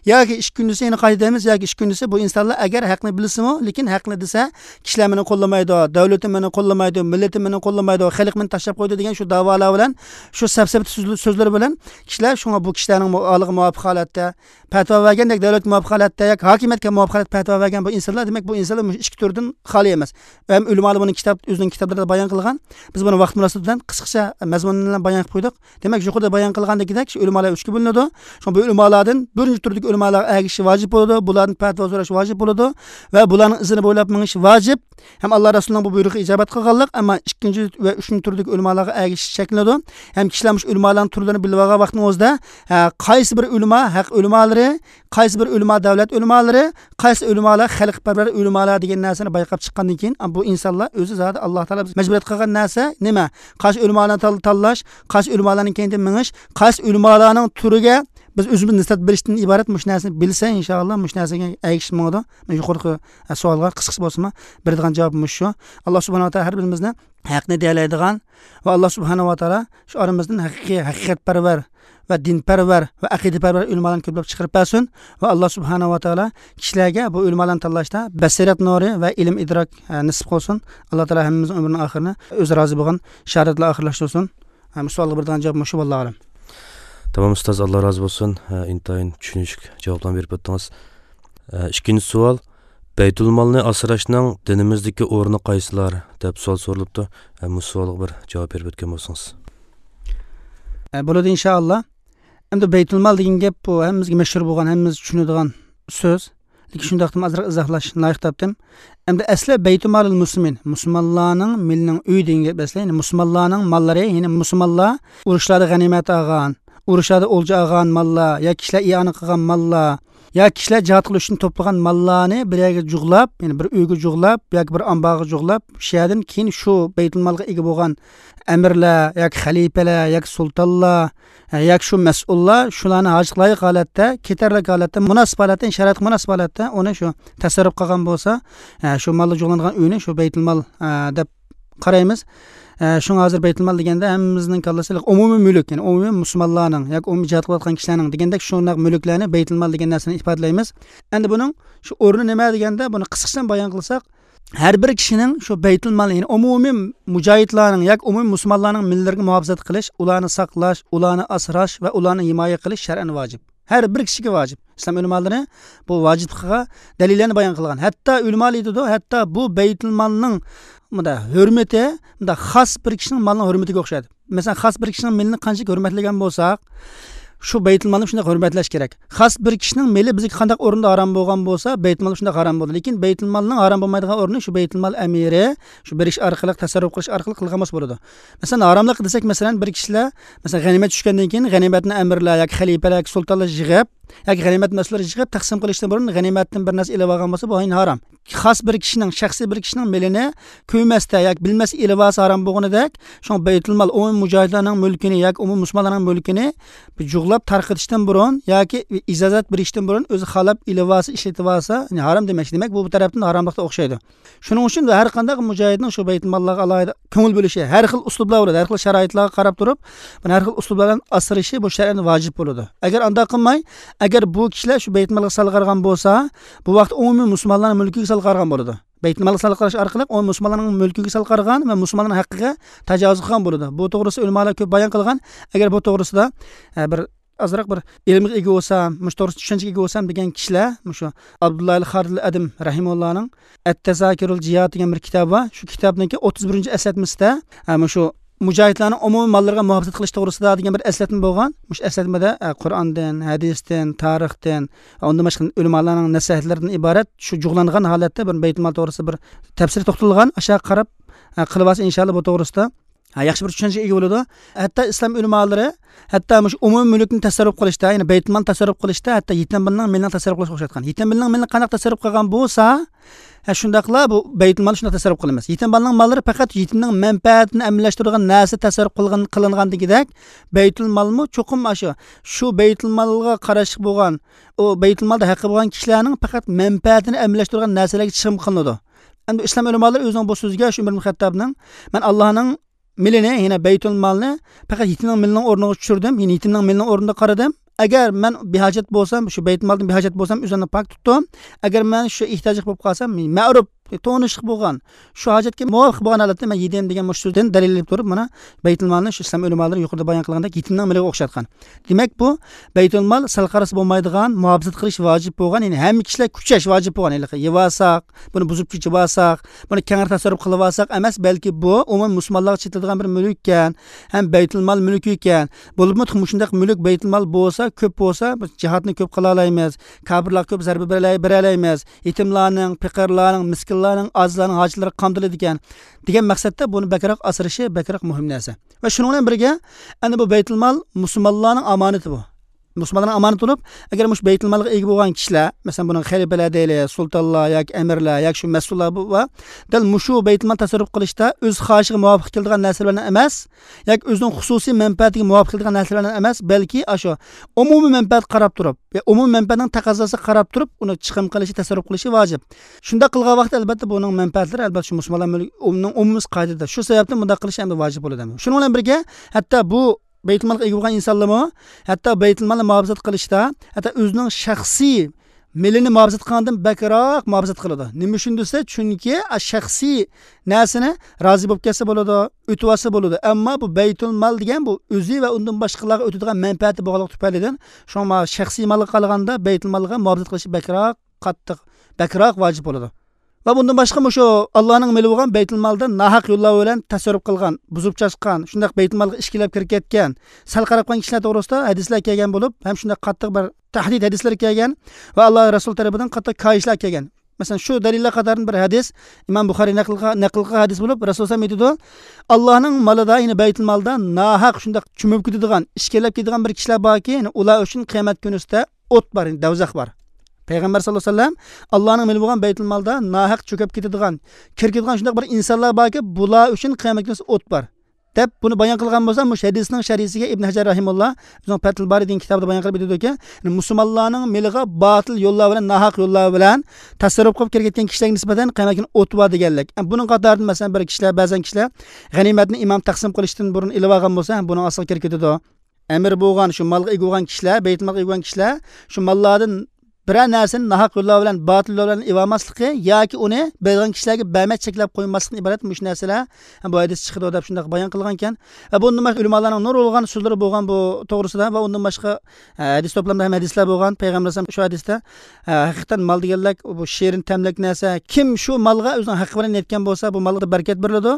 ياكى ئىككىنچىسى، يەنە قايتا دەيمىز، ياكى ئىككىنچىسى، بۇ ئىنسانلار ئەگەر ھەقنى بىلسىمۇ، لېكىن ھەقنى دېسە، كىشىلەر مېنى قوللىمايدۇ، دۆلىتىم مېنى قوللىمايدۇ، مىللىتىم مېنى قوللىمايدۇ، خەلق مېنى تاشلاپ قويدى دېگەن شۇ داۋالار بىلەن شۇ سەپسەتە سۆزلىرى بىلەن كىشىلەر، شۇڭا بۇ كىشىلەرنىڭ ھالىغا مۇۋاپىق ھالەتتە پەتىۋا بەرگەندەك، دۆلەتكە مۇۋاپىق ھالەتتە ياكى ھاكىمىيەتكە مۇۋاپىق ھالەتتە پەتىۋا بەرگەن بۇ ئىنسانلار، دېمەك، بۇ ئىنسانلار مۇشۇ ئىككى تۈردىن خالىي ئەمەس. ھەم ئۆلىمالار بۇنى كىتاب، ئۆزىنىڭ كىتابلىرىدا بايان قىلغان. بىز بۇنى ۋاقىت مۇناسىۋىتى بىلەن قىسقىچە مەزمۇن بىلەن بايان قىلىپ قويدۇق. دېمەك، يۇقىرىدا بايان قىلغاندىكىدەك، شۇ ئۆلىمالار ئۈچكە بۆلۈنىدۇ. شۇڭا بۇ ئۆلىمالاردىن بىرىنچى تۈردىكى ئۆلىمالارغا ئەگىشىش ۋاجىپ بولىدۇ، بۇلاردىن پەتىۋا سوراش ۋاجىپ بولىدۇ ۋە بۇلارنىڭ ئىزىنى بويلاپ مېڭىش ۋاجىپ. ھەم ئاللا رەسۇلىنىڭ بۇ بۇيرۇقىغا ئىجابەت قىلغانلىق، ئەمما ئىككىنچى ۋە ئۈچىنچى تۈردىكى ئۆلىمالارغا ئەگىشىش چەكلىنىدۇ. ھەم كىشىلەر مۇشۇ ئۆلىمالارنىڭ تۈرلىرىنى بىلىۋالغان ۋاقتىنىڭ ئۆزىدە، ھە، قايسى بىر ئۆلىما ھەق ئۆلىمالىرى، قايسى بىر ئۆلىما دەۋلەت ئۆلىمالىرى، قايسى ئۆلىمالار خەلقپەرۋەر ئۆلىمالار دېگەن نەرسىنى بايقاپ چىققاندىن كېيىن، بۇ ئىنسانلار ئۆزى زادى ئاللا تائالا بىز مەجبۇرىيەت قىلغان نەرسە نېمە؟ قايسى ئۆلىمالارنى تال-، تاللاش، قايسى ئۆلىمالارنىڭ كەينىدىن مېڭىش، قايسى ئۆلىمالارنىڭ تۈرىگە بىز ئۆزىمىز نىسبەت بېرىشتىن ئىبارەت. مۇشۇ نەرسىنى بىلسە، ئىنشائاللا، مۇشۇ نەرسىگە ئەگىشىپ ماڭىدۇ. يۇقىرىقى، ئە، سوئالغا قىسقىچە بولسىمۇ بېرىدىغان جاۋاب مۇشۇ. ئاللا سۇبھانەھۇ ۋە تائالا ھەر بىرىمىزنى ھەقنى دېيەلەيدىغان ۋە ئاللا سۇبھانەھۇ ۋە تائالا شۇ ئارىمىزدىن ھەقىقىي، ھەقىقەتپەرۋەر ۋە دىنپەرۋەر ۋە ئەقىدىپەرۋەر ئۆلىمالارنى كۆپلەپ چىقىرىپ بەرسۇن. ۋە ئاللا سۇبھانەھۇ ۋە تائالا كىشىلەرگە بۇ ئۆلىمالارنى تاللاشتا بەسىرەت نۇرى ۋە ئىلىم ئىدراك، ئە، نېسىپ قىلسۇن. ئاللا تائالا ھەممىمىزنىڭ ئۆمرىنى ئاخىرىنى ئۆزى رازى بولغان شاھادەت بىلەن ئاخىرلاشتۇرسۇن. ھە، بۇ سوئالغا بېرىدىغان جاۋاب مۇشۇ، ۋاللاھۇ ئەلەم. تامام، ئۇستاز، ئاللا رازى بولسۇن. ھە، ئىنتايىن چۈشىنىشلىك جاۋابلارنى بېرىپ ئۆتتىڭىز. ھە، ئىككىنچى سوئال، بەيتۇلمالنى ئاسراشنىڭ دىنىمىزدىكى ئورنى قايسىلار؟ دەپ سوئال سورىلىپتۇ. ھە، مۇشۇ سوئالغا بىر جاۋاب بېرىپ ئۆتكەن بولسىڭىز. ھە، بولىدۇ، ئىنشائاللا. ئەمدى بەيتۇلمال دېگەن گەپ، بۇ ھەممىمىزگە مەشھۇر بولغان، ھەممىمىز چۈشىنىدىغان سۆز. لېكىن شۇنداقتىمۇ ئازراق ئىزاھلاش لايىق تاپتىم. ئەمدى ئەسلى بەيتۇمالىل مۇسلىمىن، مۇسۇلمانلارنىڭ مېلىنىڭ ئۆيى دېگەن گەپ ئەسلى. يەنى مۇسۇلمانلارنىڭ ماللىرى، يەنى مۇسۇلمانلار ئۇرۇشلاردا غەنىيمەت ئالغان، ئۇرۇشلاردا ئولجا ئالغان ماللار، يا كىشىلەر ئىئانە قىلغان ماللار، يا كىشىلەر جىھاد قىلىش ئۈچۈن توپلىغان ماللارنى بىر يەرگە جۇغلاپ، يەنى بىر ئۆيگە جۇغلاپ ياكى بىر ئامبارغا جۇغلاپ، شۇ يەردىن كېيىن شۇ بەيتۇلمالغا ئىگە بولغان ئەمىرلەر ياكى خەلىپىلەر ياكى سۇلتانلار، ھە، ياكى شۇ مەسئۇللار شۇلارنى ھاجەتكە لايىق ھالەتتە، كېتەرلىك ھالەتتە، مۇناسىپ ھالەتتە، شارائىتقا مۇناسىپ ھالەتتە ئۇنى شۇ تەسەررۇپ قىلغان بولسا، ھە، شۇ مالدا جۇغلانغان ئۆينى شۇ بەيتۇلمال، ھە، دەپ قارايمىز. ھە، شۇڭا ھازىر بەيتۇلمال دېگەندە ھەممىمىزنىڭ كاللىسى ئومۇمىي مۈلۈك، يەنى ئومۇمىي مۇسۇلمانلارنىڭ ياكى ئومۇمىي جىھاد قىلىۋاتقان كىشىلەرنىڭ دېگەندەك شۇنداق مۈلۈكلەرنى بەيتۇلمال دېگەن نەرسىنى ئىپادىلەيمىز. ئەمدى بۇنىڭ شۇ ئورنى نېمە دېگەندە، بۇنى قىسقىچە بايان قىلساق، ھەر بىر كىشىنىڭ شۇ بەيتۇلمال، يەنى ئومۇمىي مۇجاھىدلارنىڭ ياكى ئومۇمىي مۇسۇلمانلارنىڭ مېللىرىگە مۇھاپىزەت قىلىش، ئۇلارنى ساقلاش، ئۇلارنى ئاسراش ۋە ئۇلارنى ھىمايە قىلىش شەرئەن ۋاجىپ. ھەر بىر كىشىگە ۋاجىپ. ئىسلام ئۆلىمالىرى بۇ ۋاجىپلىقىغا دەلىللەرنى بايان قىلغان. ھەتتا ئۆلىمالار ئېيتىدۇ، ھەتتا بۇ بەيتۇلمالنىڭ مۇنداق ھۆرمىتى مۇنداق خاس بىر كىشىنىڭ مالىنىڭ ھۆرمىتىگە ئوخشايدۇ. مەسىلەن، خاس بىر كىشىنىڭ مېلىنى قانچىلىك ھۆرمەتلىگەن بولساق، شۇ بەيتۇلمالنى شۇنداق ھۆرمەتلەش كېرەك. خاس بىر كىشىنىڭ مېلى بىزگە قانداق ئورۇندا ھارام بولغان بولسا، بەيتۇلمال شۇنداق ھارام بولىدۇ. لېكىن بەيتۇلمالنىڭ ھارام بولمايدىغان ئورنى شۇ بەيتۇلمال ئەمىرى شۇ بېرىش ئارقىلىق، تەسەررۇپ قىلىش ئارقىلىق قىلغان بولسا بولىدۇ. مەسىلەن، ھاراملىق دېسەك، مەسىلەن، بىر كىشىلەر، مەسىلەن، غەنىيمەت چۈشكەندىن كېيىن غەنىيمەتنى ئەمىرلەر ياكى خەلىپىلەر ياكى سۇلتانلار يىغىپ، ياكى غەنىيمەت مەسئۇللىرى يىغىپ تەقسىم قىلىشتىن بۇرۇن غەنىيمەتتىن بىر نەرسە ئېلىۋالغان بولسا، بۇ ئاينى ھارام. خاس بىر كىشىنىڭ، شەخسىي بىر كىشىنىڭ مېلىنى كۆرمەستە ياكى بىلمەستە ئېلىۋالسا ھارام بولغىنىدەك، شۇڭا بەيتۇلمال ئومۇمىي مۇجاھىدلارنىڭ مۈلكىنى ياكى ئومۇمىي مۇسۇلمانلارنىڭ مۈلكىنى جۇغلاپ تارقىتىشتىن بۇرۇن ياكى ئىجازەت بېرىشتىن بۇرۇن ئۆزى خالاپ ئېلىۋالسا، ئىشلىتىۋالسا، يەنى ھارام دېمەكچى. دېمەك، بۇ، بۇ تەرەپتىن ھاراملىققا ئوخشايدۇ. شۇنىڭ ئۈچۈن ھەر قانداق مۇجاھىدنىڭ شۇ بەيتۇلماللارغا ئالاھىدە كۆڭۈل بۆلۈشى، ھەر خىل ئۇسلۇبلار بولىدۇ، ھەر خىل شارائىتلارغا قاراپ تۇرۇپ، بۇنى ھەر خىل ئۇسلۇبلار بىلەن ئاسرىشى بۇ شەرئەن ۋاجىپ بولىدۇ. ئەگەر ئانداق قىلماي، ئەگەر بۇ كىشىلەر شۇ بەيتۇلمالغا سالغان بولسا، بۇ ۋاقىت ئومۇمىي مۇسۇلمانلارنىڭ مۈلكىگە سالغان بولىدۇ. بەيتۇلمالغا سالغان ئارقىلىق ئومۇمىي مۇسۇلمانلارنىڭ مۈلكىگە سالغان ۋە مۇسۇلمانلارنىڭ ھەققىگە تاجاۋۇز قىلغان بولىدۇ. بۇ توغرىسىدا ئۆلىمالار كۆپ بايان قىلغان. ئەگەر بۇ توغرىسىدا، ئە، بىر ئازراق بىر ئىلىمغا ئىگە بولسام، مۇشۇ توغرىسىدا چۈشەنچىگە ئىگە بولسام دېگەن كىشىلەر مۇشۇ ئابدۇللاھىل خالىدىل ئەدىم رەھىمۇللانىڭ ئەت-تەزاكىرۇل جىھاد دېگەن بىر كىتابى بار. شۇ كىتابنىڭكى ئوتتۇز بىرىنچى ئەسلەتمىسىدە، ھە، مۇشۇ مۇجاھىدلارنىڭ ئومۇمىي ماللىرىغا مۇھاپىزەت قىلىش توغرىسىدا دېگەن بىر ئەسلەتمە بولغان. مۇشۇ ئەسلەتمىدە، ھە، قۇرئاندىن، ھەدىستىن، تارىختىن، ئۇندىن باشقا ئۆلىمالارنىڭ نەسىھەتلىرىدىن ئىبارەت شۇ جۇغلانغان ھالەتتە بىر بەيتۇلمال توغرىسىدا بىر تەپسىلىي توختىلىدىغان، ئاشۇ قاراپ، ھە، قىلىۋالسا ئىنشاللا بۇ توغرىسىدا ھە، ياخشى بىر چۈشەنچىگە ئىگە بولىدۇ. ھەتتا ئىسلام ئۆلىمالىرى، ھەتتا مۇشۇ ئومۇمىي مۈلۈكنى تەسەررۇپ قىلىشتا، يەنى بەيتۇلمالنى تەسەررۇپ قىلىشتا، ھەتتا يېتىم بالىنىڭ مېلىنى تەسەررۇپ قىلىشقا ئوخشاتقان. يېتىم بالىنىڭ مېلىنى قانداق تەسەررۇپ قىلغان بولسا، ھە، شۇنداقلا بۇ بەيتۇلمالنى شۇنداق تەسەررۇپ قىلىمىز. يېتىم بالىنىڭ ماللىرى پەقەت يېتىمنىڭ مەنپەئەتىنى ئەمەلىيلەشتۈرىدىغان نەرسە تەسەررۇپ قىلغان، قىلىنغان دېگۈدەك، بەيتۇلمالمۇ چوقۇم ئاشۇ، شۇ بەيتۇلمالغا قاراشلىق بولغان، ئۇ بەيتۇلمالدا ھەققى بولغان كىشىلەرنىڭ پەقەت مەنپەئەتىنى ئەمەلىيلەشتۈرىدىغان نەرسىلەرگە چىقىم قىلىنىدۇ. ئەمدى ئىسلام ئۆلىمالىرى ئۆزىنىڭ بۇ سۆزىگە، شۇ ئۆمەر ئىبن خەتتابنىڭ، مەن ئاللانىڭ مېلىنى، يەنى بەيتۇلمالنى پەقەت يېتىمنىڭ مېلىنىڭ ئورنىغا چۈشۈردۈم، يەنى يېتىمنىڭ مېلىنىڭ ئورنىدا قارىدىم. ئەگەر مەن بىھاجەت بولسام، شۇ بەيتۇلمالدىن بىھاجەت بولسام، ئۆزۈمنى پاك تۇتتۇم. ئەگەر مەن شۇ ئېھتىياجلىق بولۇپ قالسام، مەرۇپ، تونۇشلۇق بولغان، شۇ ھاجەتكە مۇۋاپىق بولغان ھالەتتە مەن يېدىم دېگەن مۇشۇ سۆزدىن دەلىللىنىپ تۇرۇپ، مانا، بەيتۇلمالنى شۇ ئىسلام ئۆلىمالىرى يۇقىرىدا بايان قىلغاندەك يېتىمنىڭ مېلىگە ئوخشاتقان. دېمەك، بۇ بەيتۇلمال سەل قارىسا بولمايدىغان، مۇھاپىزەت قىلىش ۋاجىپ بولغان، يەنى ھەممە كىشىلەر كۈچەش ۋاجىپ بولغان. ھېلىقى يېۋالساق، بۇنى بۇزۇپ كېتىۋالساق، بۇنى كەڭرى تەسەررۇپ قىلىۋالساق ئەمەس، بەلكى بۇ ئومۇمىي مۇسۇلمانلارغا چېتىلىدىغان بىر مۈلۈككەن، ھەم بەيتۇلمال مۈلكىكەن. بولۇپمۇ مۇشۇنداق مۈلۈك، بەيتۇلمال بولسا، كۆپ بولسا، بىز جىھادنى كۆپ قىلالايمىز، كاپىرلارغا كۆپ زەربە بېرەلەي-، بېرەلەيمىز، يېتىملارنىڭ، پېقىرلارنىڭ، مىسكىنلارنىڭ، ئاجىزلارنىڭ ھاجەتلىرى قامدىلىدىكەن، دېگەن مەقسەتتە بۇنى بەكرەك ئاسرىشى بەكرەك مۇھىم نەرسە. ۋە شۇنىڭ بىلەن بىرگە، ئەنە بۇ بەيتۇلمال مۇسۇلمانلارنىڭ ئامانىتى بۇ. مۇسۇلمانلارنىڭ ئامانىتى بولۇپ، ئەگەر مۇشۇ بەيتۇلمالغا ئىگە بولغان كىشىلەر، مەسىلەن، بۇنىڭ خەلىپىلەر دەيلى، سۇلتانلار ياكى ئەمىرلەر ياكى شۇ مەسئۇللار بۇ، بار، دەل مۇشۇ بەيتۇلمال تەسەررۇپ قىلىشتا ئۆز خاھىشىغا مۇۋاپىق كېلىدىغان نەرسىلەر بىلەن ئەمەس، ياكى ئۆزىنىڭ خۇسۇسىي مەنپەئەتىگە مۇۋاپىق كېلىدىغان نەرسىلەر بىلەن ئەمەس، بەلكى ئاشۇ ئومۇمىي مەنپەئەتكە قاراپ تۇرۇپ، يا ئومۇمىي مەنپەئەتنىڭ تەقەززاسىغا قاراپ تۇرۇپ، ئۇنى چىقىم قىلىشى، تەسەررۇپ قىلىشى ۋاجىپ. شۇنداق قىلغان ۋاقىتتا، ئەلۋەتتە، بۇنىڭ مەنپەئەتلىرى، ئەلۋەتتە، شۇ مۇسۇلمانلار مۈلكى، ئۇنىڭ ئومۇمىي قائىدىدە. شۇ سەۋەبتىن بۇنداق قىلىش ئەمدى ۋاجىپ بولىدۇ. شۇنىڭ بىلەن بىرگە، ھەتتا بۇ بەيتۇلمالغا ئىگە بولغان ئىنسانلارمۇ، ھەتتا بەيتۇلمالنى مۇھاپىزەت قىلىشتا، ھەتتا ئۆزىنىڭ شەخسىي مېلىنى مۇھاپىزەت قىلغاندىن بەكرەك مۇھاپىزەت قىلىدۇ. نېمە ئۈچۈن دېسە، چۈنكى شەخسىي نەرسىنى رازى بولۇپ كەتسە بولىدۇ، ئۆتۈۋالسا بولىدۇ. ئەمما بۇ بەيتۇلمال دېگەن بۇ ئۆزى ۋە ئۇندىن باشقىلارغا ئۆتىدىغان مەنپەئەتى بولغانلىقى تۈپەيلىدىن، شۇڭا شەخسىي مالغا قارىغاندا بەيتۇلمالغا مۇھاپىزەت قىلىش بەكرەك قاتتىق، بەكرەك ۋاجىپ بولىدۇ. ۋە بۇندىن باشقا مۇشۇ ئاللانىڭ مېلى بولغان بەيتۇلمالدا ناھەق يوللار بىلەن تەسەررۇپ قىلغان، بۇزۇپ چاچقان، شۇنداق بەيتۇلمالغا ئىچكىرىلەپ كىرىپ كەتكەن، سەل قاراپ قالغان كىشىلەر توغرىسىدا ھەدىسلەر كەلگەن بولۇپ، ھەم شۇنداق قاتتىق بىر تەھدىت ھەدىسلىرى كەلگەن ۋە ئاللا رەسۇل تەرىپىدىن قاتتىق كايىشلار كەلگەن. مەسىلەن، شۇ دەلىللەر قاتارىدىن بىر ھەدىس، ئىمام بۇخارىي نەقىل قىلغان، نەقىل قىلغان ھەدىس بولۇپ، رەسۇل سەللەللاھۇ ئەلەيھى ۋەسەللەم ئېيتىدۇ، ئاللانىڭ مالىدا، يەنى بەيتۇلمالدا ناھەق شۇنداق چۆمۈپ كېتىدىغان، ئىچكىرىلەپ كېتىدىغان بىر كىشىلەر باركى، يەنى ئۇلار ئۈچۈن قىيامەت كۈنىسىدە ئوت بار، يەنى دەۋزەخ بار. پەيغەمبەر سەللەللاھۇ ئەلەيھى ۋەسەللەم، ئاللانىڭ مېلى بولغان بەيتۇلمالدا ناھەق چۆكۈپ كېتىدىغان، كىرىپ كېتىدىغان شۇنداق بىر ئىنسانلار باركى، بۇلار ئۈچۈن قىيامەت كۈنىسى ئوت بار، دەپ بۇنى بايان قىلغان بولسا، مۇشۇ ھەدىسنىڭ شەرھىسىگە ئىبن ھەجەر رەھىمۇللا ئۆزىنىڭ پەتھۇل بارى دېگەن كىتابىدا بايان قىلىپ ئېيتىدۇكى، يەنى مۇسۇلمانلارنىڭ مېلىغا باتىل يوللار بىلەن، ناھەق يوللار بىلەن تەسەررۇپ قىلىپ كىرگەن كىشىلەرگە نىسبەتەن قىيامەت كۈنى ئوت بار دېگەنلىك. بۇنىڭ قاتارىدا، مەسىلەن، بىر كىشىلەر، بەزەن كىشىلەر غەنىيمەتنى ئىمام تەقسىم قىلىشتىن بۇرۇن ئېلىۋالغان بولسا، بۇنىڭ ئاستىغا كىرىپ كېتىدۇ. ئەمىر بولغان، شۇ مالغا ئىگە بولغان كىشىلەر، بەيتۇلمالغا ئىگە بولغان كىشىلەر شۇ ماللاردىن بىرەر نەرسىنى ناھەق يوللار بىلەن، باتىل يوللار بىلەن ئېلىۋالماسلىقى ياكى ئۇنى بەرگەن كىشىلەرگە ببەرمەي چەكلەپ قويماسلىقتىن ئىبارەت مۇشۇ نەرسىلەر بۇ ھەدىستە چىقىدۇ دەپ شۇنداق بايان قىلغانىكەن. ۋە بۇندىن باشقا ئۆلىمالارنىڭ نۇرغۇنلىغان سۆزلىرى بولغان بۇ توغرىسىدا ۋە ئۇندىن باشقا، ئە، ھەدىس توپلامدا ھەم ھەدىسلەر بولغان. پەيغەمبەر ئەلەيھىسسالام شۇ ھەدىستە، ئە، ھەقىقەتەن مال دېگەنلىك بۇ شېرىن تەملىك نەرسە. كىم شۇ مالغا ئۆزىنىڭ ھەققى بىلەن يەتكەن بولسا، بۇ مالغا بەرىكەت بېرىلىدۇ.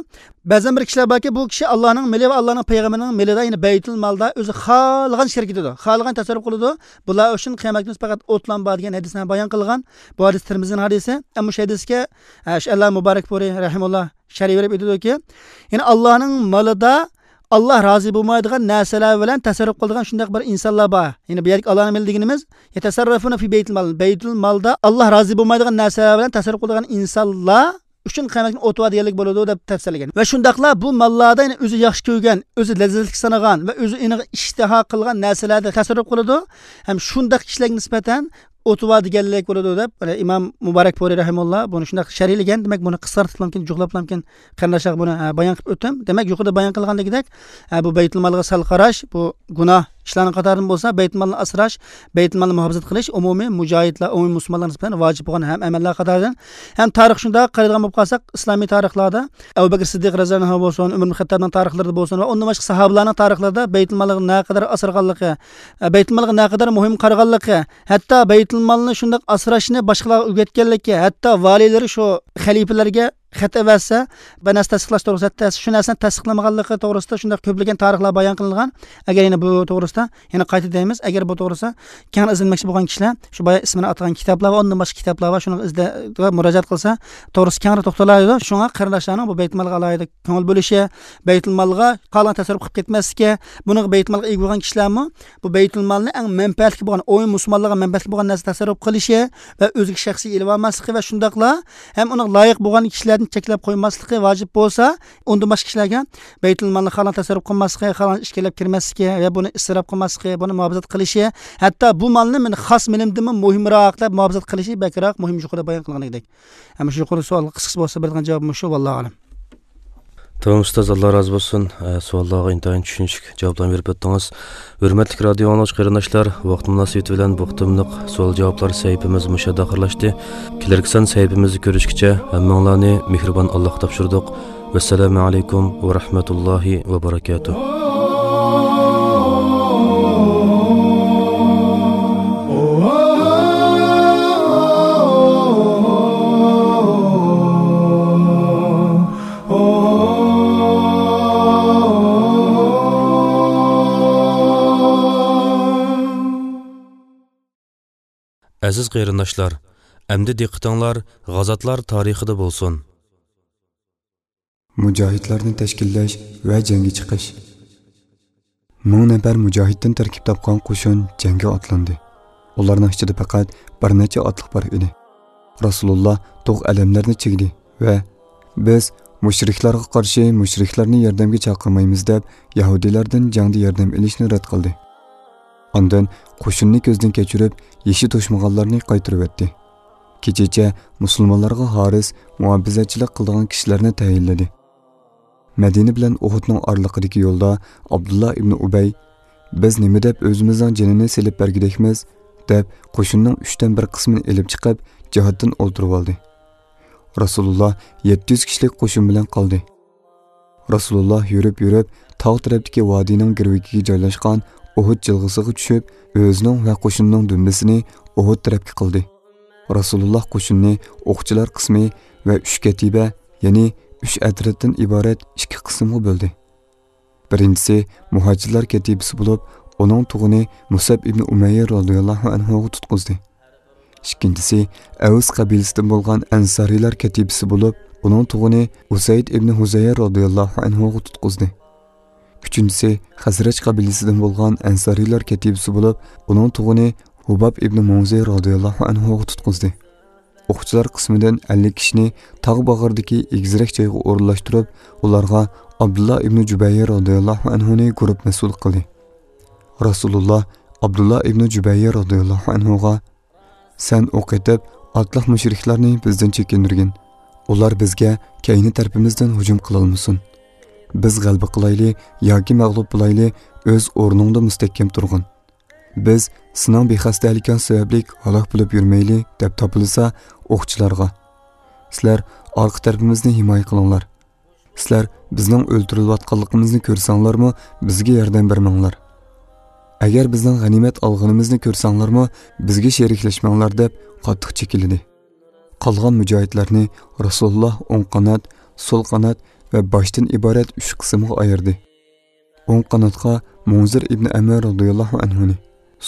بەزەن بىر كىشىلەر باركى، بۇ كىشى ئاللانىڭ مېلى ۋە ئاللانىڭ پەيغەمبىرىنىڭ مېلىدا، يەنى بەيتۇل مالدا ئۆزى خالىغان شىركىتىدۇ، خالىغان تەسەررۇپ قىلىدۇ. بۇلار ئۈچۈن قىيامەت كۈنى پەقەت ئوتلام بار دېگەن ھەدىسنى بايان قىلغان. بۇ ھەدىس تىرمىزىنىڭ ھەدىسى. ئەمما شۇ ھەدىسكە، ئە، شۇ ئەللا مۇبارەك پۇرى رەھىمۇللا شەرھ بېرىپ ئېيتىدۇكى، يەنى ئاللانىڭ مالىدا ئاللا رازى بولمايدىغان نەرسىلەر بىلەن تەسەررۇپ قىلىدىغان شۇنداق بىر ئىنسانلار بار. يەنى بۇ يەردىكى ئاللانىڭ مېلى دېگىنىمىز، يەتەسەررەفۇنە فى بەيتىل مال، بەيتۇل مالدا ئاللا رازى بولمايدىغان نەرسىلەر بىلەن تەسەررۇپ قىلىدىغان ئىنسانلار ئۈچۈن قىيامەت كۈنى ئوتى بار دېگەنلىك بولىدۇ دەپ تەپسىرلىگەن. ۋە شۇنداقلا بۇ ماللاردا يەنە ئۆزى ياخشى كۆرگەن، ئۆزى لەززەتلىك سانىغان ۋە ئۆزى ئېنىغا ئىشتىھا قىلغان نەرسىلەردە تەسەررۇپ قىلىدۇ. ھەم شۇنداق كىشىلەرگە نىسبەتەن ئوتى بار دېگەنلىك بولىدۇ دەپ، مانا ئىمام مۇبارەك پورى رەھىمۇللا بۇنى شۇنداق شەرھلىگەن. دېمەك، بۇنى قىسقارتىپلامكىن، جۇغلاپلامكىن قېرىنداشلارغا بۇنى، ھە، بايان قىلىپ ئۆتتۈم. دېمەك، يۇقىرىدا بايان قىلغاندىكىدەك، ھە، بۇ بەيتۇلمالغا سەل قاراش، بۇ گۇناھ ئىشلارنىڭ قاتارىدىن بولسا، بەيتۇلمالنى ئاسراش، بەيتۇلمالنى مۇھاپىزەت قىلىش ئومۇمىي مۇجاھىدلار، ئومۇمىي مۇسۇلمانلار نىسبەتەن ۋاجىپ بولغان ھەم ئەمەللەر قاتارىدىن. ھەم تارىخ شۇنداق قارايدىغان بولۇپ قالساق، ئىسلامىي تارىخلاردا ئەبۇ بەكرى سىددىق رەزىياللاھۇ ئەنھۇ بولسۇن، ئۆمەر ئىبن خەتتابنىڭ تارىخلىرىدا بولسۇن ۋە ئۇندىن باشقا ساھابىلارنىڭ تارىخلىرىدا بەيتۇلمالغا نەقەدەر ئاسرىغانلىقى، بەيتۇلمالغا نەقەدەر مۇھىم قارىغانلىقى، ھەتتا بەيتۇلمالنى شۇنداق ئاسراشنى باشقىلارغا ئۆگەتكەنلىكى، ھەتتا ۋالىيلىرى شۇ خەلىپىلەرگە خەت ئەۋەتسە، بىر نەرسە تەستىقلاش توغرىسىدا، شۇ نەرسىنى تەستىقلىمىغانلىقى توغرىسىدا شۇنداق كۆپلىگەن تارىخلار بايان قىلىنغان. ئەگەر يەنە بۇ توغرىسىدا يەنە قايتا دەيمىز، ئەگەر بۇ توغرىسىدا كەڭرى ئىزدەنمەكچى بولغان كىشىلەر شۇ بايا ئىسمىنى ئاتىغان كىتابلار ۋە ئۇندىن باشقا كىتابلار بار، شۇنىڭغا ئىزدە-، مۇراجىئەت قىلسا، توغرىسى كەڭرى توختىلالايدۇ. شۇڭا قېرىنداشلارنىڭ بۇ بەيتۇلمالغا ئالاھىدە كۆڭۈل بۆلۈشى، بەيتۇلمالغا قالغان تەسەررۇپ قىلىپ كەتمەسلىكى، بۇنىڭغا بەيتۇلمالغا ئىگە بولغان كىشىلەرمۇ بۇ بەيتۇلمالنى ئەڭ مەنپەئەتلىك بولغان، ئومۇمىي مۇسۇلمانلارغا مەنپەئەتلىك بولغان نەرسە تەسەررۇپ قىلىشى ۋە ئۆزىگە شەخسىي ئېلىۋالماسلىقى ۋە شۇنداقلا ھەم ئۇنىڭغا لايىق بولغان كىشىلەردىن چەكلەپ قويماسلىقى ۋاجىپ بولسا، ئۇندىن باشقا كىشىلەرگە بەيتۇلمالنى خالىغان تەسەررۇپ قىلماسلىقى، خالىغان ئىشكەنلەپ كىرمەسلىكى ۋە بۇنى ئىسراپ قىلماسلىقى، بۇنى مۇھاپىزەت قىلىشى، ھەتتا بۇ مالنى مېنىڭ خاس مېلىمدىنمۇ مۇھىمراق دەپ مۇھاپىزەت قىلىشى بەكرەك مۇھىم، يۇقىرىدا بايان قىلغىنىدەك. ئەمما شۇ يۇقىرى سوئالغا قىسقىچە بولسا بېرىدىغان جاۋابىمىز شۇ، ۋاللاھۇ ئەلەم. تامام ئۇستاز، ئاللا رازى بولسۇن. ئە، سوئاللارغا ئىنتايىن چۈشىنىشلىك جاۋابلارنى بېرىپ ئۆتتىڭىز. ھۆرمەتلىك رادىيو ئاڭلىغۇچى قېرىنداشلار، ۋاقىت مۇناسىۋىتى بىلەن بۇ قېتىملىق سوئال جاۋابلار سەھىپىمىز مۇشۇ يەردە ئاخىرلاشتى. كېلەركى سان سەھىپىمىزدە كۆرۈشكىچە ھەممىڭلارنى مېھرىبان ئاللاغا تاپشۇردۇق. ۋەسسالامۇ ئەلەيكۇم ۋە رەھمەتۇللاھى ۋە بەرەكاتۇھ. ئەزىز قېرىنداشلار، ئەمدى دىققىتىڭلار غازاتلار تارىخىدا بولسۇن. مۇجاھىدلارنى تەشكىللەش ۋە جەڭگە چىقىش. مىڭ نەپەر مۇجاھىدتىن تەركىب تاپقان قوشۇن جەڭگە ئاتلاندى. ئۇلارنىڭ ئىچىدە پەقەت بىر نەچچە ئاتلىق بار ئىدى. رەسۇلۇللا تۇغ ئەلەملەرنى چىگدى ۋە، «بىز مۇشرىكلارغا قارشى مۇشرىكلارنى ياردەمگە چاقىرمايمىز» دەپ، يەھۇدىيلاردىن جەڭدە ياردەم ئېلىشنى رەت قىلدى. ئاندىن قوشۇننى كۆزدىن كەچۈرۈپ، يېشى توشمىغانلارنى قايتۇرۇۋەتتى. كېچىچە مۇسۇلمانلارغا ھارىس، مۇھاپىزەتچىلىك قىلىدىغان كىشىلەرنى تەيىنلىدى. مەدىنە بىلەن ئۇھۇدنىڭ ئارىلىقىدىكى يولدا ئابدۇللا ئىبنى ئۇبەي، «بىز نېمە دەپ ئۆزىمىزنىڭ جېنىنى سېلىپ بەرگۈدەكمىز؟» دەپ، قوشۇننىڭ ئۈچتىن بىر قىسمىنى ئېلىپ چىقىپ، جىھادتىن ئولتۇرۇۋالدى. رەسۇلۇللا يەتتە يۈز كىشىلىك قوشۇن بىلەن قالدى. رەسۇلۇللا يۈرۈپ-يۈرۈپ، تاغ تەرەپتىكى ۋادىنىڭ گىرۋىكىگە جايلاشقان ئۇھۇد جىلغىسىغا چۈشۈپ، ئۆزىنىڭ ۋە قوشۇنىنىڭ دۈمبىسىنى ئۇھۇد تەرەپكە قىلدى. رەسۇلۇللا قوشۇننى ئوقچىلار قىسمى ۋە ئۈچ كەتىبە، يەنى ئۈچ ئەترەتتىن ئىبارەت ئىككى قىسىمغا بۆلدى. بىرىنچىسى مۇھاجىرلار كەتىبىسى بولۇپ، ئۇنىڭ تۇغىنى مۇسەب ئىبنى ئۇمەييە رازىياللاھۇ ئەنھۇغا تۇتقۇزدى. ئىككىنچىسى ئەۋس قەبىلىسىدىن بولغان ئەنسارىيلار كەتىبىسى بولۇپ، ئۇنىڭ تۇغىنى ئۇسەيد ئىبنى ھۇزەير رازىياللاھۇ ئەنھۇغا تۇتقۇزدى. ئۈچىنچىسى خەزرەج قەبىلىسىدىن بولغان ئەنسارىيلار كەتىبىسى بولۇپ، ئۇنىڭ تۇغىنى ھۇباب ئىبنى مۇنزىر رازىياللاھۇ ئەنھۇغا تۇتقۇزدى. ئوقچىلار قىسمىدىن ئەللىك كىشىنى تاغ باغرىدىكى ئېگىزرەك جايغا ئورۇنلاشتۇرۇپ، ئۇلارغا ئابدۇللا ئىبنى جۇبەير رازىياللاھۇ ئەنھۇنى گۇرۇپ مەسئۇل قىلدى. رەسۇلۇللا ئابدۇللا ئىبنى جۇبەير رازىياللاھۇ ئەنھۇغا، «سەن ئوق ئېتىپ، ئاتلىق مۇشرىكلارنى بىزدىن چېكىندۈرگىن. ئۇلار بىزگە كەينى تەرىپىمىزدىن ھۇجۇم قىلالمىسۇن. بىز غەلىبە قىلايلى ياكى مەغلۇپ بولايلى، ئۆز ئورنۇڭدا مۇستەھكەم تۇرغىن. «بىز سېنىڭ بىخەستەلىكىڭ سەۋەبلىك ھالاك بولۇپ يۈرمەيلى» دەپ تاپىلىسا، ئوقچىلارغا: «سىلەر ئارقا تەرىپىمىزنى ھىمايە قىلىڭلار. سىلەر بىزنىڭ ئۆلتۈرۈلۈۋاتقانلىقىمىزنى كۆرسەڭلارمۇ، بىزگە ياردەم بەرمەڭلار. ئەگەر بىزنىڭ غەنىيمەت ئالغىنىمىزنى كۆرسەڭلارمۇ، بىزگە شېرىكلەشمەڭلار» دەپ قاتتىق چېكىلدى. قالغان مۇجاھىدلارنى رەسۇلۇللاھ ئوڭ قانات، سول قانات ۋە باشتىن ئىبارەت ئۈچ قىسىمغا ئايرىدى. ئوڭ قاناتقا مۇنزىر ئىبنى ئەمر رازىياللاھۇ ئەنھۇنى،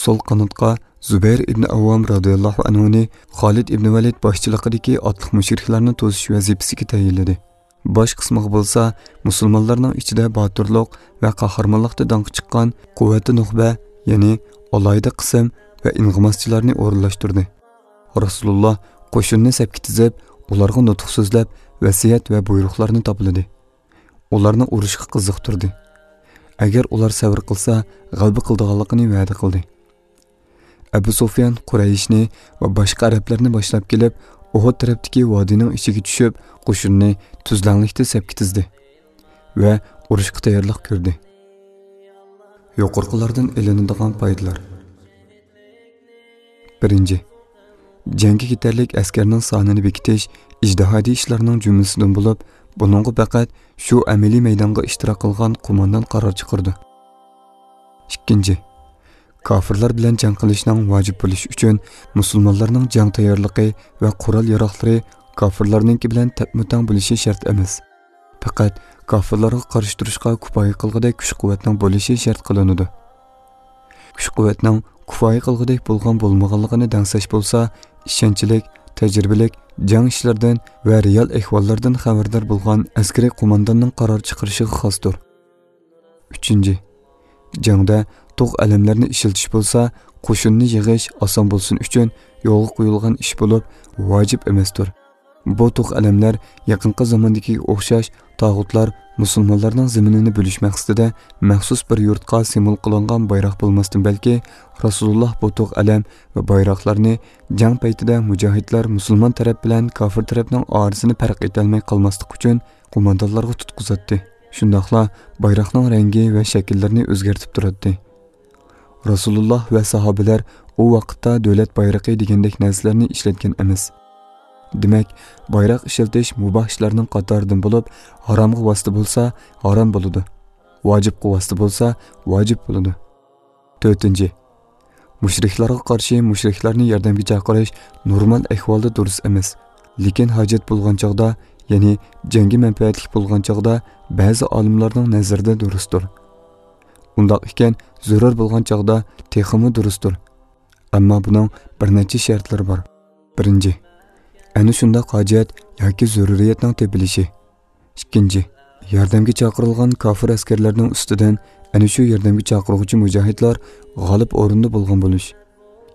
سول قاناتقا زۇبەير ئىبنى ئاۋۋام رازىياللاھۇ ئەنھۇنى خالىد ئىبنى ۋەلىد باشچىلىقىدىكى ئاتلىق مۇشرىكلارنى توسۇش ۋەزىپىسىگە تەيىنلىدى. باش قىسمىغا بولسا مۇسۇلمانلارنىڭ ئىچىدە باتۇرلۇق ۋە قەھرىمانلىقتا داڭقى چىققان قۇۋۋەتى نۇخبە، يەنى ئالاھىدە قىسىم ۋە ئىنغىماسچىلارنى ئورۇنلاشتۇردى. رەسۇلۇللاھ قوشۇننى سەپكە تىزىپ، ئۇلارغا نۇتۇق سۆزلەپ، ۋەسىيەت ۋە بۇيرۇقلارنى تاپىلىدى. ئۇلارنى ئۇرۇشقا قىزىقتۇردى. ئەگەر ئۇلار سەۋر قىلسا، غەلىبە قىلىدىغانلىقىنى ۋەدە قىلدى. ئەبۇ سۇفيان قۇرەيشنى ۋە باشقا ئەرەبلەرنى باشلاپ كېلىپ، ئۇھۇد تەرەپتىكى ۋادىنىڭ ئىچىگە چۈشۈپ، قوشۇننى تۈزلەڭلىكتە سەپكە تىزدى ۋە ئۇرۇشقا تەييارلىق كۆردى. يۇقىرىقىلاردىن ئېلىنىدىغان پايدىلار. بىرىنچى، جەڭگە كېتەرلىك ئەسكەرنىڭ سانىنى بېكىتىش ئىجتىھادىي ئىشلارنىڭ جۈملىسىدىن بولۇپ، بۇنىڭغا پەقەت شۇ ئەمەلىي مەيدانغا ئىشتىراك قىلغان قوماندان قارار چىقىرىدۇ. ئىككىنچى، كاپىرلار بىلەن جەڭ قىلىشنىڭ ۋاجىپ بولۇشى ئۈچۈن مۇسۇلمانلارنىڭ جەڭ تەييارلىقى ۋە قورال-ياراغلىرى كاپىرلارنىڭكى بىلەن تەپمۇتەڭ بولۇشى شەرت ئەمەس. پەقەت كاپىرلارغا قارشى تۇرۇشقا كۇپايە قىلغۇدەك كۈچ-قۇۋۋەتنىڭ بولۇشى شەرت قىلىنىدۇ. كۈچ-قۇۋۋەتنىڭ كۇپايە قىلغۇدەك بولغان بولمىغانلىقىنى دەڭسەش بولسا، ئىشەنچلىك، تەجرىبىلىك، جەڭ ئىشلىرىدىن ۋە رېئال ئەھۋاللاردىن خەۋەردار بولغان ئەسكىرىي قومانداننىڭ قارار چىقىرىشىغا خاستۇر. ئۈچىنچى، جەڭدە توق ئەلەملەرنى ئىشلىتىش بولسا، قوشۇننى يىغىش ئاسان بولسۇن ئۈچۈن يولغا قويۇلغان ئىش بولۇپ، ۋاجىپ ئەمەستۇر. بۇ توق ئەلەملەر يېقىنقى زاماندىكىگە ئوخشاش تاغۇتلار مۇسۇلمانلارنىڭ زېمىنىنى بۆلۈش مەقسىتىدە مەخسۇس بىر يۇرتقا سىمۋول قىلىنغان بايراق بولماستىن بەلكى، رەسۇلۇللاھ بۇ توق ئەلەم ۋە بايراقلارنى جەڭ پەيتىدە مۇجاھىدلار مۇسۇلمان تەرەپ بىلەن كاپىر تەرەپنىڭ ئارىسىنى پەرق ئېتەلمەي قالماسلىق ئۈچۈن قوماندانلارغا تۇتقۇزاتتى. شۇنداقلا بايراقنىڭ رەڭگى ۋە شەكىللىرىنى ئۆزگەرتىپ تۇراتتى. رەسۇلۇللاھ ۋە ساھابىلەر ئۇ ۋاقىتتا دۆلەت بايرىقى دېگەندەك نەرسىلەرنى ئىشلەتكەن ئەمەس. دېمەك، بايراق ئىشلىتىش مۇباھ ئىشلارنىڭ قاتارىدىن بولۇپ، ھارامغا ۋاسىتە بولسا، ھارام بولىدۇ. ۋاجىپقا ۋاسىتە بولسا، ۋاجىپ بولىدۇ. تۆتىنچى، مۇشرىكلارغا قارشى مۇشرىكلارنى ياردەمگە چاقىرىش نورمال ئەھۋالدا دۇرۇس ئەمەس. لېكىن ھاجەت بولغان چاغدا، يەنى جەڭگە مەنپەئەتلىك بولغان چاغدا بەزى ئالىملارنىڭ نەزىرىدە دۇرۇستۇر. ئۇنداق ئىكەن، زۆرۈر بولغان چاغدا تېخىمۇ دۇرۇستۇر. ئەمما بۇنىڭ بىر نەچچە شەرتلىرى بار. بىرىنچى، ئەنە شۇنداق ھاجەت ياكى زۆرۈرىيەتنىڭ تېپىلىشى. ئىككىنچى، ياردەمگە چاقىرىلغان كاپىر ئەسكەرلەرنىڭ ئۈستىدىن ئەنە شۇ ياردەمگە چاقىرغۇچى مۇجاھىدلار غالىب ئورۇندا بولغان بولۇش.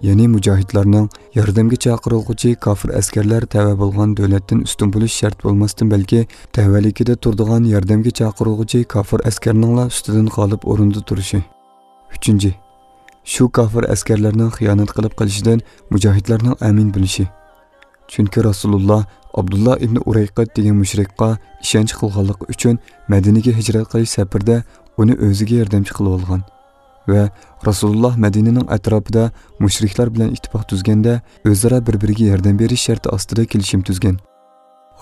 يەنى مۇجاھىدلارنىڭ ياردەمگە چاقىرىلغۇچى كاپىر ئەسكەرلەر تەۋە بولغان دۆلەتتىن ئۈستۈن بولۇش شەرت بولماستىن، بەلكى تەۋەلىكىدە تۇرىدىغان ياردەمگە چاقىرىلغۇچى كاپىر ئەسكەرنىڭلا ئۈستىدىن غالىب ئورۇندا تۇرۇشى. ئۈچىنچى، شۇ كاپىر ئەسكەرلەرنىڭ خىيانەت قىلىپ قېلىشىدىن مۇجاھىدلارنىڭ ئەمىن بولۇشى. چۈنكى رەسۇلۇللا ئابدۇللا ئىبنى ئۇرەيقىت دېگەن مۇشرىكقا ئىشەنچ قىلغانلىقى ئۈچۈن مەدىنىگە ھىجرەت قىلىش سەپىرىدە ئۇنى ئۆزىگە ياردەمچى قىلىۋالغان ۋە رەسۇلۇللا مەدىنىنىڭ ئەتراپىدا مۇشرىكلار بىلەن ئىتتىپاق تۈزگەندە، ئۆزئارا بىر-بىرىگە ياردەم بېرىش شەرتى ئاستىدا كېلىشىم تۈزگەن.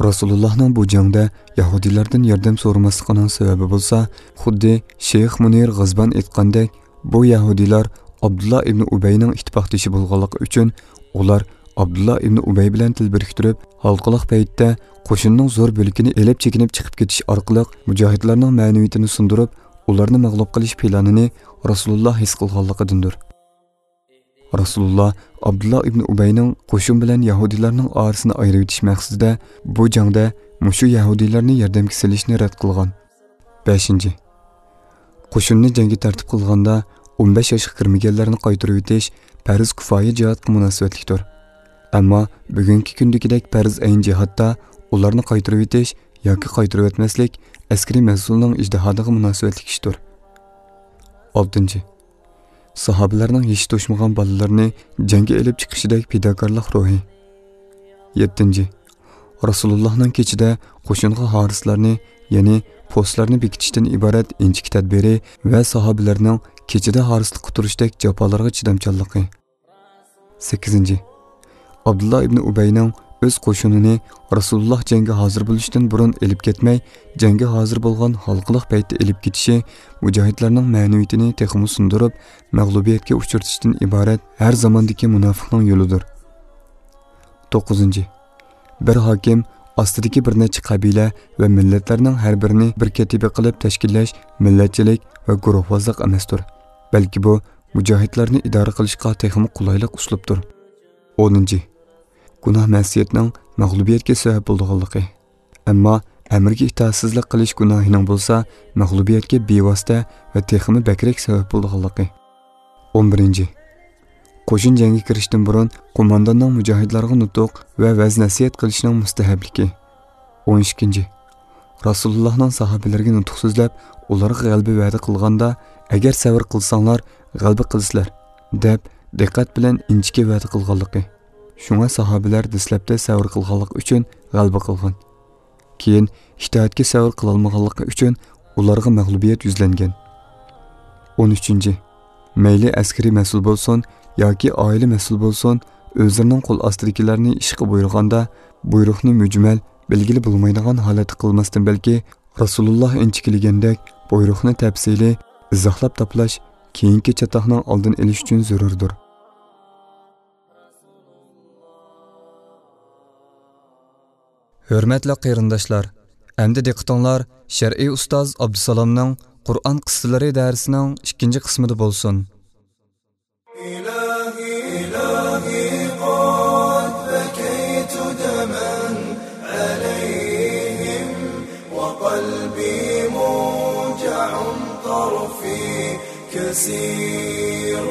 رەسۇلۇللاھنىڭ بۇ جەڭدە يەھۇدىيلاردىن ياردەم سورىماسلىقىنىڭ سەۋەبى بولسا، خۇددى شەيخ مۇنىر غىزبان ئېيتقاندەك، بۇ يەھۇدىيلار ئابدۇللا ئىبنى ئۇبەينىڭ ئىتتىپاقدىشى بولغانلىقى ئۈچۈن، ئۇلار ئابدۇللا ئىبنى ئۇبەي بىلەن تىل بىرىكتۈرۈپ، ھالقىلىق پەيتتە قوشۇننىڭ زور بۆلىكىنى ئېلىپ چېكىنىپ چىقىپ كېتىش ئارقىلىق مۇجاھىدلارنىڭ مەنىۋىيىتىنى سۇندۇرۇپ، ئۇلارنى مەغلۇپ قىلىش پىلانىنى رەسۇلۇللا ھېس قىلغانلىقىدىندۇر. رەسۇلۇللا ئابدۇللا ئىبنى ئۇبەينىڭ قوشۇن بىلەن يەھۇدىيلارنىڭ ئارىسىنى ئايرىۋېتىش مەقسىتىدە بۇ جەڭدە مۇشۇ يەھۇدىيلارنى ياردەمگە سېلىشنى رەت قىلغان. بەشىنچى، قوشۇننى جەڭگە تەرتىپ قىلغاندا ئون بەش ياشقا كىرمىگەنلەرنى قايتۇرۇۋېتىش پەرز كۇپايە جىھادقا مۇناسىۋەتلىكتۇر. ئەمما بۈگۈنكى كۈندىكىدەك پەرز ئەين جىھادتا ئۇلارنى قايتۇرۇۋېتىش ياكى قايتۇرۇۋەتمەسلىك ئەسكىرىي مەسئۇلنىڭ ئىجتىھادىغا مۇناسىۋەتلىك ئىشتۇر. ئالتىنچى، ساھابىلەرنىڭ يېشى توشمىغان بالىلىرىنى جەڭگە ئېلىپ چىقىشىدەك پىداكارلىق روھى. يەتتىنچى، رەسۇلۇللاھنىڭ كېچىدە قوشۇنغا ھارىسلارنى، يەنى پوستلارنى بېكىتىشتىن ئىبارەت ئىنچىكە تەدبىرى ۋە ساھابىلەرنىڭ كېچىدە ھارسىلىققا تۇرۇشتەك جاپالارغا چىدامچانلىقى. سەككىزىنچى، ئابدۇللا ئىبنى ئۇبەينىڭ ئۆز قوشۇنىنى رەسۇلۇللاھ جەڭگە ھازىر بولۇشتىن بۇرۇن ئېلىپ كەتمەي، جەڭگە ھازىر بولغان ھالقىلىق پەيتتە ئېلىپ كېتىشى مۇجاھىدلارنىڭ مەنىۋىيىتىنى تېخىمۇ سۇندۇرۇپ، مەغلۇبىيەتكە ئۇچرىتىشتىن ئىبارەت ھەر زاماندىكى مۇناپىقنىڭ يولىدۇر. توققۇزىنچى، بىر ھاكىم ئاستىدىكى بىر نەچچە قەبىلە ۋە مىللەتلەرنىڭ ھەر بىرىنى بىر كەتىبە قىلىپ تەشكىللەش مىللەتچىلىك ۋە گۇرۇھۋازلىق ئەمەستۇر، بەلكى بۇ مۇجاھىدلارنى ئىدارە قىلىشقا تېخىمۇ قولايلىق ئۇسلۇبتۇر. ئونىنچى، گۇناھ مەسىيەتنىڭ مەغلۇبىيەتكە سەۋەب بولىدىغانلىقى. ئەمما ئەمرگە ئىتائەتسىزلىك قىلىش گۇناھىنىڭ بولسا مەغلۇبىيەتكە بىۋاسىتە ۋە تېخىمۇ بەكرەك سەۋەب بولىدىغانلىقى. ئون بىرىنچى، قوشۇن جەڭگە كىرىشتىن بۇرۇن قومانداننىڭ مۇجاھىدلارغا نۇتۇق ۋە ۋەز-نەسىھەت قىلىشىنىڭ مۇستەھەبلىكى. ئون ئىككىنچى، رەسۇلۇللاھنىڭ ساھابىلىرىگە نۇتۇق سۆزلەپ، ئۇلارغا غەلىبە ۋەدە قىلغاندا، ئەگەر سەۋر قىلساڭلار، غەلىبە قىلىسىلەر، دەپ دىققەت بىلەن ئىنچىكە ۋەدە قىلغانلىقى. شۇڭا ساھابىلەر دەسلەپتە سەۋر قىلغانلىقى ئۈچۈن غەلىبە قىلغان. كېيىن ئىتائەتكە سەۋر قىلالمىغانلىقى ئۈچۈن ئۇلارغا مەغلۇبىيەت يۈزلەنگەن. ئون ئۈچىنچى، مەيلى ئەسكىرىي مەسئۇل بولسۇن ياكى ئائىلە مەسئۇل بولسۇن، ئۆزلىرىنىڭ قول ئاستىدىكىلەرنى ئىشقا بۇيرۇغاندا، بۇيرۇقنى مۈجمەل، بەلگىلى بولمايدىغان ھالەتتە قىلماستىن، بەلكى رەسۇلۇللاھ ئىنچىكىلىگەندەك بۇيرۇقنى تەپسىلىي ئىزاھلاپ تاپىلاش كېيىنكى چاتاقنىڭ ئالدىنى ئېلىش ئۈچۈن زۆرۈردۇر. ھۆرمەتلىك قېرىنداشلار، ئەمدى دىققىتىڭلار شەرئىي ئۇستاز ئابدۇسالامنىڭ قۇرئان قىسسىلىرى دەرسىنىڭ ئىككىنچى قىسمىدا بولسۇن. إلهي، إلهي، قد بكيت دما عليهم، وقلبي موجع، طرفي كسير،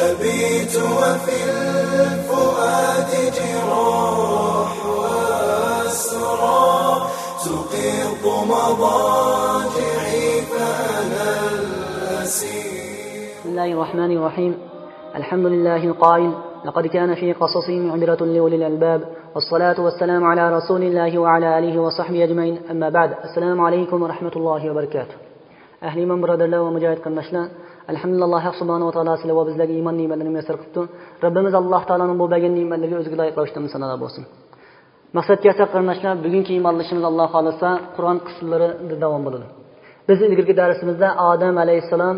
أبيت وفي الفؤاد جراح وأسرى، تقض مضاجعي فأنا الأسير. بسم الله الرحمن الرحيم. الحمد لله القائل: لقد كان في قصصهم عبرة لأولي الألباب. والصلاة والسلام على رسول الله وعلى آله وصحبه أجمعين. أما بعد. السلام عليكم ورحمة الله وبركاته. ئەھلى ئىمان بۇرادەرلەر ۋە مۇجاھىد قېرىنداشلار، ئەلھەمدۇلىللاھ، ئاللاھ سۇبھانەھۇ ۋە تائالا سىلەر ۋە بىزلەرگە ئىمان نېمەتلىرىنى مۇيەسسەر قىپتۇ. رەببىمىز ئاللاھ تائالانىڭ بۇ بەرگەن نېمەتلىرىگە ئۆزىگە لايىق رەۋىشتە ھەمدۇ سانالار بولسۇن. مەقسەتكە كەلسەك قېرىنداشلار، بۈگۈنكى ئىمان ئېلىشىمىز، ئاللاھ خالىسا، قۇرئان قىسسىلىرىدا داۋام بولىدۇ. بىز ئىلگىرىكى دەرسىمىزدە ئادەم ئەلەيھىسسالام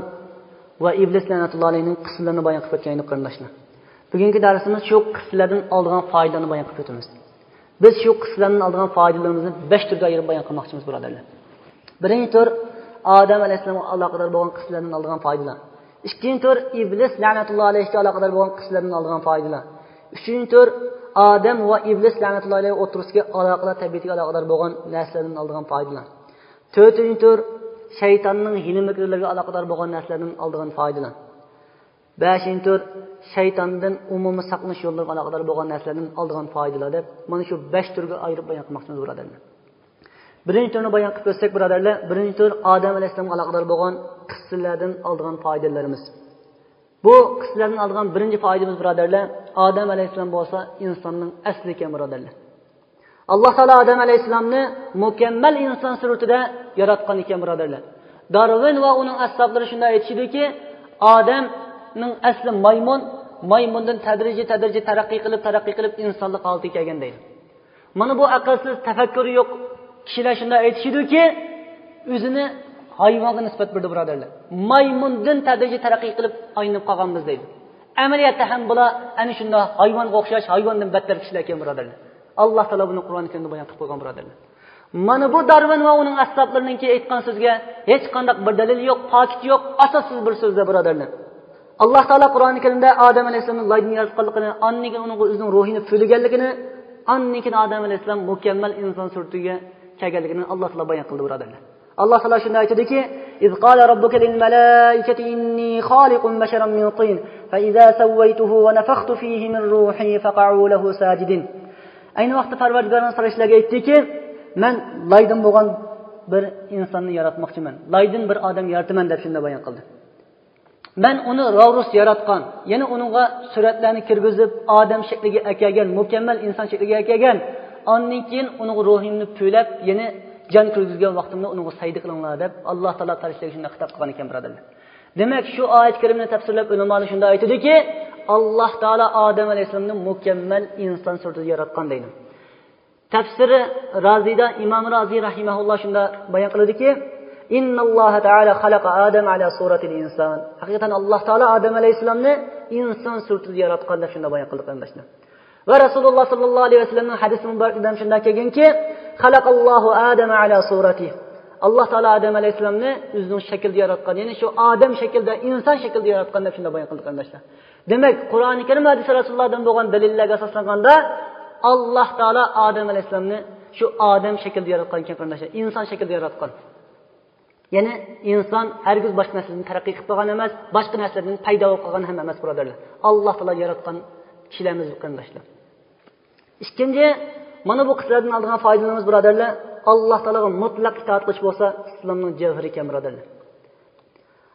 ۋە ئىبلىس لەنەتۇللاھى ئەلەيھنىڭ قىسسىلىرىنى بايان قىلىپ ئۆتكەن ئىدۇق قېرىنداشلار. بۈگۈنكى دەرسىمىز شۇ قىسسىلەردىن ئالىدىغان پايدىلارنى بايان قىلىپ ئۆتىمىز. بىز شۇ قىسسىلەردىن ئالىدىغان پايدىلىرىمىزنى بەش تۈرگە ئايرىپ بايان قىلماقچىمىز، بۇرادەرلەر. بىرىنچى تۈر، ئادەم ئەلەيھىسسالامغا ئالاقىدار بولغان قىسسىلەردىن ئالىدىغان پايدىلار. ئىككىنچى تۈر، ئىبلىس لەنەتۇللاھى ئەلەيھىگە ئالاقىدار بولغان قىسسىلەردىن ئالىدىغان پايدىلار. ئۈچىنچى تۈر، ئادەم ۋە ئىبلىس لەنەتۇللاھى ئەلەيھى ئوتتۇرىسىدىكى ئالاقىلار، تەبىئىتىگە ئالاقىدار بولغان نەرسىلەردىن ئالىدىغان پايدىلار. تۆتىنچى تۈر، شەيتاننىڭ ھىيلە-مىكىرلىرىگە ئالاقىدار بولغان نەرسىلەردىن ئالىدىغان پايدىلار. بەشىنچى تۈر، شەيتاندىن ئومۇمىي ساقلىنىش يوللىرىغا ئالاقىدار بولغان نەرسىلەردىن ئالىدىغان پايدىلار دەپ، مانا شۇ بەش تۈرگە ئايرىپ بايان قىلماقچىمىز، بۇرادەرلەر. بىرىنچى تۈرنى بايان قىلىپ ئۆتسەك، بۇرادەرلەر، بىرىنچى تۈر ئادەم ئەلەيھىسسالامغا ئالاقىدار بولغان قىسسىلەردىن ئالىدىغان پايدىلىرىمىز. بۇ قىسسىلەردىن ئالىدىغان بىرىنچى پايدىمىز، بۇرادەرلەر، ئادەم ئەلەيھىسسالام بولسا ئىنساننىڭ ئەسلى ئىكەن، بۇرادەرلەر. ئاللاھ تائالا ئادەم ئەلەيھىسسالامنى مۇكەممەل ئىنسان سۈرىتىدە ياراتقان ئىكەن، بۇرادەرلەر. دارۋىن ۋە ئۇنىڭ ئەسھابلىرى شۇنداق ئېيتىشىدۇكى، ئادەمنىڭ ئەسلى مايمۇن، مايمۇندىن تەدرىجىي، تەدرىجىي تەرەققىي قىلىپ، تەرەققىي قىلىپ ئىنسانلىق ھالىتىگە كەلگەن دەيدۇ. مانا بۇ ئەقىلسىز، تەپەككۇرى يوق كىشىلەر شۇنداق ئېيتىشىدۇكى، ئۆزىنى ھايۋانغا نىسبەت بېرىدۇ، بۇرادەرلەر. مايمۇندىن تەدرىجىي تەرەققىي قىلىپ ئايلىنىپ قالغانمىز دەيدۇ. ئەمەلىيەتتە ھەم بۇلار ئەنە شۇنداق ھايۋانغا ئوخشاش، ھايۋاندىن بەتتەر كىشىلەر ئىكەن، بۇرادەرلەر. ئاللاھ تائالا بۇنى قۇرئان كەرىمدە بايان قىلىپ قويغان، بۇرادەرلەر. مانا بۇ دارۋىن ۋە ئۇنىڭ ئەسھابلىرىنىڭكى ئېيتقان سۆزىگە ھېچقانداق بىر دەلىل يوق، پاكىت يوق، ئاساسسىز بىر سۆزلەر، بۇرادەرلەر. ئاللاھ تائالا قۇرئان كەرىمدە ئادەم ئەلەيھىسسالامنى لايدىن ياراتقانلىقىنى، ئاندىن كېيىن ئۇنىڭغا ئۆزىنىڭ روھىنى پۈۋلىگەنلىكىنى، ئاندىن كېيىن ئادەم ئەلەيھىسسالام مۇكەممەل ئىنسان سۈرىتىگە كەلگەنلىكىنى ئاللاھ تائالا بايان قىلدى، بۇرادەرلەر. ئاللاھ تائالا شۇنداق ئېيتىدۇكى، إذ قال ربك للملائكة إني خالق بشرا من طين فإذا سويته ونفخت فيه من روحي فقعوا له ساجدين. ئەينى ۋاقىتتا پەرۋەردىگارىڭىز پەرىشتىلەرگە ئېيتتىكى، مەن لايدىن بولغان بىر ئىنساننى ياراتماقچىمەن، لايدىن بىر ئادەم يارىتىمەن دەپ شۇنداق بايان قىلدى. مەن ئۇنى راۋرۇس ياراتقان، يەنى ئۇنىڭغا سۈرەتلەرنى كىرگۈزۈپ، ئادەم شەكلىگە ئەكەلگەن، مۇكەممەل ئىنسان شەكلىگە ئەكەلگەن. ئاندىن كېيىن ئۇنىڭغا روھۇمنى پۈۋلەپ، يەنى جان كىرگۈزگەن ۋاقتىمدا ئۇنىڭغا سەجدە قىلىڭلار دەپ، ئاللاھ تائالا پەرىشتىلەرگە شۇنداق خىتاب قىلغان ئىكەن، بۇرادەرلەر. دېمەك، شۇ ئايەت كەرىمىنى تەپسىرلەپ، ئۆلىمالار شۇنداق ئېيتىدۇكى، ئاللاھ تائالا ئادەم ئەلەيھىسسالامنى مۇكەممەل ئىنسان سۈرىتىدە ياراتقان دەيدۇ. تەپسىرى رازىدا ئىمام رازى رەھىمەھۇللاھ شۇنداق بايان قىلىدۇكى، إن الله تعالى خلق آدم على صورة الإنسان. ھەقىقەتەن ئاللاھ تائالا ئادەم ئەلەيھىسسالامنى ئىنسان سۈرىتىدە ياراتقان دەپ شۇنداق بايان قىلدى، قېرىنداشلار. ۋە رەسۇلۇللاھ ساللاللاھۇ ئەلەيھى ۋەسەللەمنىڭ ھەدىسىنىڭ مۇبارىكىدە شۇنداق كەلگەنكى، خلق الله آدم على صورته. ئاللاھ تائالا ئادەم ئەلەيھىسسالامنى ئۆزىنىڭ شەكلىدە ياراتقان، يەنى شۇ ئادەم شەكلىدە، ئىنسان شەكلىدە ياراتقان دەپ شۇنداق بايان قىلدى، قېرىنداشلار. دېمەك، قۇرئانى كەرىم، ھەدىس رەسۇلۇللاھدىن بولغان دەلىللەرگە ئاساسلانغاندا، ئاللاھ تائالا ئادەم ئەلەيھىسسالامنى شۇ ئادەم شەكلىدە ياراتقان ئىكەن، قېرىنداشلار، ئىنسان شەكلىدە ياراتقان. يەنى ئىنسان ھەرگىز باشقا نەرسىدىن تەرەققىي قىلىپ قالغان ئەمەس، باشقا نەرسىلەردىن پەيدا بولۇپ قالغان ھەم ئەمەس، بۇرادەرلەر. ئاللاھ تائالا ياراتقان كىشىلەرمىز، قېرىنداشلار. ئىككىنچى، مانا بۇ قىسسىلەردىن ئالىدىغان پايدىلىرىمىز، بۇرادەرلەر، ئاللاھ تائالاغا مۇتلەق ئىتائەت قىلىش بولسا ئىسلامنىڭ جەۋھىرى ئىكەن، بۇرادەرلەر.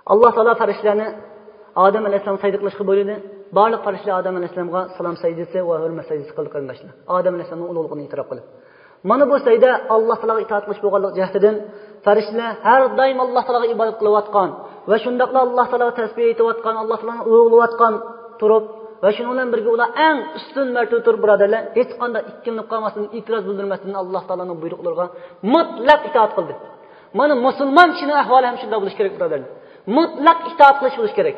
ئاللاھ تائالا پەرىشتىلەرنى ئادەم ئەلەيھىسسالامغا سەجدە قىلىشقا بۇيرۇدى. بارلىق پەرىشتىلەر ئادەم ئەلەيھىسسالامغا سالام سەجدىسى ۋە ھۆرمەت سەجدىسى قىلدى، قېرىنداشلار. ئادەم ئەلەيھىسسالامنىڭ ئۇلۇغلۇقىنى ئېتىراپ قىلىپ. مانا بۇ سەجدە ئاللاھ تائالاغا ئىتائەت قىلىش بولغانلىقى جەھىتىدىن، پەرىشتىلەر ھەر دائىم ئاللاھ تائالاغا ئىبادەت قىلىۋاتقان ۋە شۇنداقلا ئاللاھ تائالاغا تەسبىھ ئېيتىۋاتقان، ئاللاھ تائالانى ئۇلۇغلىۋاتقان تۇرۇپ ۋە شۇنىڭ بىلەن بىرگە ئۇلار ئەڭ ئۈستۈن مەرتىۋىدە تۇرۇپ، بۇرادەرلەر، ھېچقانداق ئىككىلىنىپ قالماستىن، ئېتىراز بىلدۈرمەستىن ئاللاھ تائالانىڭ بۇيرۇقلىرىغا مۇتلەق ئىتائەت قىلدى. مانا مۇسۇلمان كىشىنىڭ ئەھۋالى ھەم شۇنداق بولۇشى كېرەك، بۇرادەرلەر. مۇتلەق ئىتائەت قىلىش بولۇشى كېرەك.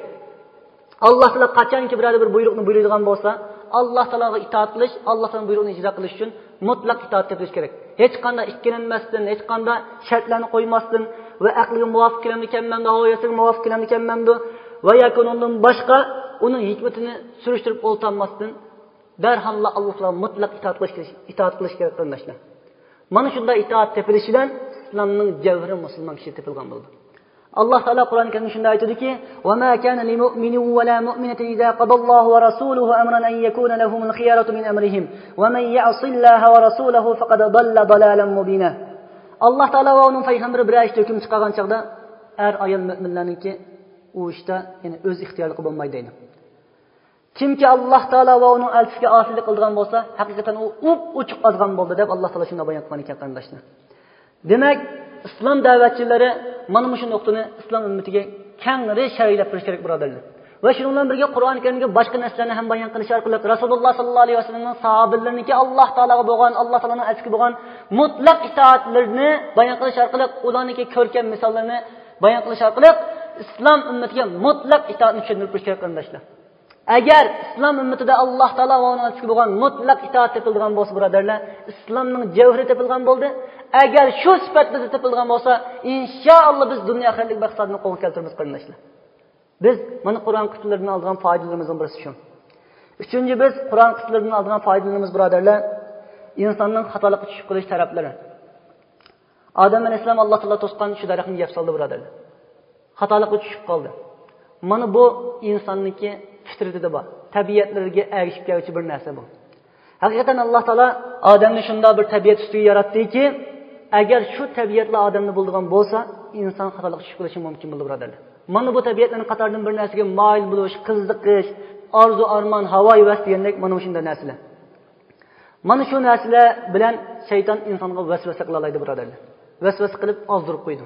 ئاللاھ تائالا قاچانكى بىرەر بىر بۇيرۇقنى بۇيرۇيدىغان بولسا، ئاللاھ تائالاغا ئىتائەت قىلىش، ئاللاھ تائالانىڭ بۇيرۇقىنى ئىجرا قىلىش ئۈچۈن مۇتلەق ئىتائەت تېپىلىش كېرەك. ھېچقانداق ئىككىلەنمەستىن، ھېچقانداق شەرتلەرنى قويماستىن ۋە ئەقلىگە مۇۋاپىق كېلەمدىكەنمەمدۇ، ھاۋا ھەۋەسىگە مۇۋاپىق كېلەمدىكەنمەمدۇ ۋە ياكى ئۇنىڭدىن باشقا ئۇنىڭ ھېكمىتىنى سۈرۈشتۈرۈپ ئولتۇرماستىن، دەرھاللا ئاللاھ تائالاغا مۇتلەق ئىتائەت قىلىش، ئىتائەت قىلىش كېرەك، قېرىنداشلار. مانا شۇنداق ئىتائەت تېپىلىشى بىلەن ئىسلامنىڭ جەۋھىرى مۇسۇلمان كىشى تېپىلغان بولىدۇ. ئاللاھ تائالا قۇرئانى كەرىمدە شۇنداق ئېيتىدۇكى، وما كان لمؤمن ولا مؤمنة إذا قضى الله ورسوله أمرا أن يكون لهم الخيرة من أمرهم ومن يعص الله ورسوله فقد ضل ضلالا مبينا. ئاللاھ تائالا ۋە ئۇنىڭ پەيغەمبىرى بىرەر ئىشتا ھۆكۈم چىقارغان چاغدا ئەر ئايال مۆمىنلەرنىڭكى ئۇ ئىشتا، يەنى ئۆز ئىختىيارلىقى بولمايدۇ دەيدۇ. كىمكى ئاللاھ تائالا ۋە ئۇنىڭ ئەلچىسىگە ئاسىيلىق قىلىدىغان بولسا، ھەقىقەتەن ئۇ ئوپئوچۇق ئازغان بولدى دەپ ئاللاھ تائالا شۇنداق بايان قىلغان ئىكەن، قېرىنداشلار. دېمەك، ئىسلام دەۋەتچىلىرى مانا مۇشۇ نۇقتىنى ئىسلام ئۈممىتىگە كەڭرى شەرھلەپ بېرىش كېرەك، بۇرادەرلەر. ۋە شۇنىڭ بىلەن بىرگە قۇرئانى كەرىمدىكى باشقا نەسلەرنى ھەم بايان قىلىش ئارقىلىق رەسۇلۇللاھ ساللاللاھۇ ئەلەيھى ۋەسەللەمنىڭ ساھابىلىرىنىڭكى ئاللاھ تائالاغا بولغان، ئاللاھ تائالانىڭ ئەلچىسىگە بولغان مۇتلەق ئىتائەتلىرىنى بايان قىلىش ئارقىلىق، ئۇلارنىڭكى كۆركەم مىساللىرىنى بايان قىلىش ئارقىلىق ئىسلام ئۈممىتىگە مۇتلەق ئىتائەتنى چۈشەندۈرۈپ بېرىش كېرەك، قېرىنداشلار. ئەگەر ئىسلام ئۈممىتىدە ئاللاھ تائالا ۋە ئۇنىڭ ئەلچىسىگە بولغان مۇتلەق ئىتائەت تېپىلغان بولسا، بۇرادەرلەر، ئىسلامنىڭ جەۋھىرى تېپىلغان بولدى. ئەگەر شۇ سۈپەت بىزدە تېپىلغان بولسا، ئىنشائاللا بىز دۇنيا ئاخىرەتلىك مەقسەتنى قولغا كەلتۈرىمىز، قېرىنداشلار. بىز مانا قۇرئان قىسسىلىرىدىن ئالىدىغان پايدىلىرىمىزنىڭ بىرسى شۇ. ئۈچىنچى، بىز قۇرئان قىسسىلىرىدىن ئالىدىغان پايدىلىرىمىز، بۇرادەرلەر، ئىنساننىڭ خاتالىققا چۈشۈپ قېلىش تەرەپلىرى. ئادەم ئەلەيھىسسالام ئاللاھ تائالا توسقان شۇ دەرەخنى يەپ سالدى، بۇرادەرلەر. خاتالىققا چۈشۈپ قالدى. مانا بۇ ئىنساننىڭكى پىترىتىدە بار، تەبىئەتلىرىگە ئەگىشىپ كەلگۈچى بىر نەرسە بۇ. ھەقىقەتەن ئاللاھ تائالا ئادەمنى شۇنداق بىر تەبىئەت ئۈستىگە ياراتتىكى، ئەگەر شۇ تەبىئەتلا ئادەمدە بولىدىغان بولسا، ئىنسان خاتالىققا چۈشۈپ قېلىشى مۇمكىن بولىدۇ، بۇرادەرلەر. مانا بۇ تەبىئەتلەرنىڭ قاتارىدىن بىر نەرسىگە مايىل بولۇش، قىزىقىش، ئارزۇ ئارمان، ھاۋايىۋەس دېگەندەك مانا مۇشۇنداق نەرسىلەر. مانا شۇ نەرسىلەر بىلەن شەيتان ئىنسانغا ۋەسۋەسە قىلالايدۇ، بۇرادەرلەر. ۋەسۋەسە قىلىپ ئازدۇرۇپ قويىدۇ.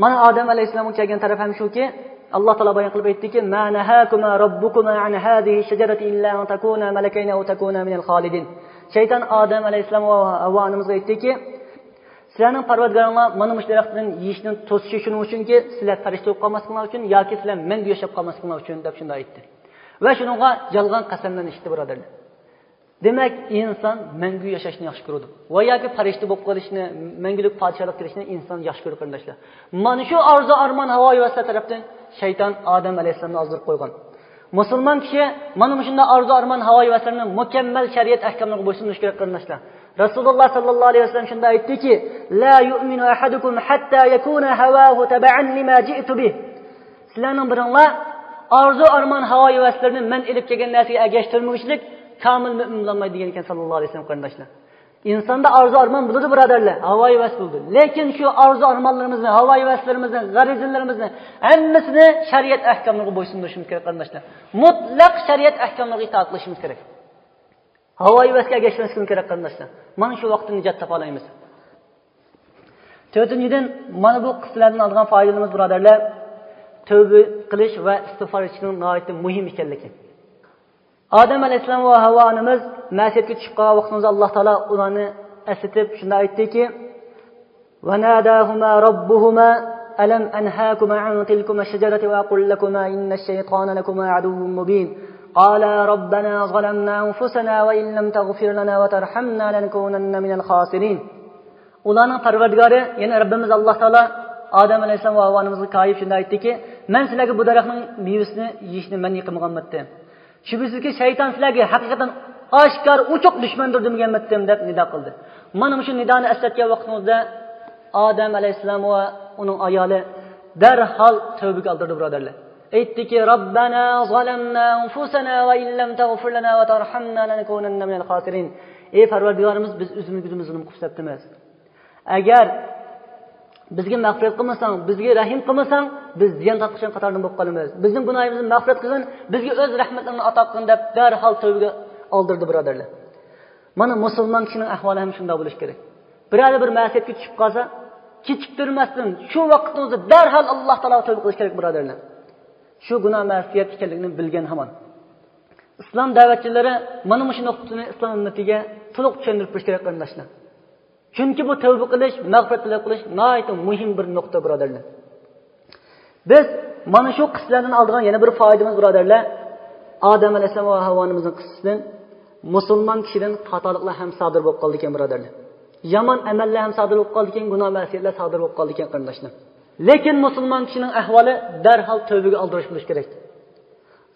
مانا ئادەم ئەلەيھىسسالامغا كەلگەن تەرەپ ھەم شۇكى، ئاللاھ تائالا بايان قىلىپ ئېيتتىكى، ما نهاكما ربكما عن هذه الشجرة إلا أن تكونا ملكين أو تكونا من الخالدين. شەيتان ئادەم ئەلەيھىسسالام ۋە ھەۋۋا ئانىمىزغا ئېيتتىكى، سىلەرنىڭ پەرۋەردىگارىڭلار مانا مۇشۇ دەرەختىن يېيىشنى توسۇشى شۇنىڭ ئۈچۈنكى، سىلەر پەرىشتە بولۇپ قالماسلىقىڭلار ئۈچۈن ياكى سىلەر مەڭگۈ ياشاپ قالماسلىقىڭلار ئۈچۈن دەپ شۇنداق ئېيتتى. ۋە شۇنىڭغا يالغان قەسەملەرنى ئىچتى، بۇرادەرلەر. دېمەك، ئىنسان مەڭگۈ ياشاشنى ياخشى كۆرىدۇ ۋە ياكى پەرىشتە بولۇپ قېلىشنى، مەڭگۈلۈك پادىشاھلىق كېلىشنى ئىنسان ياخشى كۆرىدۇ، قېرىنداشلار. مانا شۇ ئارزۇ ئارمان ھاۋايىۋەسلەر تەرەپتىن شەيتان ئادەم ئەلەيھىسسالامنى ئازدۇرۇپ قويغان. مۇسۇلمان كىشى مانا مۇشۇنداق ئارزۇ ئارمان ھاۋايىۋەسلىرىنى مۇكەممەل شەرىئەت ئەھكاملىرىغا بويسۇندۇرۇش كېرەك، قېرىنداشلار. رەسۇلۇللاھ ساللاللاھۇ ئەلەيھى ۋەسەللەم شۇنداق ئېيتتىكى، لا يؤمن أحدكم حتى يكون هواه تبعا لما جئت به. سىلەرنىڭ بىرىڭلار ئارزۇ ئارمان ھاۋايىۋەسلىرىنى مەن ئېلىپ كەلگەن نەرسىگە ئەگەشتۈرمىگۈچىلىك كامىل مۆمىن بولالمايدۇ دېگەن ئىكەن ساللاللاھۇ ئەلەيھى ۋەسەللەم، قېرىنداشلار. ئىنساندا ئارزۇ ئارمان بولىدۇ، بۇرادەرلەر، ھاۋايىۋەس بولىدۇ. لېكىن شۇ ئارزۇ ئارمانلىرىمىزنى، ھاۋايىۋەسلىرىمىزنى، غەرىزىلىرىمىزنى ھەممىسىنى شەرىئەت ئەھكاملىرىغا بويسۇندۇرۇشىمىز كېرەك، قېرىنداشلار. مۇتلەق شەرىئەت ئەھكاملىرىغا ئىتائەت قىلىشىمىز كېرەك. ھاۋايىۋەسكە ئەگەشمەسلىكىمىز كېرەك، قېرىنداشلار. مانا شۇ ۋاقىتتا نىجات تاپالايمىز. تۆتىنچىدىن، مانا بۇ قىسسىلەردىن ئالىدىغان پايدىلىرىمىز، بۇرادەرلەر، تەۋبە قىلىش ۋە ئىستىغپار ئېيتىشنىڭ ناھايىتى مۇھىم ئىكەنلىكى. ئادەم ئەلەيھىسسالام ۋە ھاۋا ئانىمىز مەسىيەتكە چۈشۈپ قالغان ۋاقتىمىزدا، ئاللاھ تائالا ئۇلارنى ئەسلىتىپ شۇنداق ئېيتتىكى، وناداهما ربهما ألم أنهاكما عن تلكما الشجرة وأقل لكما إن الشيطان لكما عدو مبين. قالا ربنا ظلمنا أنفسنا وإن لم تغفر لنا وترحمنا لنكونن من الخاسرين. ئۇلارنىڭ پەرۋەردىگارى، يەنى رەببىمىز ئاللاھ تائالا ئادەم ئەلەيھىسسالام ۋە ھاۋا ئانىمىزغا كايىپ شۇنداق ئېيتتىكى، مەن سىلەرگە بۇ دەرەخنىڭ مېۋىسىنى يېيىشنى مەنئى قىلمىغانمىدىم. شۈبھىسىزكى، شەيتان سىلەرگە ھەقىقەتەن ئاشكارا ئوچۇق دۈشمەندۇر دېمىگەنمىدىم دەپ نىدا قىلدى. مانا مۇشۇ نىدانى ئەسلەتكەن ۋاقتىڭىزدا ئادەم ئەلەيھىسسالام ۋە ئۇنىڭ ئايالى دەرھال تەۋبىگە ئالدىردى، بۇرادەرلەر. ئېيتتىكى، ربنا ظلمنا أنفسنا وإن لم تغفر لنا وترحمنا لنكونن من الخاسرين. ئەي پەرۋەردىگارىمىز، بىز ئۆزىمىزگە ئۆزىمىز زۇلۇم قىلىپ سەپتىمىز. ئەگەر بىزگە مەغپىرەت قىلمىساڭ، بىزگە رەھىم قىلمىساڭ، بىز زىيان تارتقۇچىلار قاتارىدىن بولۇپ قالىمىز. بىزنىڭ گۇناھىمىزنى مەغپىرەت قىلغىن، بىزگە ئۆز رەھمەتلىرىڭنى ئاتا قىلغىن دەپ دەرھال تەۋبىگە ئالدىردى، بۇرادەرلەر. مانا مۇسۇلمان كىشىنىڭ ئەھۋالى ھەم شۇنداق بولۇشى كېرەك. بىرەر بىر مەسىيەتكە چۈشۈپ قالسا، كېچىكتۈرمەستىن شۇ ۋاقىتنىڭ ئۆزىدە دەرھال ئاللاھ تائالاغا تەۋبە قىلىش كېرەك، بۇرادەرلەر. شۇ گۇناھ مەسىيەت ئىكەنلىكىنى بىلگەن ھامان. ئىسلام دەۋەتچىلىرى مانا مۇشۇ نۇقتىنى ئىسلام ئۈممىتىگە تولۇق چۈشەندۈرۈپ بېرىشى كېرەك، قېرىنداشلار. چۈنكى بۇ تەۋبە قىلىش، مەغپىرەت تەلەپ قىلىش ناھايىتى مۇھىم بىر نۇقتا، بۇرادەرلەر. بىز مانا شۇ قىسسىلەردىن ئالىدىغان يەنە بىر پايدىمىز، بۇرادەرلەر، ئادەم ئەلەيھىسسالام ۋە ھاۋا ئانىمىزنىڭ قىسسىسىدىن مۇسۇلمان كىشىدىن خاتالىقلار ھەم سادىر بولۇپ قالىدىكەن، بۇرادەرلەر. يامان ئەمەللەر ھەم سادىر بولۇپ قالىدىكەن، گۇناھ مەسىيەتلەر سادىر بولۇپ قالىدىكەن، قېرىنداشلار. لېكىن مۇسۇلمان كىشىنىڭ ئەھۋالى دەرھال تەۋبىگە ئالدىرىش بولۇشى كېرەك.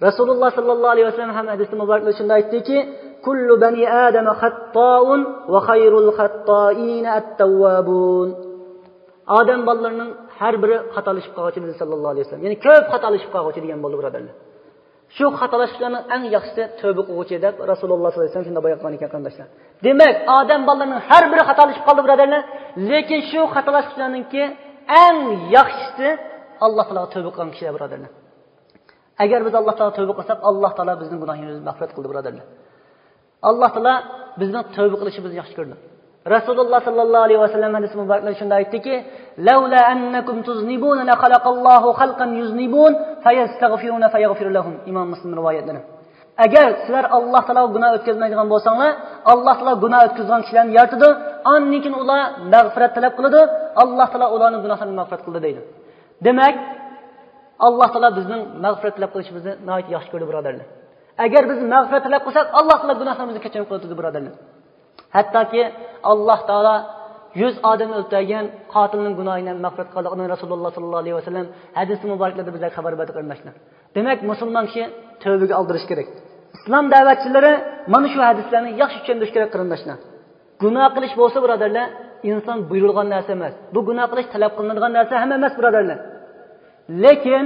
رەسۇلۇللاھ سەللەللاھۇ ئەلەيھى ۋەسەللەم ھەم ھەدىسى مۇبارەكلىرىدە شۇنداق ئېيتتىكى، كل بني آدم خطاء وخير الخطائين التوابون. ئادەم بالىلىرىنىڭ ھەر بىرى خاتالىشىپ قالغۇچى، دېدى سەللەللاھۇ ئەلەيھى ۋەسەللەم. يەنى كۆپ خاتالىشىپ قالغۇچى دېگەن بولدى، بۇرادەرلەر. شۇ خاتالاشقۇچىلارنىڭ ئەڭ ياخشىسى تەۋبە قىلغۇچى دەپ رەسۇلۇللاھ سەللەللاھۇ ئەلەيھى ۋەسەللەم شۇنداق بايان قىلغان ئىكەن، قېرىنداشلار. دېمەك، ئادەم بالىلىرىنىڭ ھەر بىرى خاتالىشىپ قالدى، بۇرادەرلەر. لېكىن شۇ خاتالاشقۇچىلارنىڭكى ئەڭ ياخشىسى ئاللاھ تائالاغا تەۋبە قىلغان كىشىلەر، بۇرادەرلەر. ئەگەر بىز ئاللاھ تائالاغا تەۋبە قىلساق، ئاللاھ تائالا بىزنىڭ گۇناھىمىزنى مەغپىرەت قىلدى، بۇرادەرلەر. ئاللاھ تائالا بىزنىڭ تەۋبە قىلىشىمىزنى ياخشى كۆرىدۇ. رەسۇلۇللاھ سەللەللاھۇ ئەلەيھى ۋەسەللەم ھەدىسى مۇبارەكلىرىدە شۇنداق ئېيتتىكى، لولا أنكم تذنبون لخلق الله خلقا يذنبون فيستغفرون فيغفر لهم. ئىمام مۇسلىم رىۋايەتلىرى. ئەگەر سىلەر ئاللاھ تائالاغا گۇناھ ئۆتكۈزمەيدىغان بولساڭلار، ئاللاھ تائالا گۇناھ ئۆتكۈزىدىغان كىشىلەرنى يارىتىدۇ، ئاندىن كېيىن ئۇلار مەغپىرەت تەلەپ قىلىدۇ، ئاللاھ تائالا ئۇلارنىڭ گۇناھلىرىنى مەغپىرەت قىلىدۇ دەيدۇ. دېمەك، ئاللاھ تائالا بىزنىڭ مەغپىرەت تەلەپ قىلىشىمىزنى ناھايىتى ياخشى كۆرىدۇ، بۇرادەرلەر. ئەگەر بىز مەغپىرەت تەلەپ قىلساق، ئاللاھ تائالا گۇناھلىرىمىزنى كەچۈرۈم قىلىۋېتىدۇ، بۇرادەرلەر. ھەتتاكى ئاللاھ تائالا يۈز ئادەمنى ئۆلتۈرگەن قاتىلنىڭ گۇناھىنى ھەم مەغپىرەت قىلغانلىقىنى رەسۇلۇللاھ سەللەللاھۇ ئەلەيھى ۋەسەللەم ھەدىسى مۇبارەكلىرىدە بىزگە خەۋەر بەردى، قېرىنداشلار. دېمەك، مۇسۇلمان كىشى تەۋبىگە ئالدىرىش كېرەك. ئىسلام دەۋەتچىلىرى مانا شۇ ھەدىسلەرنى ياخشى چۈشەندۈرۈش كېرەك، قېرىنداشلار. گۇناھ قىلىش بولسا، بۇرادەرلەر، ئىنسان بۇيرۇلغان نەرسە ئەمەس. بۇ گۇناھ قىلىش تەلەپ قىلىنىدىغان نەرسە ھەم ئەمەس، بۇرادەرلەر. لېكىن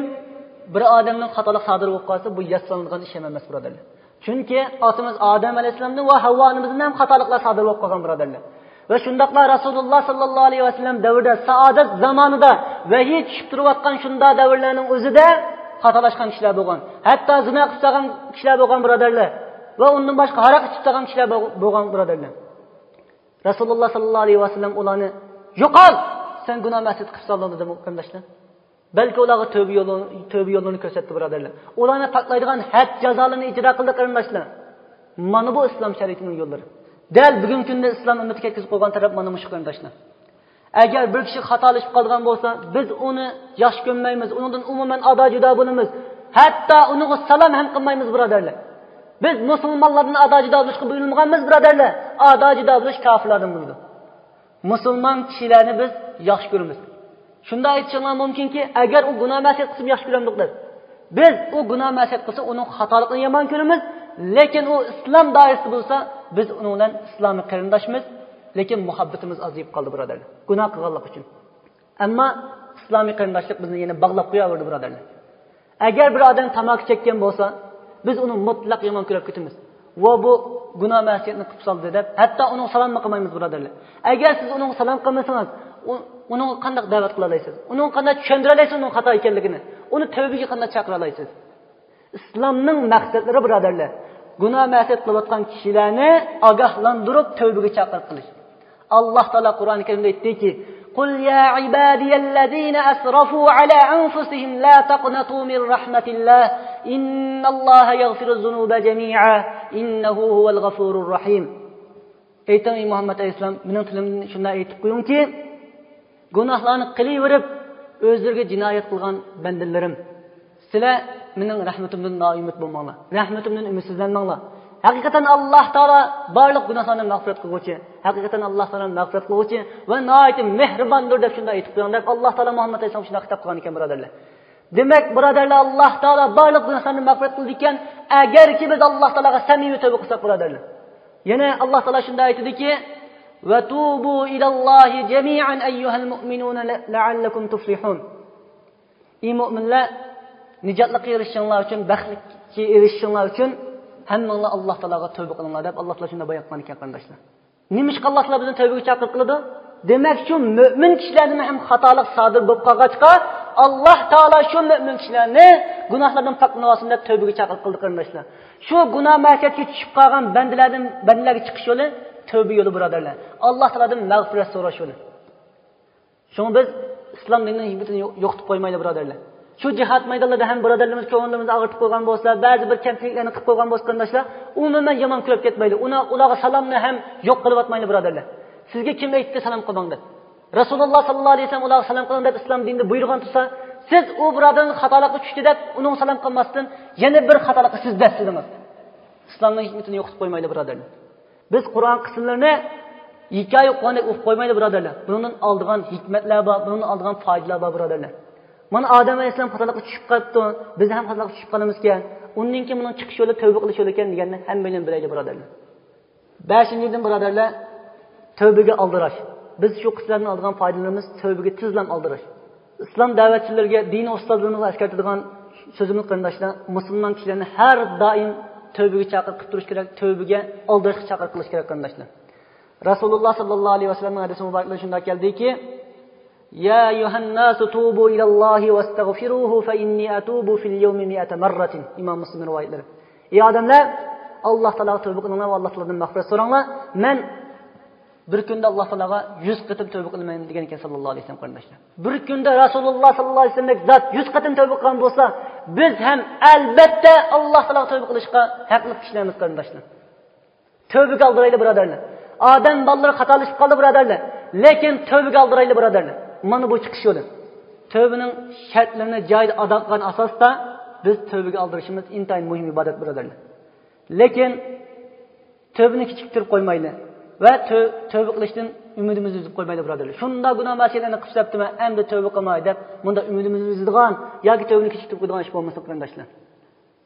بىر ئادەمنىڭ خاتالىق سادىر بولۇپ قالسا، بۇ ياسىلىنىدىغان ئىش ھەم ئەمەس، بۇرادەرلەر. چۈنكى ئاتىمىز ئادەم ئەلەيھىسسالامدىن ۋە ھەۋۋا ئانىمىزدىن ھەم خاتالىقلار سادىر بولۇپ قالغان، بۇرادەرلەر. ۋە شۇنداقلا رەسۇلۇللاھ سەللەللاھۇ ئەلەيھى ۋەسەللەم دەۋرىدە، سائادەت زامانىدا ۋەھىي چۈشۈپ تۇرۇۋاتقان شۇنداق دەۋرلەرنىڭ ئۆزىدە خاتالاشقان كىشىلەر بولغان. ھەتتا زىنا قىلىپ سالغان كىشىلەر بولغان، بۇرادەرلەر. ۋە ئۇندىن باشقا ھاراق ئىچىپ سالغان كىشىلەر بول-، بولغان، بۇرادەرلەر. رەسۇلۇللاھ سەللەللاھۇ ئەلەيھى ۋەسەللەم ئۇلارنى، يوقال! سەن گۇناھ مەسىيەت قىلىپ سالدىڭ، دېدىمۇ، قېرىنداشلار؟ بەلكى ئۇلارغا تۆبە يولى، تۆبە يولىنى كۆرسەتتى، بۇرادەرلەر. ئۇلارنى پاكلايدىغان ھەد جازالىرىنى ئىجرا قىلدى، قېرىنداشلار. مانا بۇ ئىسلام شەرىئىتىنىڭ يوللىرى. دەل بۈگۈنكى كۈندە ئىسلام ئۈممىتىگە كەتكۈزۈپ قويغان تەرەپ مانا مۇشۇ، قېرىنداشلار. ئەگەر بىر كىشى خاتالىشىپ قالغان بولسا، بىز ئۇنى ياخشى كۆرمەيمىز، ئۇنىڭدىن ئومۇمەن ئادا-جۇدا بولىمىز. ھەتتا ئۇنىڭغا سالام ھەم قىلمايمىز، بۇرادەرلەر. بىز مۇسۇلمانلاردىن ئادا-جۇدا بولۇشقا بۇيرۇلمىغانمىز، بۇرادەرلەر. ئادا-جۇدا بولۇش كاپىرلاردىن بولىدۇ. مۇسۇلمان كىشىلەرنى بىز ياخشى كۆرىمىز. شۇنداق ئېيتىشىڭلار مۇمكىنكى، ئەگەر ئۇ گۇناھ مەسىيەت قىلسىمۇ ياخشى كۆرەمدۇق دەپ. بىز ئۇ گۇناھ مەسىيەت قىلسا، ئۇنىڭ خاتالىقىنى يامان كۆرىمىز، لېكىن ئۇ ئىسلام دائىرىسىدە بولسا، بىز ئۇنىڭ بىلەن ئىسلامىي قېرىنداشمىز، لېكىن مۇھەببىتىمىز ئازىيىپ قالدى، بۇرادەرلەر. گۇناھ قىلغانلىقى ئۈچۈن. ئەمما ئىسلامىي قېرىنداشلىق بىزنى يەنە باغلاپ قوياۋەردى، بۇرادەرلەر. ئەگەر بىر ئادەم تاماكا چەككەن بولسا، بىز ئۇنى مۇتلەق يامان كۆرۈپ كېتىمىز. ۋە بۇ گۇناھ مەسىيەتنى قىلىپ سالدى دەپ، ھەتتا ئۇنىڭغا سالاممۇ قىلمايمىز، بۇرادەرلەر. ئەگەر سىز ئۇنىڭغا سالام قىلمىسىڭىز، ئۇ-، ئۇنىڭغا قانداق دەۋەت قىلالايسىز؟ ئۇنىڭغا قانداق چۈشەندۈرەلەيسىز ئۇنىڭ خاتا ئىكەنلىكىنى؟ ئۇنى تەۋبىگە قانداق چاقىرالايسىز؟ ئىسلامنىڭ مەقسەتلىرى، بۇرادەرلەر، گۇناھ مەسىيەت قىلىۋاتقان كىشىلەرنى ئاگاھلاندۇرۇپ تەۋبىگە چاقىرىپ قىلىش. ئاللاھ تائالا قۇرئان كەرىمدە ئېيتتىكى، قل يا عبادي الذين أسرفوا على أنفسهم لا تقنطوا من رحمة الله إن الله يغفر الذنوب جميعا إنه هو الغفور الرحيم. ئېيتىڭ، ئەي مۇھەممەد ئەلەيھىسسالام، مېنىڭ تىلىمدىن شۇنداق ئېيتىپ قويۇڭكى، گۇناھلارنى قىلىۋېرىپ، ئۆزلىرىگە جىنايەت قىلغان بەندىلىرىم، سىلەر مېنىڭ رەھمىتىمدىن نائۈمىد بولماڭلار، رەھمىتىمدىن ئۈمىدسىزلەنمەڭلار. ھەقىقەتەن ئاللاھ تائالا بارلىق گۇناھلارنى مەغپىرەت قىلغۇچى، ھەقىقەتەن ئاللاھ تائالا مەغپىرەت قىلغۇچى ۋە ناھايىتى مېھرىباندۇر دەپ شۇنداق ئېيتىپ قويۇڭ دەپ، ئاللاھ تائالا مۇھەممەد ئەلەيھىسسالامغا شۇنداق خىتاب قىلغان ئىكەن، بۇرادەرلەر. دېمەك، بۇرادەرلەر، ئاللاھ تائالا بارلىق گۇناھلارنى مەغپىرەت قىلىدىكەن، ئەگەركى بىز ئاللاھ تائالاغا سەمىمىي تەۋبە قىلساق، بۇرادەرلەر. يەنە ئاللاھ تائالا شۇنداق ئېيتىدىكى، وتوبوا إلى الله جميعا أيها المؤمنون لعلكم تفلحون. ئى مۆمىنلەر، نىجاتلىققا ئېرىشىشىڭلار ئۈچۈن، بەختكە ئېرىشىشىڭلار ئۈچۈن ھەممىڭلار ئاللاھ تائالاغا تەۋبە قىلىڭلار دەپ، ئاللاھ تائالا شۇنداق بايان قىلغان ئىكەن، قېرىنداشلار. نېمىشقا ئاللاھ تائالا بىزنى تەۋبىگە چاقىرىق قىلىدۇ؟ دېمەك، شۇ مۆمىن كىشىلەردىن ھەم خاتالىق سادىر بولۇپ قالغاچقا، ئاللاھ تائالا شۇ مۆمىن كىشىلەرنى گۇناھلاردىن پاكلىنىۋالسۇن دەپ تەۋبىگە چاقىرىق قىلدى، قېرىنداشلار. شۇ گۇناھ مەسىيەتكە چۈشۈپ قالغان بەندىلەردىن، بەندىلەرگە چىقىش يولى تەۋبە يولى، بۇرادەرلەر. ئاللاھ تائالادىن مەغپىرەت سوراش يولى. شۇڭا بىز ئىسلام دىنىنىڭ ھېكمىتىنى يو-، يوقىتىپ قويمايلى، بۇرادەرلەر. شۇ جىھاد مەيدانلىرىدا ھەم بۇرادەرلىرىمىز كۆڭلىمىزنى ئاغرىتىپ قويغان بولسا، بەزى بىر كەمچىلىكلەرنى قىلىپ قويغان بولسا، قېرىنداشلار، ئومۇمەن يامان كۆرۈپ كەتمەيلى. ئۇنا-، ئۇلارغا سالامنى ھەم يوق قىلىۋاتمايلى، بۇرادەرلەر. سىزگە كىم ئېيتتى سالام قىلماڭ دەپ؟ رەسۇلۇللاھ ساللاللاھۇ ئەلەيھى ۋەسەللەم ئۇلارغا سالام قىلىڭ دەپ ئىسلام دىنىدا بۇيرۇغان تۇرسا، سىز ئۇ بۇرادەرنىڭ خاتالىققا چۈشتى دەپ ئۇنىڭغا سالام قىلماستىن، يەنە بىر خاتالىققا سىز دەسسىدىڭىز. ئىسلامنىڭ ھېكمىتىنى يوقىتىپ قويمايلى، بۇرادەرلەر. بىز قۇرئان قىسىملىرىنى ھېكايە ئوقۇغاندەك ئوقۇپ قويمايلى، بۇرادەرلەر. بۇنىڭدىن ئالىدىغان ھېكمەتلەر بار، بۇنىڭدىن ئالىدىغان پايدىلار بار، بۇرادەرلەر. مانا ئادەم ئەلەيھىسسالام خاتالىققا چۈشۈپ قاپتۇ، بىز ھەم خاتالىققا چۈشۈپ قالىمىزكەن. ئۇندىن كېيىن بۇنىڭ چىقىش يولى تەۋبە قىلىش يولى ئىكەن دېگەننى ھەممەيلەن بىلەيلى، بۇرادەرلەر. بەشىنچىدىن، بۇرادەرلەر، تەۋبىگە ئالدىراش. بىز شۇ قىسىملاردىن ئالىدىغان پايدىلىرىمىز تەۋبىگە تېزلا ئالدىراش. ئىسلام دەۋەتچىلىرىگە، دىنىي ئۇستازلىرىمىزغا ئەسكەرتىدىغان سۆزىمىز، قېرىنداشلار، مۇسۇلمان كىشىلەرنى ھەر دائىم تەۋبىگە چاقىرىپ قىلىپ تۇرۇش كېرەك، تەۋبىگە ئالدىراشقا چاقىرىق قىلىش كېرەك، قېرىنداشلار. رەسۇلۇللاھ ساللاللاھۇ ئەلەيھى ۋەسەللەمنىڭ ھەدىسى مۇبارەكلىرىدە شۇنداق كەلدىكى، يا أيها الناس توبوا إلى الله واستغفروه فإني أتوب في اليوم مائة مرة. ئىمام مۇسلىم رىۋايەتلىرى. ئى ئادەملەر، ئاللاھ تائالاغا تەۋبە قىلىڭلار ۋە ئاللاھ تائالادىن مەغپىرەت سوراڭلار. مەن بىر كۈندە ئاللاھ تائالاغا يۈز قېتىم تەۋبە قىلىمەن، دېگەن ئىكەن ساللاللاھۇ ئەلەيھى ۋەسەللەم، قېرىنداشلار. بىر كۈندە رەسۇلۇللاھ ساللاللاھۇ ئەلەيھى ۋەسەللەمدەك زات يۈز قېتىم تەۋبە قىلغان بولسا، بىز ھەم ئەلبەتتە ئاللاھ تائالاغا تەۋبە قىلىشقا ھەقلىق كىشىلەرمىز، قېرىنداشلار. تەۋبىگە ئالدىرايلى، بۇرادەرلەر. ئادەم بالىلىرى خاتالىشىپ قالدى، بۇرادەرلەر. لېكىن تەۋبىگە ئالدىرايلى، بۇرادەرلەر. مانا بۇ چىقىش يولى. تەۋبىنىڭ شەرتلىرىنى جايىدا ئادا قىلغان ئاساستا بىز تەۋبىگە ئالدىرىشىمىز ئىنتايىن مۇھىم ئىبادەت، بۇرادەرلەر. لېكىن تەۋبىنى كېچىكتۈرۈپ قويمايلى ۋە تەۋ-، تەۋبە قىلىشتىن ئۈمىدىمىزنى ئۈزۈپ قويمايلى، بۇرادەرلەر. شۇنداق گۇناھ مەسىيەتلەرنى قىلىپ سەپتىمەن، ئەمدى تەۋبە قىلماي دەپ، مۇنداق ئۈمىدىمىزنى ئۈزىدىغان ياكى تەۋبىنى كېچىكتۈرۈپ قويىدىغان ئىش بولمىسۇن، قېرىنداشلار.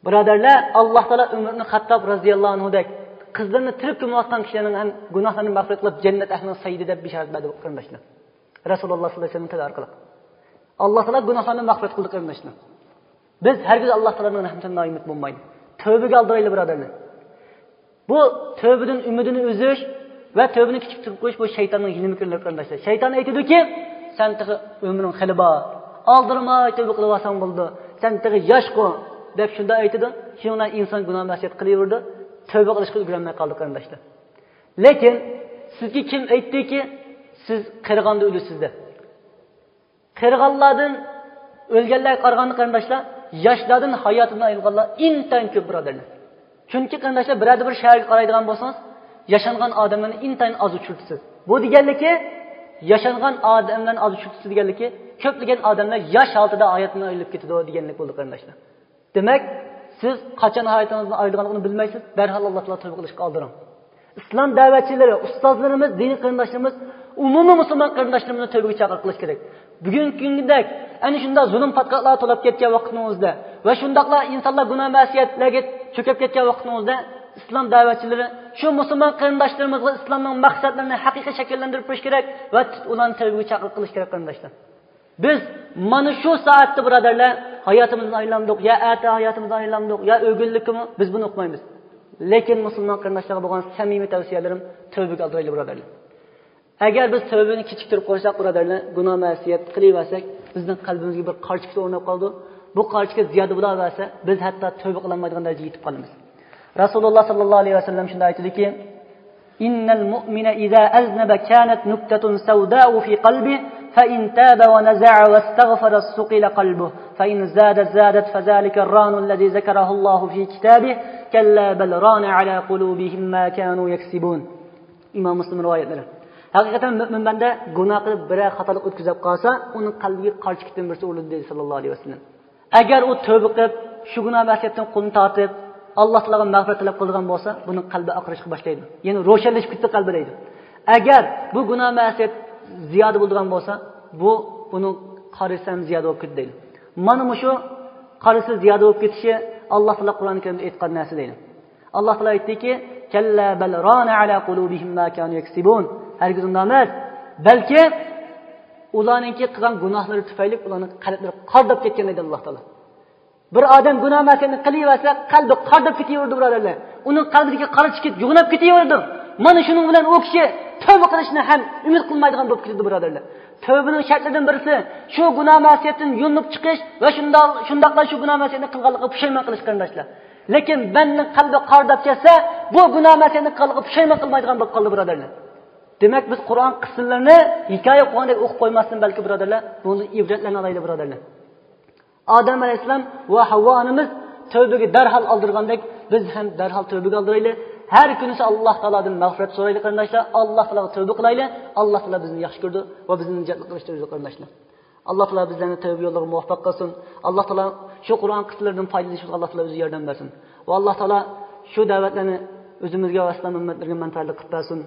بۇرادەرلەر، ئاللاھ تائالا ئۆمەر ئىبنى خەتتاب رەزىياللاھۇ ئەنھۇدەك قىزلىرىنى تىرىك كۆمۈۋاتقان كىشىلەرنىڭ ھەم گۇناھلىرىنى مەغپىرەت قىلىپ، جەننەت ئەھلىنىڭ سەييىدى دەپ بېشارەت بەردى، قېرىنداشلار. رەسۇلۇللاھ ساللاللاھۇ ئەلەيھى ۋەسەللەم تىلى ئارقىلىق. ئاللاھ تائالا گۇناھلارنى مەغپىرەت قىلدى، قېرىنداشلار. بىز ھەرگىز ئاللاھ تائالانىڭ رەھمىتىدىن نائۈمىد بولمايلى. تەۋبىگە ئالدىرايلى، بۇرادەرلەر. بۇ تەۋبىدىن ئۈمىدىنى ئۈزۈش ۋە تەۋبىنى كېچىكتۈرۈپ قويۇش، بۇ شەيتاننىڭ ھىيلە-مىكرىلىرى، قېرىنداشلار. شەيتان ئېيتىدۇكى، سەن تېخى ئۆمرۈڭ خېلى بار، ئالدىرىماي تەۋبە قىلىۋالساڭ بولىدۇ، سەن تېخى ياشقۇ، دەپ شۇنداق ئېيتىدۇ. شۇنىڭ بىلەن ئىنسان گۇناھ مەسىيەت قىلىۋېرىدۇ، تەۋبە قىلىشقا ئۈلگۈرەلمەي قالدى، قېرىنداشلار. لېكىن سىزگە كىم ئېيتتىكى، سىز قېرىغاندا ئۆلىسىز دەپ؟ قېرىغانلاردىن، ئۆلگەنلەرگە قارىغاندا، قېرىنداشلار، ياشلاردىن ھاياتىدىن ئايرىلغانلار ئىنتايىن كۆپ، بۇرادەرلەر. چۈنكى، قېرىنداشلار، بىرەردە بىر شەھەرگە قارايدىغان بولسىڭىز، ياشانغان ئادەملەرنى ئىنتايىن ئاز ئۇچرىتىسىز. بۇ دېگەنلىكى، ياشانغان ئادەملەرنى ئاز ئۇچرىتىسىز دېگەنلىكى، كۆپلىگەن ئادەملەر ياش ھالىتىدە ھاياتىدىن ئايرىلىپ كېتىدۇ دېگەنلىك بولىدۇ، قېرىنداشلار. دېمەك، سىز قاچان ھاياتىڭىزدىن ئايرىلىدىغانلىقىنى بىلمەيسىز، دەرھال ئاللاھ تائالاغا تەۋبە قىلىشقا ئالدىرىڭ. ئىسلام دەۋەتچىلىرى، ئۇستازلىرىمىز، دىنىي قېرىنداشلىرىمىز، ئومۇمىي مۇسۇلمان قېرىنداشلىرىمىزنى تەۋبىگە چاقىرىق قىلىش كېرەك. بۈگۈنكى كۈندىدەك ئەنە شۇنداق زۇلۇم پاتقاقلار تولاپ كەتكەن ۋاقتىنىڭ ئۆزىدە ۋە شۇنداقلا ئىنسانلار گۇناھ مەسىيەتلەرگە چۆكۈپ كەتكەن ۋاقتىنىڭ ئۆزىدە، ئىسلام دەۋەتچىلىرى شۇ مۇسۇلمان قېرىنداشلىرىمىزغا ئىسلامنىڭ مەقسەتلىرىنى ھەقىقىي شەكىللەندۈرۈپ بېرىش كېرەك ۋە ئۇلارنى تەۋبىگە چاقىرىق قىلىش كېرەك، قېرىنداشلار. بىز مانا شۇ سائەتتە، بۇرادەرلەر، ھاياتىمىزدىن ئايرىلامدۇق، يا ئەتە ھاياتىمىزدىن ئايرىلامدۇق، يا ئۆگۈنلۈككىمۇ، بىز بۇنى ئۇقمايمىز. لېكىن مۇسۇلمان قېرىنداشلارغا بولغان سەمىمىي تەۋسىيەلىرىم، تەۋبىگە ئالدىرايلى، بۇرادەرلەر. ئەگەر بىز تەۋبىنى كېچىكتۈرۈپ قويساق، بۇرادەرلەر، گۇناھ مەسىيەت قىلىۋەرسەك، بىزنىڭ قەلبىمىزگە بىر قارا چېكىت ئورناپ قالىدۇ. بۇ قارا چېكىت زىيادە بولاۋەرسە، بىز ھەتتا تەۋبە قىلالمايدىغان دەرىجىگە يېتىپ قالىمىز. رەسۇلۇللاھ ساللاللاھۇ ئەلەيھى ۋەسەللەم شۇنداق ئېيتىدۇكى، إن المؤمن إذا أذنب كانت نكتة سوداء في قلبه فإن تاب ونزع واستغفر صقل قلبه، فإن زاد زادت، فذلك الران الذي ذكره الله في كتابه، كلا بل ران على قلوبهم ما كانوا يكسبون. ئىمام مۇسلىم رىۋايەتلىرى. ھەقىقەتەن مۆمىن بەندە گۇناھ قىلىپ بىرەر خاتالىق ئۆتكۈزۈپ قالسا، ئۇنىڭ قەلبىگە قارا چېكىتتىن بىرسى ئۇرۇلىدۇ دېدى ساللاللاھۇ ئەلەيھى ۋەسەللەم. ئەگەر ئۇ تەۋبە قىلىپ، شۇ گۇناھ مەسىيەتتىن قولىنى تارتىپ، ئاللا تائالادىن مەغپىرەت تەلەپ قىلىدىغان بولسا، بۇنىڭ قەلبى ئاقىرىشقا باشلايدۇ. يەنى روشەنلىشىپ كېتىدۇ قەلبى دەيدۇ. ئەگەر بۇ گۇناھ مەسىيەت زىيادە بولىدىغان بولسا، بۇ، بۇنىڭ قارىسى ھەم زىيادە بولۇپ كېتىدۇ دەيدۇ. مانا مۇشۇ قارىسى زىيادە بولۇپ كېتىشى ئاللا تائالا قۇرئان كەرىمدە ئېيتقان نەرسە دەيدۇ. ئاللا تائالا ئېيتتىكى، كلا بل ران على قلوبهم ما كانوا يكسبون. ھەرگىز ئۇنداق ئەمەس. بەلكى ئۇلارنىڭكى قىلغان گۇناھلىرى تۈپەيلى ئۇلارنىڭ قەلبلىرى قارىداپ كەتكەن دەيدۇ ئاللا تائالا. بىر ئادەم گۇناھ مەسىيەتنى قىلىۋەرسە، قەلبى قارىداپ كېتىۋېرىدۇ، بۇرادەرلەر. ئۇنىڭ قەلبىدىكى قارا چېكىت يوغىناپ كېتىۋېرىدۇ. مانا شۇنىڭ بىلەن ئۇ كىشى تەۋبە قىلىشنى ھەم ئۈمىد قىلمايدىغان بولۇپ كېتىدۇ، بۇرادەرلەر. تەۋبىنىڭ شەرتلىرىدىن بىرسى، شۇ گۇناھ مەسىيەتتىن يۇيۇنۇپ چىقىش ۋە شۇنداق، شۇنداقلا شۇ گۇناھ مەسىيەتنى قىلغانلىقىغا پۇشايمان قىلىش، قېرىنداشلار. لېكىن بەندىنىڭ قەلبى قارىداپ كەتسە، بۇ گۇناھ مەسىيەتنى قىلغانلىقىغا پۇشايمان قىلمايدىغان بولۇپ قالدى، بۇرادەرلەر. دېمەك، بىز قۇرئان قىسسىلىرىنى ھېكايە ئوقۇغاندەك ئوقۇپ قويماستىن، بەلكى، بۇرادەرلەر، بۇنىڭدىن ئىبرەتلەرنى ئالايلى، بۇرادەرلەر. ئادەم ئەلەيھىسسالام ۋە ھەۋۋا ئانىمىز تەۋبىگە دەرھال ئالدىرىغاندەك، بىز ھەم دەرھال تەۋبىگە ئالدىرايلى. ھەر كۈنىسى ئاللا تائالادىن مەغپىرەت سورايلى، قېرىنداشلار. ئاللا تائالاغا تەۋبە قىلايلى. ئاللا تائالا بىزنى ياخشى كۆرىدۇ ۋە بىزنى نىجاتلىق قىلىشتا ئۆزى، قېرىنداشلار. ئاللا تائالا بىزلەرنى تەۋبە يوللىرىغا مۇۋەپپەق قىلسۇن. ئاللا تائالا شۇ قۇرئان قىسسىلىرىدىن پايدىلىنىشىمىزغا ئاللا تائالا ئۆزى ياردەم بەرسۇن. ۋە ئاللا تائالا شۇ دەۋەتلەرنى ئۆزىمىزگە ۋە ئىسلام ئۈممەتلىرىگە مەنپەئەتلىك قىلىپ بەرسۇن.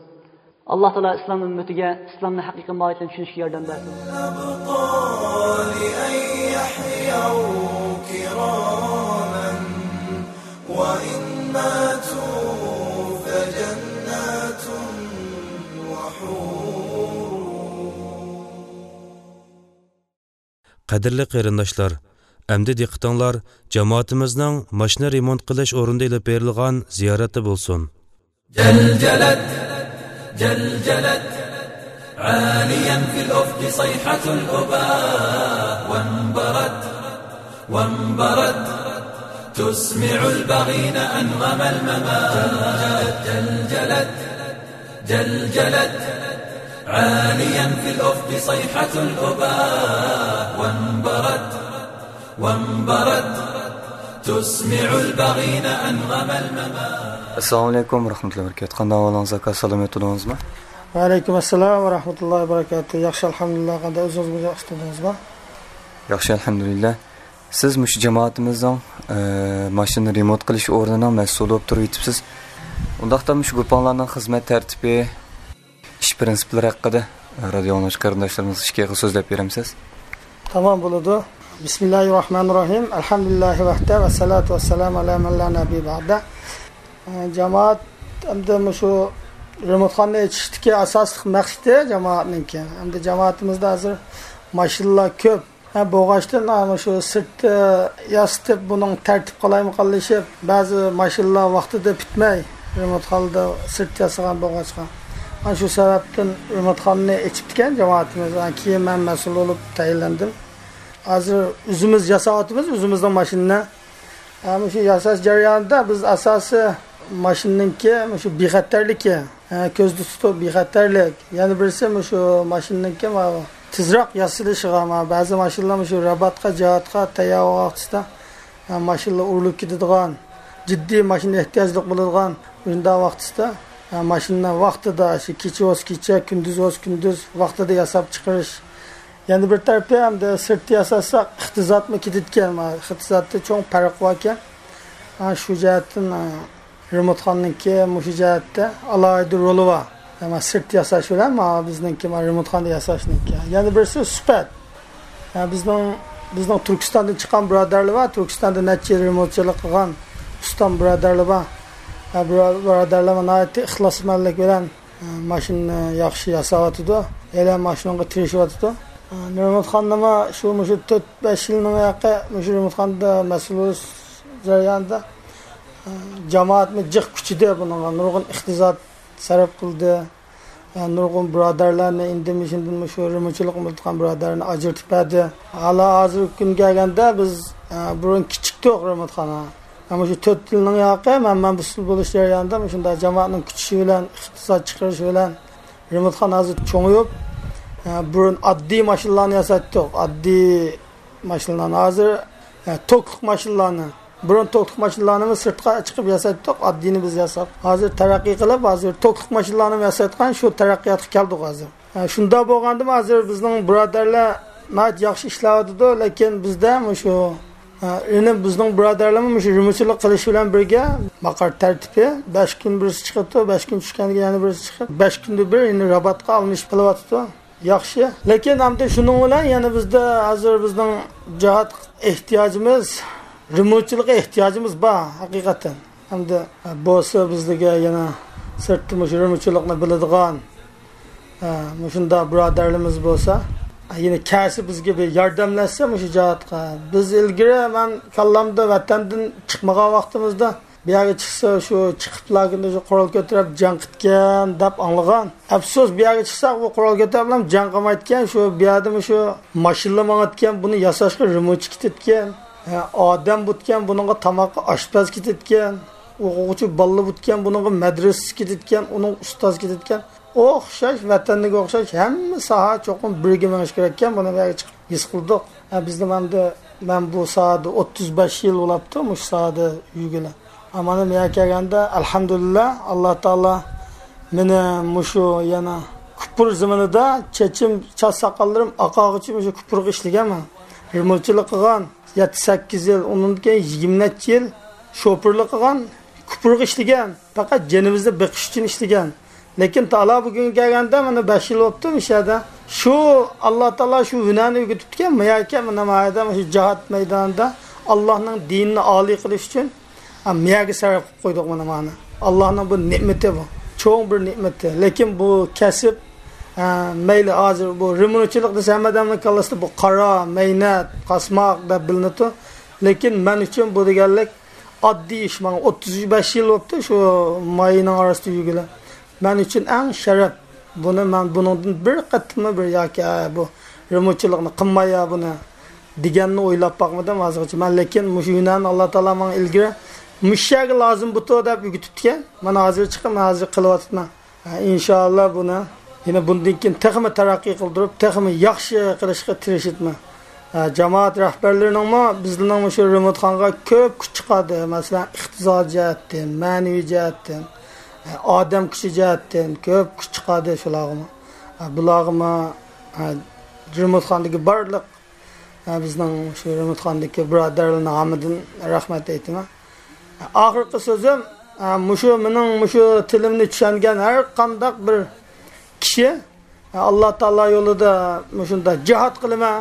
ئاللا تائالا ئىسلام ئۈممىتىگە ئىسلامنى ھەقىقىي ماھىيىتىنى چۈشىنىشكە ياردەم بەرسۇن. الأبطال أن يحيوا كراما وإن ماتوا فجنات وحور. قەدىرلىك قېرىنداشلار، ئەمدى دىققىتىڭلار جامائىتىمىزنىڭ ماشىنا رېمونت قىلىش ئورنىدا ئېلىپ بېرىلغان زىيارەتتە بولسۇن. جلجلت، جلجلت، عاليا في الأفق صيحة الأباء، وانبرت، وانبرت، تسمع البغين أنغم الممات. جلجلت، جلجلت، عاليا في الأفق صيحة الأباء، وانبرت، وانبرت، تسمع البغين أنغم الممات. ئەسسالامۇ ئەلەيكۇم ۋە رەھمەتۇللاھى ۋە بەرىكاتۇھ. قانداق ئەھۋالىڭىز، ئاكا؟ سالامەت تۇردىڭىزمۇ؟ ۋەئەلەيكۇم ئەسسالام ۋە رەھمەتۇللاھى ۋە بەرىكاتۇھ. ياخشى، ئەلھەمدۇلىللا. قانداق، ئۆزىڭىز ياخشى تۇردىڭىزمۇ؟ ياخشى، ئەلھەمدۇلىللا. سىز مۇشۇ جامائىتىمىزنىڭ، ئە، ماشىنا رېمونت قىلىش ئورنىنىڭ مەسئۇلى بولۇپ تۇرۇۋېتىپسىز. ئۇنداقتا مۇشۇ گۇپاڭلارنىڭ خىزمەت تەرتىپى، ئىش پىرىنسىپلىرى ھەققىدە رادىيو ئاڭلىغۇچى قېرىنداشلىرىمىزغا ئىككى ئېغىز سۆزلەپ بېرەمسىز؟ تامام بولىدۇ. بىسمىللاھىررەھمانىررەھىم. ئەلھەمدۇلىللاھى ۋەھدە ۋەسسالاتۇ ۋەسسالامۇ ئەلا مەن لا نەبىييە بەئدە. ئە، جامائەت ئەمدى مۇشۇ رېمونتخانىنى ئېچىشتىكى ئاساسلىق مەقسىتى جامائەتنىڭكى. ئەمدى جامائىتىمىزدە ھازىر ماشىنىلار كۆپ. ھە، بولغاچتىن، ھە، مۇشۇ سىرتتا ياسىتىپ، بۇنىڭ تەرتىپ قالايمىقانلىشىپ، بەزى ماشىنىلار ۋاقتىدا پۈتمەي، رېمونتخانىدا سىرت ياسىغان بولغاچقا. ئەنە شۇ سەۋەبتىن رېمونتخانىنى ئېچىپتىكەن جامائىتىمىز. ھە، كېيىن مەن مەسئۇل بولۇپ تەيىنلەندىم. ھازىر ئۆزىمىز ياساۋاتىمىز، ئۆزىمىزنىڭ ماشىنىنى. ھە، مۇشۇ ياساش جەريانىدا بىز ئاساسىي ماشىنىنىڭكى مۇشۇ بىخەتەرلىكى، ھە، كۆزدە تۇتۇپ بىخەتەرلىك. يەنە بىرسى مۇشۇ ماشىنىنىڭكى ماۋۇ تېزراق ياسىلىشىغا، ماۋۇ بەزى ماشىنىلار مۇشۇ راباتقا، جاھاتقا تەييار بولغان ۋاقتىدا، ھە، ماشىنىلار ئۇرۇلۇپ كېتىدىغان، جىددىي ماشىنا ئېھتىياجلىق بولىدىغان مۇشۇنداق ۋاقتىسىدا، ھە، ماشىنىنى ۋاقتىدا، شۇ كېچە بولسا كېچە، كۈندۈز بولسا كۈندۈز ۋاقتىدا ياساپ چىقىرىش. يەنە بىر تەرىپى، ئەمدى سىرتتا ياساتساق، ئىقتىسادمۇ كېتىدىكەن. مانا ئىقتىسادتا چوڭ پەرق باركەن. ھە، شۇ جەھەتتىن، ھە، رېمونتخانىنىڭكى مۇشۇ جەھەتتە ئالاھىدە رولى بار. ھە، مانا سىرتتا ياساش بىلەن مانا بىزنىڭكى، مانا رېمونتخانىدا ياساشنىڭكى. يەنە بىرسى سۈپەت. ھە، بىزنىڭ، بىزنىڭ تۈركىستاندىن چىققان بۇرادەرلەر بار. تۈركىستاندا نەچچە يىل رېمونتچىلىق قىلغان ئۇستام بۇرادەرلەر بار. ھە، بۇرا-، بۇرادەرلەر ناھايىتى ئىخلاسمەنلىك بىلەن ماشىنىنى ياخشى ياساۋاتىدۇ. ھېلى ماشىنىغا تىرىشىۋاتىدۇ. رېمونتخانىنىمۇ شۇ، مۇشۇ تۆت، بەش يىلنىڭ ياقى مۇشۇ رېمونتخانىدا مەسئۇل بولۇش جەريانىدا جامائەتمۇ جىق كۈچىدى بۇنىڭغا. نۇرغۇن ئىقتىساد سەرپ قىلدى. نۇرغۇن بۇرادەرلەرنى ئىندىن مۇشۇندىن مۇشۇ رېمونتچىلىق قىلىۋاتقان بۇرادەرلەرنى ئاجرىتىپ بەردى. ھالا ھازىرقى كۈنگە كەلگەندە بىز، بۇرۇن كىچىكتۇق رېمونتخانا. مۇشۇ تۆت يىلنىڭ ياقى مەن، مەن مەسئۇل بولۇش جەريانىدا مۇشۇنداق جامائەتنىڭ كۈچىشى بىلەن، ئىقتىساد چىقىرىشى بىلەن رېمونتخانا ھازىر چوڭىيىپ، ئە، بۇرۇن ئاددىي ماشىنىلارنى ياسايتتۇق، ئاددىي ماشىنىلارنى. ھازىر، ئە، توكلۇق ماشىنىلارنى، بۇرۇن توكلۇق ماشىنىلارنىمۇ سىرتقا چىقىپ ياسايتتۇق، ئاددىينى بىز ياساپ. ھازىر تەرەققىي قىلىپ، ھازىر توكلۇق ماشىنىلارنىمۇ ياسايدىغان شۇ تەرەققىياتقا كەلدۇق ھازىر. ئە، شۇنداق بولغاندىمۇ ھازىر بىزنىڭ بۇرادەرلەر ناھايىتى ياخشى ئىشلەۋاتىدۇ، لېكىن بىزدە مۇشۇ، ئە، يەنە بىزنىڭ بۇرادەرلەرمۇ مۇشۇ رېمونتچىلىق قىلىش بىلەن بىرگە ماقار تەرتىپى، بەش كۈن بىرسى چىقىدۇ، بەش كۈن چۈشكەندىن كېيىن يەنە بىرسى چىقىپ، بەش كۈندە بىر يەنە راباتقا ئالمىشىپ قىلىۋاتىدۇ. ياخشى. لېكىن ئەمدى شۇنىڭ بىلەن يەنە بىزدە ھازىر بىزنىڭ جاھات ئېھتىياجىمىز، رېمونتچىلىققا ئېھتىياجىمىز بار ھەقىقەتەن. ئەمدى بولسا بىزلىگە يەنە سىرتتا مۇشۇ رېمونتچىلىقنى بىلىدىغان، ھە، مۇشۇنداق بۇرادەرلىرىمىز بولسا، يەنە كەلسە بىزگە بىر ياردەملەشسە مۇشۇ جاھاتقا. بىز ئىلگىرى مەن كاللامدا ۋەتەندىن چىقمىغان ۋاقتىمىزدا بۇ يەرگە چىقسا، شۇ چىقىپلا شۇ قورال كۆتۈرۈپ جەڭ قىلىدىكەن دەپ ئاڭلىغان. ئەپسۇس، بۇ يەرگە چىقساق، بۇ قورال كۆتۈرۈپلا جەڭ قىلمايدىكەن، شۇ بۇ يەردىمۇ شۇ ماشىنىلا ماڭىدىكەن، بۇنى ياساشقا رېمونتچى كېتىدىكەن، ئادەم بۇتكەن، بۇنىڭغا تاماققا ئاشپەز كېتىدىكەن، ئوقۇغۇچى بالىلا بۇتكەن، بۇنىڭغا مەدرىسىسى كېتىدىكەن، ئۇنىڭغا ئۇستاز كېتىدىكەن. ئوخشاش، ۋەتەندىكىگە ئوخشاش ھەممە ساھە چوقۇم بىرگە مېڭىش كېرەككەن، بۇنى بۇ يەرگە چىقىپ ھېس قىلدۇق. ھە، بىزنىڭ ئەمدى، مەن بۇ ساھەدە ئوتتۇز بەش يىل بولاپتۇ، مۇشۇ ساھەدە يۈرگىلى. ھە، مانا بۇ يەرگە كەلگەندە، ئەلھەمدۇلىللا، ئاللا تائالا مېنى مۇشۇ يەنە كۇپۇر زېمىنىدا چېچىم، چاچ ساقاللىرىم ئاقارغۇچە مۇشۇ كۇپۇرغا ئىشلىگەنمەن. رېمونتچىلىق قىلغان، يەتتە سەككىز يىل، ئۇنىڭدىن كېيىن يىگىرمە نەچچە يىل شوپۇرلۇق قىلغان، كۇپۇرغا ئىشلىگەن. پەقەت جېنىمىزنى بېقىش ئۈچۈن ئىشلىگەن. لېكىن تالا بۈگۈنگە كەلگەندە، مانا بەش يىل بوپتۇ مۇشۇ يەردە. شۇ ئاللا تائالا شۇ ھۈنەرنى ئۆگىتىپتىكەن، مۇ يەرگە، مانا، مانا يەردە، مۇشۇ جىھاد مەيدانىدا ئاللانىڭ دىنىنى ئالىي قىلىش ئۈچۈن، ھە، مۇ يەرگە سەرپ قىلىپ قويدۇق، مانا، مانا. ئاللانىڭ بۇ نېمىتى بۇ. چوڭ بىر نېمىتى. لېكىن بۇ كەسىپ، ھە، مەيلى ھازىر بۇ رېمونتچىلىق دېسە، ھەممە ئادەمنىڭ كاللىسىدا بۇ قارا، مەينەت، قاسماق دەپ بىلىنىدۇ. لېكىن مەن ئۈچۈن بۇ دېگەنلىك ئاددىي ئىش. ماڭا ئوتتۇز بەش يىل بوپتۇ، شۇ ماينىڭ ئارىسىدا يۈرگىلى. مەن ئۈچۈن ئەڭ شەرەپ. بۇنى مەن بۇنىڭدىن بىر قېتىممۇ بىر ياكى، ھە، بۇ رېمونتچىلىقنى قىلماي يا بۇنى دېگەننى ئويلاپ باقمىدىم ھازىرغىچە. مەن لېكىن مۇشۇ ھۈنەرنى ئاللا تائالا ماڭا ئىلگىرى مۇشۇ يەرگە لازىم بۇتۇ دەپ ئۆگىتىپتىكەن. مانا ھازىر چىقىپ، مەن ھازىر قىلىۋاتىمەن. ھە، ئىنشائاللا بۇنى يەنە بۇندىن كېيىن تېخىمۇ تەرەققىي قىلدۇرۇپ، تېخىمۇ ياخشى قىلىشقا تىرىشىمەن. ھە، جامائەت رەھبەرلىرىنىڭمۇ بىزنىڭ مۇشۇ رېمونتخانىغا كۆپ كۈچ چىقاردى. مەسىلەن، ئىقتىسادىي جەھەتتىن، مەنىۋى جەھەتتىن، ھە، ئادەم كۈچى جەھەتتىن كۆپ كۈچ چىقاردى شۇلارغىمۇ. ھە، بۇلارغىمۇ، ھە، رېمونتخانىدىكى بارلىق، ھە، بىزنىڭ شۇ رېمونتخانىدىكى بۇرادەرلەرنىڭ ھەممىدىن رەھمەت ئېيتىمەن. ئاخىرقى سۆزۈم، ئە، مۇشۇ مېنىڭ مۇشۇ تىلىمنى چۈشەنگەن ھەر قانداق بىر كىشى، ئە، ئاللا تائالا يولىدا مۇشۇنداق جىھاد قىلىمەن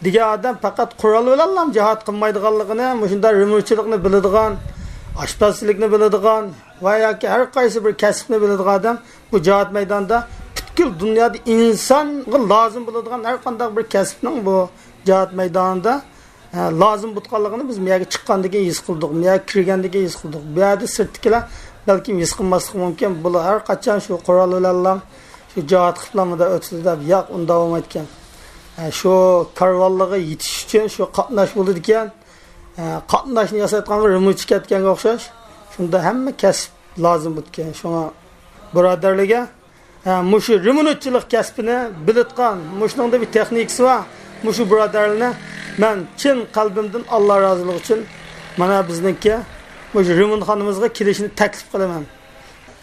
دېگەن ئادەم پەقەت قورال بىلەنلا جىھاد قىلمايدىغانلىقىنى، مۇشۇنداق رېمونتچىلىقنى بىلىدىغان، ئاشپەزچىلىكنى بىلىدىغان ۋە ياكى ھەر قايسى بىر كەسىپنى بىلىدىغان ئادەم بۇ جىھاد مەيدانىدا پۈتكۈل دۇنيادا ئىنسانغا لازىم بولىدىغان ھەر قانداق بىر كەسىپنىڭ بۇ جىھاد مەيدانىدا ھە، لازىم بولغانلىقىنى بىز مۇ يەرگە چىققاندىن كېيىن ھېس قىلدۇق، مۇ يەرگە كىرگەندىن كېيىن ھېس قىلدۇق. بۇ يەردە سىرتتىكىلەر بەلكىم ھېس قىلماسلىقى مۇمكىن، بۇلار ھەر قاچان شۇ قورال بىلەنلا شۇ جىھاد قىلىپلا مۇنداق ئۆتىدۇ دەپ، ياق، ئۇنداق بولمايدىكەن. ھە، شۇ كارۋانلارغا يېتىش ئۈچۈن شۇ قاتناش بولىدىكەن. ھە، قاتناشنى ياسايدىغان بىر رېمونتچى كەتكەنگە ئوخشاش، شۇندا ھەممە كەسىپ لازىم بولىدىكەن. شۇڭا بۇرادەرلەرگە ھە، مۇشۇ رېمونتچىلىق كەسپىنى بىلىدىغان، مۇشۇنىڭدا بىر تېخنىكىسى بار، مۇشۇ بۇرادەرلەرنى مەن چىن قەلبىمدىن ئاللا رازىلىقى ئۈچۈن مانا بىزنىڭكى مۇشۇ رېمونتخانىمىزغا كېلىشىنى تەكلىپ قىلىمەن.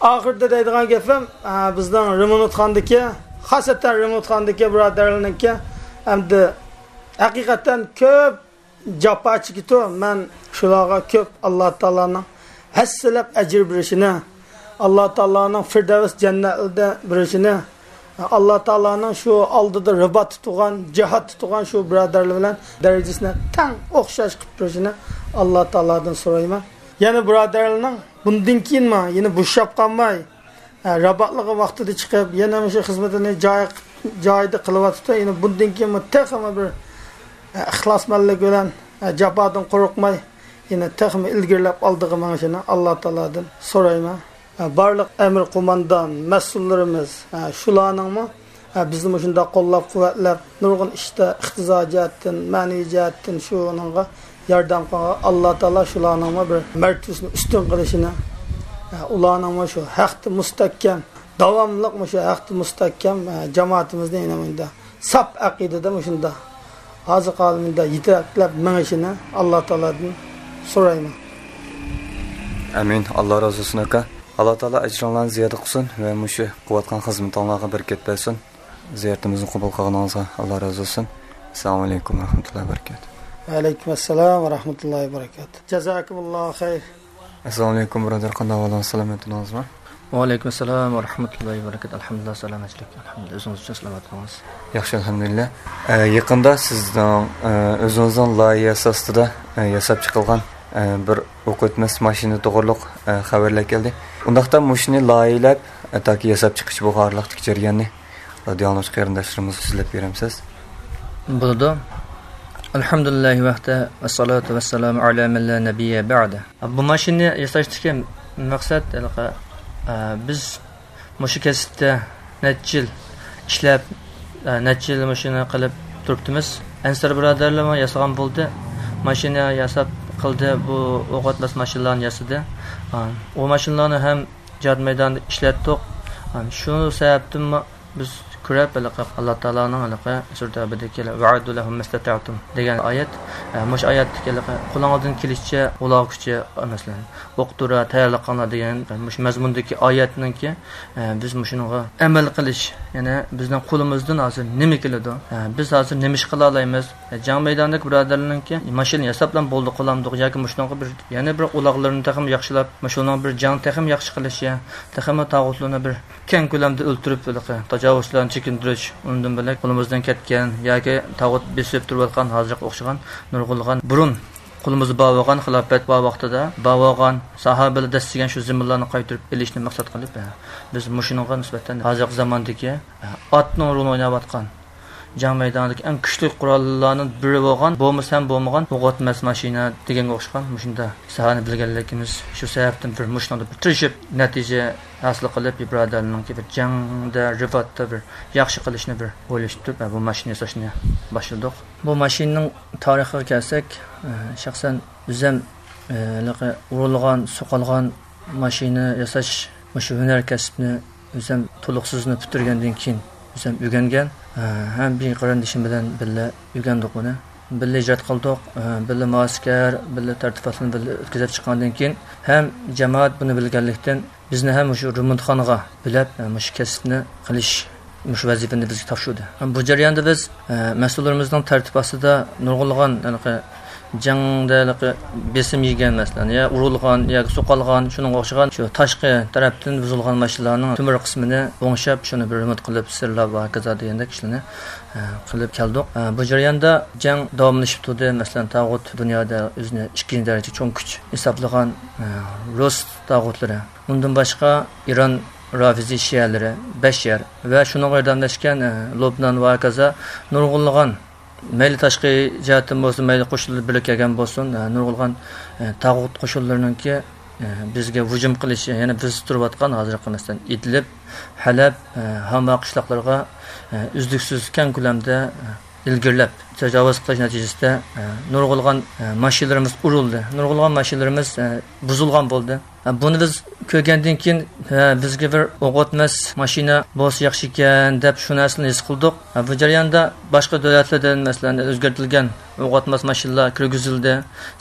ئاخىرىدا دەيدىغان گېپىم، ھە، بىزنىڭ رېمونتخانىدىكى، خاسەتەن رېمونتخانىدىكى بۇرادەرلەرنىڭكى ئەمدى ھەقىقەتەن كۆپ جاپا چېكىتۇ. مەن شۇلارغا كۆپ ئاللا تائالانىڭ ھەسسىلەپ ئەجىر بېرىشىنى، ئاللا تائالانىڭ فىردەۋس جەننەتلىرىدە بېرىشىنى، ئاللا تائالانىڭ شۇ ئالدىدا رىبات تۇتۇغان، جىھاد تۇتۇغان شۇ بۇرادەرلەر بىلەن دەرىجىسىنى تەڭ ئوخشاش قىلىپ بېرىشىنى ئاللا تائالادىن سورايمەن. يەنە بۇرادەرلەرنىڭ بۇندىن كېيىنمۇ يەنە بوشاپ قالماي، ھە، راباتلىقى ۋاقتىدا چىقىپ، يەنە مۇشۇ خىزمىتىنى جاي-، جايىدا قىلىۋاتىدۇ. يەنە بۇندىن كېيىنمۇ تېخىمۇ بىر، ھە، ئىخلاسمەنلىك بىلەن، ھە، جاپادىن قورقماي، يەنە تېخىمۇ ئىلگىرىلەپ ئالدىغا مېڭىشىنى ئاللا تائالادىن سورايمەن. ھە، بارلىق ئەمىر قوماندان، مەسئۇللىرىمىز، ھە، شۇلارنىڭمۇ ھە، بىزنى مۇشۇنداق قوللاپ-قۇۋۋەتلەپ، نۇرغۇن ئىشتا ئىقتىسادىي جەھەتتىن، مەنىۋى جەھەتتىن شۇنىڭغا ياردەم قىلغان ئاللا تائالا شۇلارنىڭمۇ بىر مەرتىۋىسىنى ئۈستۈن قىلىشىنى، ھە، ئۇلارنىڭمۇ شۇ ھەقتە مۇستەھكەم داۋاملىق مۇشۇ ھەقتە مۇستەھكەم، ئە، جامائىتىمىزنى يەنە مۇنداق ساپ ئەقىدىدە مۇشۇنداق ھازىر قالمىدا يېتەكلەپ مېڭىشىنى ئاللا تائالادىن سورايمەن. ئامىن. ئاللا رازى بولسۇن، ئاكا. ئاللا تائالا ئەجرىڭلارنى زىيادە قىلسۇن ۋە مۇشۇ قىلىۋاتقان خىزمىتىڭلارغا بەرىكەت بەرسۇن. زىيارىتىمىزنى قوبۇل قىلغىنىڭىزغا ئاللا رازى بولسۇن. ئەسسالامۇ ئەلەيكۇم ۋە رەھمەتۇللاھى ۋە بەرىكاتۇھ. ۋە ئەلەيكۇم ئەسسالام ۋە رەھمەتۇللاھى ۋە بەرىكاتۇھ. جازاكۇمۇللاھۇ خەير. ئەسسالامۇ ئەلەيكۇم، بۇرادەر، قانداق ئەھۋالىڭىز، سالامەتمىدىڭىزمۇ؟ ۋەئەلەيكۇم ئەسسالام ۋە رەھمەتۇللاھى ۋە بەرىكاتۇھ. ئەلھەمدۇلىللا، سالامەتچىلىك. ئەلھەمدۇلىللا، ئۆزىڭىز ئۈچۈن سالامەت بولۇڭىز. ياخشى، ئەلھەمدۇلىللا. ئە، يېقىندا سىزنىڭ، ئە، ئۆزىڭىزنىڭ لايىھەسى ئاستىدا، ئە، ياساپ چىقىلغان، ئە، بىر ئوق ئۆتمەس ماشىنا توغرۇلۇق، ئە، خەۋەرلەر كەلدى. ئۇنداقتا مۇشۇنى لايىھەلەپ، ئە، تاكى ياساپ چىقىش بۇ ئارىلىقتىكى جەرياننى رادىيو ئاڭلىغۇچى قېرىنداشلىرىمىزغا سۆزلەپ بېرەمسىز؟ بولىدۇ. ئەلھەمدۇلىللاھى ۋەھدە، ۋەسسالاتۇ ۋەسسالامۇ ئەلا مەن لا نەبىييە بەئدە. بۇ ماشىنىنى ياساشتىكى مەقسەت، ھېلىقى، ئە، بىز مۇشۇ كەسىپتە نەچچە يىل ئىشلەپ، ئە، نەچچە يىل مۇشۇنى قىلىپ تۇرۇپتىمىز. ئەنسار بۇرادەرلەرمۇ ياسىغان بولدى. ماشىنا ياساپ قىلدى. بۇ ئوق ئۆتمەس ماشىنىلارنى ياسىدى. ئا، ئۇ ماشىنىلارنى ھەم جىھاد مەيدانىدا ئىشلەتتۇق. ئا، شۇ سەۋەبتىنمۇ بىز كۆرۈپ، ھېلىقى ئاللا تائالانىڭ ھېلىقى سۈرە تەۋبىدىكى ۋەئەدۇ لەھۇم مەستەتەئتۇم دېگەن ئايەت. ئە، مۇشۇ ئايەتتىكى ھېلىقى قولىڭىزدىن كېلىشىچە ئۇلارغىچە، مەسىلەن، ئوق دورا تەييارلىق قىلىڭلار دېگەن مۇشۇ مەزمۇندىكى ئايەتنىڭكى، ئە، بىز مۇشۇنىڭغا ئەمەل قىلىش، يەنى بىزنىڭ قولىمىزدىن ھازىر نېمە كېلىدۇ؟ ئە، بىز ھازىر نېمە ئىش قىلالايمىز؟ ئە، جەڭ مەيدانىدىكى بۇرادەرلەرنىڭكى ماشىنا ياساپلا بولدى قىلامدۇق ياكى مۇشۇنىڭغا بىر، يەنە بىر ئۇلاغلىرىنى تېخىمۇ ياخشىلاپ، مۇشۇنىڭ بىر جەڭ تېخىمۇ ياخشى قىلىشى، تېخىمۇ تاغۇتلارنى بىر كەڭ كۆلەمدە ئۆلتۈرۈپ، ھېلىقى تاجاۋۇزچىلارنى چېكىندۈرۈش، ئۇنىڭدىن بۆلەك قولىمىزدىن كەتكەن ياكى تاغۇت بېسىپ تۇرۇۋاتقان ھازىرغا ئوخشىغان نۇرغۇنلىغان بۇرۇن قولىمىزدا بار بولغان، خىلاپەت بار ۋاقتىدا بار بولغان، ساھابىلەر دەسسىگەن شۇ زېمىنلارنى قايتۇرۇپ ئېلىشنى مەقسەت قىلىپ، بىز مۇشۇنىڭغا نىسبەتەن ھازىرقى زاماندىكى ئاتنىڭ رولىنى ئويناۋاتقان، جەڭ مەيدانىدىكى ئەڭ كۈچلۈك قوراللارنىڭ بىرى بولغان، بولمىسا ھەم بولمىغان ئوق ئۆتمەس ماشىنا دېگەنگە ئوخشىغان مۇشۇنداق ساھەنى بىلگەنلىكىمىز، شۇ سەۋەبتىن بىر مۇشۇنىڭدا بىر تىرىشىپ نەتىجە ھاسىل قىلىپ، بۇرادەرلەرنىڭكى بىر جەڭدە، رىباتتا بىر ياخشى قىلىشنى بىر ئويلىشىپ تۇرۇپ، بۇ ماشىنا ياساشنى باشلىدۇق. بۇ ماشىنىنىڭ تارىخىغا كەلسەك، شەخسەن ئۆزۈم ھېلىقى ئۇرۇلغان، سوقۇلغان ماشىنا ياساش مۇشۇ ھۈنەر كەسىپنى ئۆزۈم تولۇقسىزنى پۈتتۈرگەندىن كېيىن ئۆزۈم ئۆگەنگەن. ھەم بىر قېرىندىشىم بىلەن بىللە ئۆگەندۇق بۇنى. بىللە ھىجرەت قىلدۇق، بىللە مۇئەسكەر، بىللە تەرتىپاتلارنى بىللە ئۆتكۈزۈپ چىققاندىن كېيىن ھەم جامائەت بۇنى بىلگەنلىكتىن، بىزنى ھەم مۇشۇ رېمونتخانىغا بۆلۈپ، مۇشۇ كەسىپنى قىلىش، مۇشۇ ۋەزىپىنى بىزگە تاپشۇردى. بۇ جەرياندا بىز، مەسئۇللىرىمىزنىڭ تەرتىپ ئاستىدا نۇرغۇنلىغان ھېلىقى جەڭدە ھېلىقى بېسىم يېگەن، مەسىلەن، يا ئۇرۇلغان ياكى سوقۇلغان، شۇنىڭغا ئوخشىغان شۇ تاشقى تەرەپتىن بۇزۇلغان ماشىنىلارنىڭ تۆمۈر قىسمىنى ئوڭشاپ، شۇنى بىر رېمونت قىلىپ، سىرلاپ ۋە ھاكازا دېگەندەك ئىشلارنى، ئە، قىلىپ كەلدۇق. ئە، بۇ جەرياندا جەڭ داۋاملىشىپ تۇردى. مەسىلەن، تاغۇت دۇنيادا ئۆزىنى ئىككىنچى دەرىجىلىك چوڭ كۈچ ھېسابلىغان، ئە، رۇس تاغۇتلىرى، ئۇندىن باشقا ئىران رافىزىي شىئەلىرى بەش يەر ۋە شۇنىڭغا ياردەملەشكەن، ئە، لوبنان ۋە ھاكازا نۇرغۇنلىغان مەيلى تاشقى جەھەتتىن بولسۇن، مەيلى قوشۇنلار بىرلىككە كەلگەن بولسۇن، ئە، نۇرغۇنلىغان، ئە، تاغۇت قوشۇنلىرىنىڭكى، ئە، بىزگە ھۇجۇم قىلىشى، يەنى بىز تۇرۇۋاتقان ھازىرقى، مەسىلەن، ئىدلىب، ھەلەب، ئە، ھاما قىشلاقلىرىغا، ئە، ئۈزلۈكسىز كەڭ كۆلەمدە، ئە، ئىلگىرىلەپ تاجاۋۇز قىلىش نەتىجىسىدە، ئە، نۇرغۇنلىغان، ئە، ماشىنىلىرىمىز ئۇرۇلدى. نۇرغۇنلىغان ماشىنىلىرىمىز، ئە، بۇزۇلغان بولدى. بۇنى بىز كۆرگەندىن كېيىن، ھە، بىزگە بىر ئوق ئۆتمەس ماشىنا بولسا ياخشى ئىكەن، دەپ شۇ نەرسىنى ھېس قىلدۇق. بۇ جەرياندا باشقا دۆلەتلەردىن، مەسىلەن، ئۆزگەرتىلگەن ئوق ئۆتمەس ماشىنىلار كىرگۈزۈلدى،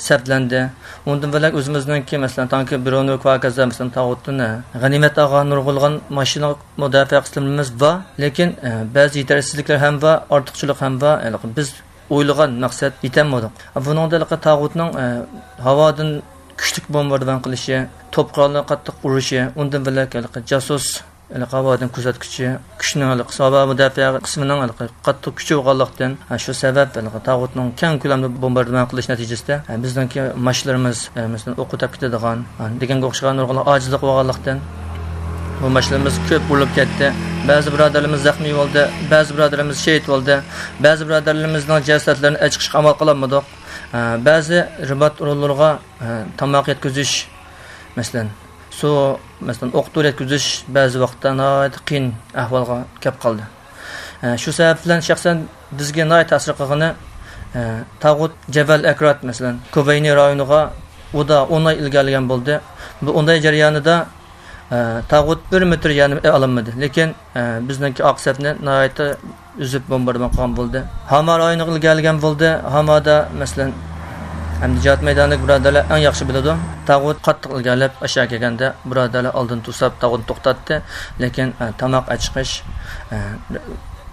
سەپلەندى. ئۇندىن بۆلەك ئۆزىمىزنىڭكى، مەسىلەن، تانكى برونوك ۋە ھاكازا، مەسىلەن، تاغۇتتىن، ھە، غەنىيمەت ئالغان نۇرغۇنلىغان ماشىنا مۇداپىئە قىسىملىرىمىز بار. لېكىن، ھە، بەزى يېتەرسىزلىكلەر ھەم بار، ئارتۇقچىلىق ھەم بار. ھېلىقى بىز ئويلىغان مەقسەت يېتەلمىدۇق. بۇنىڭدا ھېلىقى تاغۇتنىڭ، ئە، ھاۋادىن كۈچلۈك بومباردىمان قىلىشى، توپ قوراللىرى قاتتىق ئۇرۇشى، ئۇندىن بۆلەك ھېلىقى جاسۇس، ھېلىقى ھاۋادىن كۆزەتكۈچى كۈچنىڭ، ھېلىقى ھاۋا مۇداپىئە قىسمىنىڭ ھېلىقى قاتتىق كۈچى بولغانلىقتىن، ھە، شۇ سەۋەب ھېلىقى تاغۇتنىڭ كەڭ كۆلەمدە بومباردىمان قىلىش نەتىجىسىدە، ھە، بىزنىڭكى ماشىنىلىرىمىز، ھە، مەسىلەن، ئوققا تەپ كېتىدىغان، ھە، دېگەنگە ئوخشىغان نۇرغۇنلىغان ئاجىزلىق بولغانلىقتىن، بۇ ماشىنىلىرىمىز كۆپ ئۇرۇلۇپ كەتتى. بەزى بۇرادەرلىرىمىز زەخمىي بولدى، بەزى بۇرادەرلىرىمىز شېھىت بولدى، بەزى بۇرادەرلىرىمىزنىڭ جەسەتلىرىنى ئەچىقىشقا ئامال قىلالمىدۇق. ئە، بەزى رىبات ئورۇنلىرىغا، ئە، تاماق يەتكۈزۈش، مەسىلەن، سۇ، مەسىلەن، ئوق دورا يەتكۈزۈش بەزى ۋاقىتتا ناھايىتى قىيىن ئەھۋالغا كەپ قالدى. ئە، شۇ سەۋەب بىلەن شەخسەن بىزگە ناھايىتى تەسىر قىلغىنى، ئە، تاغۇت جەبەل ئەكرات، مەسىلەن، كۇۋەينى رايونىغا ئۇدا ئون ئاي ئىلگىرىلىگەن بولدى. بۇ ئون ئاي جەريانىدا ئە، تاغۇت بىر مېتىر يەرنى ئالالمىدى. لېكىن، ئە، بىزنىڭكى ئارقا سەپنى ناھايىتى ئۈزۈپ بومباردىمان قىلغان بولدى. ھاما رايونىغا ئىلگىرىلىگەن بولدى. ھامادا، مەسىلەن، ئەمدى جىھاد مەيدانىدىكى بۇرادەرلەر ئەڭ ياخشى بىلىدۇ. تاغۇت قاتتىق ئىلگىرىلەپ ئاشۇ يەرگە كەلگەندە، بۇرادەرلەر ئالدىن توساپ، تاغۇتنى توختاتتى. لېكىن، ئە، تاماق ئەچىقىش، ئە،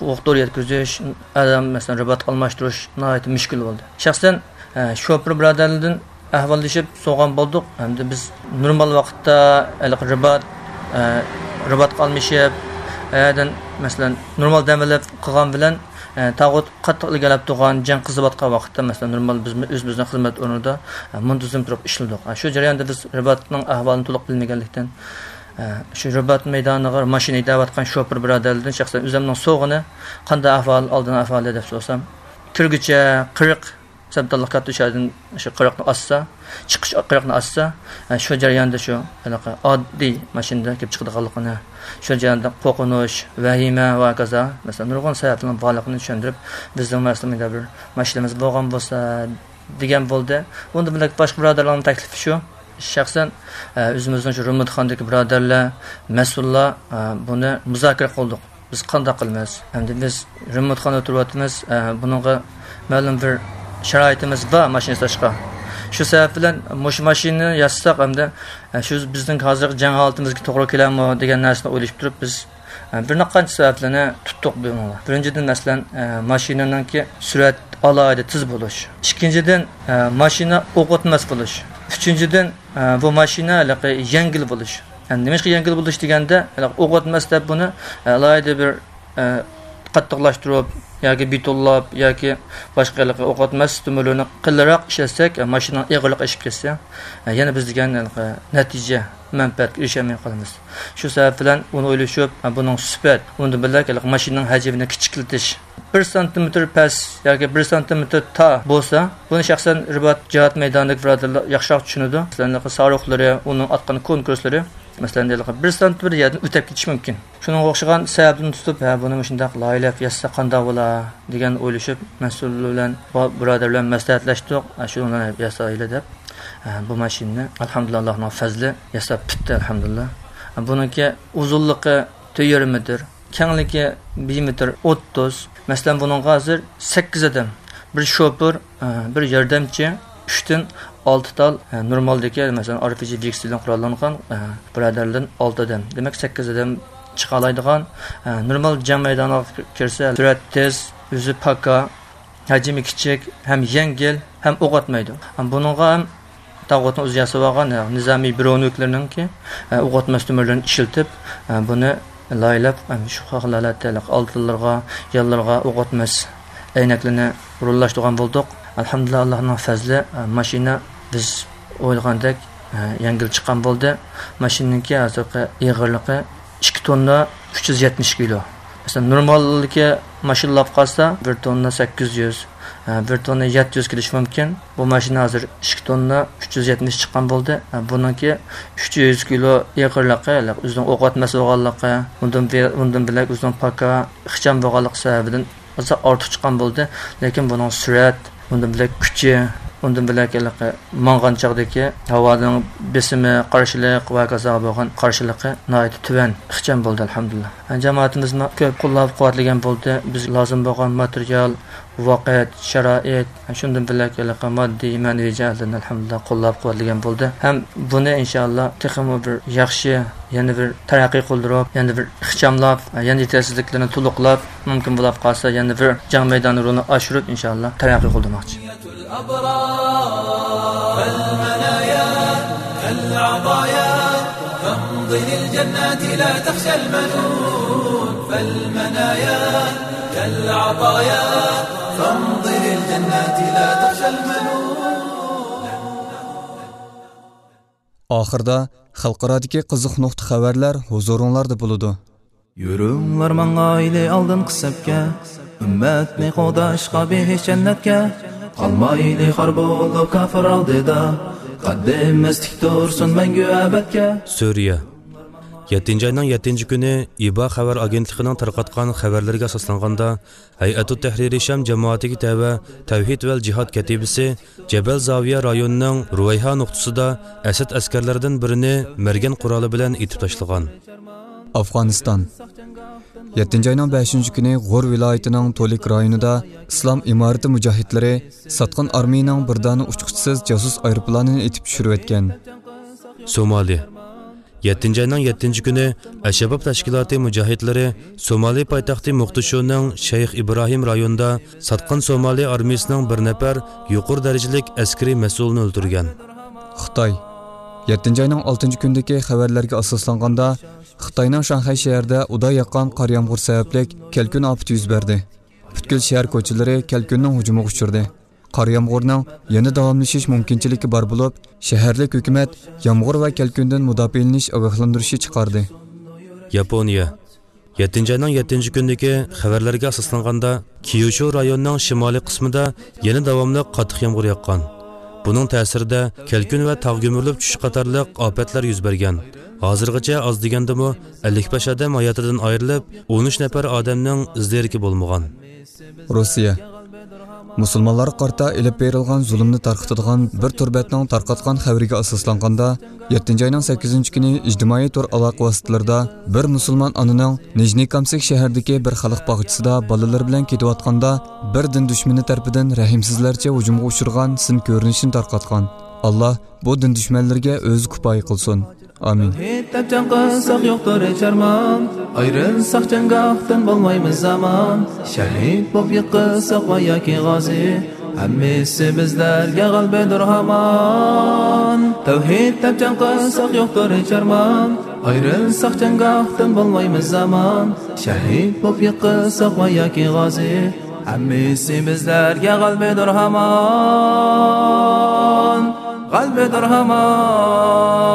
ئوق دورا يەتكۈزۈش، ئادەم، مەسىلەن، رىباتقا ئالماشتۇرۇش ناھايىتى مۈشكۈل بولدى. شەخسەن، ئە، شوپۇر بۇرادەرلەردىن ئەھۋاللىشىپ سورىغان بولدۇق. ئەمدى بىز نورمال ۋاقىتتا ھېلىقى رىبات، ئە، رىباتقا ئالمىشىپ، ئەدىن، مەسىلەن، نورمال دەم ئېلىپ قىلغان بىلەن، ئە، تاغۇت قاتتىق ئىلگىرىلەپ تۇرغان، جەڭ قىزىۋاتقان ۋاقىتتا، مەسىلەن، نورمال بىز ئۆزىمىزنىڭ خىزمەت ئورنىدا، ئە، مۇنتىزىم تۇرۇپ ئىشلىدۇق. ئە، شۇ جەرياندا بىز رىباتنىڭ ئەھۋالىنى تولۇق بىلمىگەنلىكتىن، ئە، شۇ رىبات مەيدانىغا ماشىنا ھەيدەۋاتقان شوپۇر بۇرادەرلەردىن شەخسەن ئۆزۈمنىڭ سورىغىنى، قانداق ئەھۋال، ئالدىن ئەھۋالى دەپ سورىسام، كىرگۈچە قىرىق سەپدانلىق كاتتا شەھەردىن شۇ قىرىقنى ئاچسا، چىقىش قىرىقنى ئاچسا، ئە، شۇ جەرياندا شۇ ھېلىقى ئاددىي ماشىنىدا كېلىپ چىقىدىغانلىقىنى، شۇ جەرياندا قورقۇنچ، ۋەھىمە ۋە ھاكازا، مەسىلەن، نۇرغۇن سەۋەبلەرنىڭ بارلىقىنى چۈشەندۈرۈپ، بىزنىڭ مەسىلەن، مۇنداق بىر ماشىنىمىز بولغان بولسا دېگەن بولدى. ئۇندىن بىلەن باشقا بۇرادەرلەرنىڭ تەكلىپى شۇ. شەخسەن، ئە، ئۆزىمىزنىڭ شۇ رېمونتخانىدىكى بۇرادەرلەر، مەسئۇللار، ئە، بۇنى مۇزاكىرە قىلدۇق. بىز قانداق قىلىمىز؟ ئەمدى بىز رېمونتخانىدا تۇرۇۋاتىمىز، ئە، بۇنىڭغا مەلۇم بىر شارائىتىمىز بار ماشىنا ياساشقا. شۇ سەۋەب بىلەن مۇشۇ ماشىنىنى ياسىساق، ئەمدى، ئە، شۇ بىزنىڭ ھازىرقى جەڭ ھالىتىمىزگە توغرا كېلەرمۇ دېگەن نەرسىنى ئويلىشىپ تۇرۇپ، بىز، ئە، بىر نەچچە سەۋەبلەرنى تۇتتۇق بۇنىڭغا. بىرىنچىدىن، مەسىلەن، ئە، ماشىنىنىڭكى سۈرئەت ئالاھىدە تېز بولۇش. ئىككىنچىدىن، ئە، ماشىنا ئوق ئاتماس بولۇش. ئۈچىنچىدىن، ئە، بۇ ماشىنا ھېلىقى يەڭگىل بولۇش. يەنى نېمىشقا يەڭگىل بولۇش دېگەندە، ھېلىقى ئوق ئاتماس دەپ بۇنى، ئە، ئالاھىدە بىر، ئە، قاتتىقلاشتۇرۇپ ياكى بېتونلاپ ياكى باشقا ھېلىقى ئوق ئاتماس تۆمۈرلىرىنى قېلىنراق ئىشلەتسەك، ئە، ماشىنىنىڭ ئېغىرلىقى ئېشىپ كەتسە، ئە، يەنە بىز دېگەن ھېلىقى نەتىجە، مەنپەئەتكە ئېرىشەلمەي قالىمىز. شۇ سەۋەب بىلەن ئۇنى ئويلىشىپ، ئە، بۇنىڭ سۈپەت، ئۇنىڭ بىلەن ھېلىقى ماشىنىنىڭ ھەجمىنى كىچىكلىتىش، بىر سانتىمېتىر پەس ياكى بىر سانتىمېتىر تار بولسا، بۇنى شەخسەن رىبات جىھاد مەيدانىدىكى بۇرادەرلەر ياخشىراق چۈشىنىدۇ. مەسىلەن، ساروخلىرى، ئۇنىڭ ئاتقان كونكۇرسلىرى، مەسىلەن، ھېلىقى بىر سانتىمېتىر يەردىن ئۆتۈپ كېتىشى مۇمكىن. شۇنىڭغا ئوخشىغان سەۋەبلەرنى تۇتۇپ، ھە، بۇنى مۇشۇنداق لايىھەلەپ ياسىسا قانداق بولا دېگەن ئويلىشىپ، مەسئۇل بىلەن، بۇ بۇرادەر بىلەن مەسلىھەتلەشتۇق. ھە، شۇنى ياسايلى دەپ، ھە، بۇ ماشىنىنى، ئەلھەمدۇلىللا، ئاللانىڭ پەزلى، ياساپ پۈتتى، ئەلھەمدۇلىللا. ھە، بۇنىڭكى ئۇزۇنلۇقى تۆت يېرىم مېتىر، كەڭلىكى بىر مېتىر ئوتتۇز. مەسىلەن، بۇنىڭغا ھازىر سەككىز ئادەم، بىر شوپۇر، ئە، بىر ياردەمچى، ئۈچتىن ئالتە تال، ئە، نورمالدىكى، مەسىلەن، ئار پى جى ۋىكسېل بىلەن قوراللانغان، ئە، بۇرادەرلەردىن ئالتە ئادەم. دېمەك، سەككىز ئادەم چىقالايدىغان، ئە، نورمال جەڭ مەيدانىغا كىرسە، سۈرئەت تېز، ئۆزى پاكا، ھەجمى كىچىك، ھەم يەڭگىل، ھەم ئوق ئاتمايدۇ. ھەم بۇنىڭغا ھەم تاغۇتنىڭ ئۆزى ياسىۋالغان، يەنى نىزامىي برونوكلىرىنىڭكى، ئە، ئوق ئاتماس تۆمۈرلىرىنى ئىشلىتىپ، ئە، بۇنى لايىھەلەپ، ئە، شۇ خىل ھالەتتە ئالدىلىرىغا، يانلىرىغا ئوق ئاتماس ئەينەكلىرىنى ئورۇنلاشتۇرغان بولدۇق. ئەلھەمدۇلىللا، ئاللانىڭ پەزلى، ئە، ماشىنا بىز ئويلىغاندەك، ئە، يەڭگىل چىققان بولدى. ماشىنىنىڭكى ھازىرقى ئېغىرلىقى ئىككى توننا ئۈچ يۈز يەتمىش كىلو. مەسىلەن، نورمالدىكى ماشىنىلار قالسا، بىر توننا سەككىز يۈز، ھە، بىر توننا يەتتە يۈز كېلىشى مۇمكىن. بۇ ماشىنا ھازىر ئىككى توننا ئۈچ يۈز يەتمىش چىققان بولدى. ھە، بۇنىڭكى ئۈچ يۈز كىلو ئېغىرلىقى، ئۆزىنىڭ ئوق ئاتماس بولغانلىقى، ئۇندىن بۇ-، ئۇندىن بۆلەك ئۆزىنىڭ پاكا ئىخچام بولغانلىقى سەۋەبىدىن ئازراق ئارتۇق چىققان بولدى. لېكىن بۇنىڭ سۈرئەت، ئۇندىن بۆلەك كۈچى، ئۇندىن بۆلەك ھېلىقى ماڭغان چاغدىكى ھاۋانىڭ بېسىمى، قارشىلىق ۋە ھاكازا بولغان قارشىلىقى ناھايىتى تۆۋەن، ئىخچام بولدى، ئەلھەمدۇلىللا. جامائىتىمىزمۇ كۆپ قوللاپ قۇۋۋەتلىگەن بولدى. بىز لازىم بولغان ماتېرىيال، ۋاقىت، شارائىت، شۇندىن بۆلەك ھېلىقى ماددىي، مەنىۋى جەھەتلەردىن، ئەلھەمدۇلىللا، قوللاپ قۇۋۋەتلىگەن بولدى. ھەم بۇنى، ئىنشائاللا، تېخىمۇ بىر ياخشى، يەنە بىر تەرەققىي قىلدۇرۇپ، يەنە بىر ئىخچاملاپ، يەنە يېتەرسىزلىكلىرىنى تولۇقلاپ، مۇمكىن بولۇپ قالسا، يەنە بىر جەڭ مەيدانى رولىنى ئاشۇرۇپ، ئىنشائاللا، تەرەققىي قىلدۇرماقچى. فالمنايا كالعطايا فامض للجنات لا تخشى المنون. فالمنايا كالعطايا فامض للجنات لا تخشى المنون. ئاخىردا خەلقئارادىكى قىزىق نۇقتا خەۋەرلەر ھۇزۇرۇڭلاردا بولىدۇ. يۈرۈڭلار ماڭايلى ئالدىنقى سەپكە، ئۈممەتنى قوغداشقا بېھىش جەننەتكە. قالمايلى خار بولۇپ كاپىر ئالدىدا، قەددىمىز تىك تۇرسۇن مەڭگۈ ئەبەدكە. سۈرىيە. يەتتىنچى ئاينىڭ يەتتىنچى كۈنى ئىبا خەۋەر ئاگېنتلىقىنىڭ تارقاتقان خەۋەرلىرىگە ئاساسلانغاندا، ھەيئەتۇت تەھرىرى شام جامائىتىگە تەۋە تەۋھىد ۋەل جىھاد كەتىبىسى جەبەل زاۋىيە رايونىنىڭ رۇۋەيھا نۇقتىسىدا ئەسەد ئەسكەرلىرىدىن بىرىنى مەرگەن قورالى بىلەن ئېتىپ تاشلىغان. ئافغانىستان. يەتتىنچى ئاينىڭ بەشىنچى كۈنى غور ۋىلايىتىنىڭ تولىك رايونىدا ئىسلام ئىمارىتى مۇجاھىدلىرى ساتقىن ئارمىيىنىڭ بىر دانە ئۇچقۇچىسىز جاسۇس ئايروپىلانىنى ئېتىپ چۈشۈرۈۋەتكەن. سومالى. يەتتىنچى ئاينىڭ يەتتىنچى كۈنى ئەلشەباب تەشكىلاتى مۇجاھىدلىرى سومالى پايتەختى موقدىشۇنىڭ شەيخ ئىبراھىم رايونىدا ساتقىن سومالى ئارمىيىسىنىڭ بىر نەپەر يۇقىرى دەرىجىلىك ئەسكىرىي مەسئۇلىنى ئۆلتۈرگەن. خىتاي. يەتتىنچى ئاينىڭ ئالتىنچى كۈنىدىكى خەۋەرلەرگە ئاساسلانغاندا، خىتاينىڭ شاڭخەي شەھىرىدە ئۇدا ياغقان قار يامغۇر سەۋەبلىك كەلكۈن ئاپىتى يۈز بەردى. پۈتكۈل شەھەر كوچىلىرى كەلكۈننىڭ ھۇجۇمىغا ئۇچرىدى. قار يامغۇرنىڭ يەنە داۋاملىشىش مۇمكىنچىلىكى بار بولۇپ، شەھەرلىك ھۆكۈمەت يامغۇر ۋە كەلكۈندىن مۇداپىئەلىنىش ئاگاھلاندۇرۇشى چىقاردى. ياپونىيە. يەتتىنچى ئاينىڭ يەتتىنچى كۈنىدىكى خەۋەرلەرگە ئاساسلانغاندا، كيۇشۇ رايونىنىڭ شىمالىي قىسمىدا يەنە داۋاملىق قاتتىق يامغۇر ياغقان. بۇنىڭ تەسىرىدە كەلكۈن ۋە تاغ گۈمۈرۈلۈپ چۈشۈش قاتارلىق ئاپەتلەر يۈز بەرگەن. ھازىرغىچە ئاز دېگەندىمۇ ئەللىك بەش ئادەم ھاياتىدىن ئايرىلىپ، ئون ئۈچ نەپەر ئادەمنىڭ ئىز دېرىكى بولمىغان. روسىيە. مۇسۇلمانلارغا قارىتا ئېلىپ بېرىلغان زۇلۇمنى تارقىتىدىغان بىر تور بەتنىڭ تارقاتقان خەۋىرىگە ئاساسلانغاندا، يەتتىنچى ئاينىڭ سەككىزىنچى كۈنى ئىجتىمائىي تور ئالاقە ۋاسىتىلىرىدا بىر مۇسۇلمان ئانىنىڭ نىژنىي كامسك شەھىرىدىكى بىر خەلق باغچىسىدا بالىلىرى بىلەن كېتىۋاتقاندا، بىر دىن دۈشمىنى تەرىپىدىن رەھىمسىزلەرچە ھۇجۇمغا ئۇچرىغان سىن كۆرۈنۈشىنى تارقاتقان. ئاللا بۇ دىن دۈشمەنلىرىگە ئۆزى كۇپايە قىلسۇن. ئامىن. تەۋھىد دەپ جەڭ قىلساق يوقتۇر ھېچ ئارمان، ئايرىلساق جەڭگاھتىن بولمايمىز ئامان. شەھىد بولۇپ يىقىلساق ۋە ياكى غازى، ھەممىسى بىزلەرگە غەلىبىدۇر ھامان. تەۋھىد دەپ جەڭ قىلساق يوقتۇر ھېچ ئارمان، ئايرىلساق جەڭگاھتىن بولمايمىز ئامان. شەھىد بولۇپ يىقىلساق ۋە ياكى غازى، ھەممىسى بىزلەرگە غەلىبىدۇر ھامان، غەلىبىدۇر ھامان.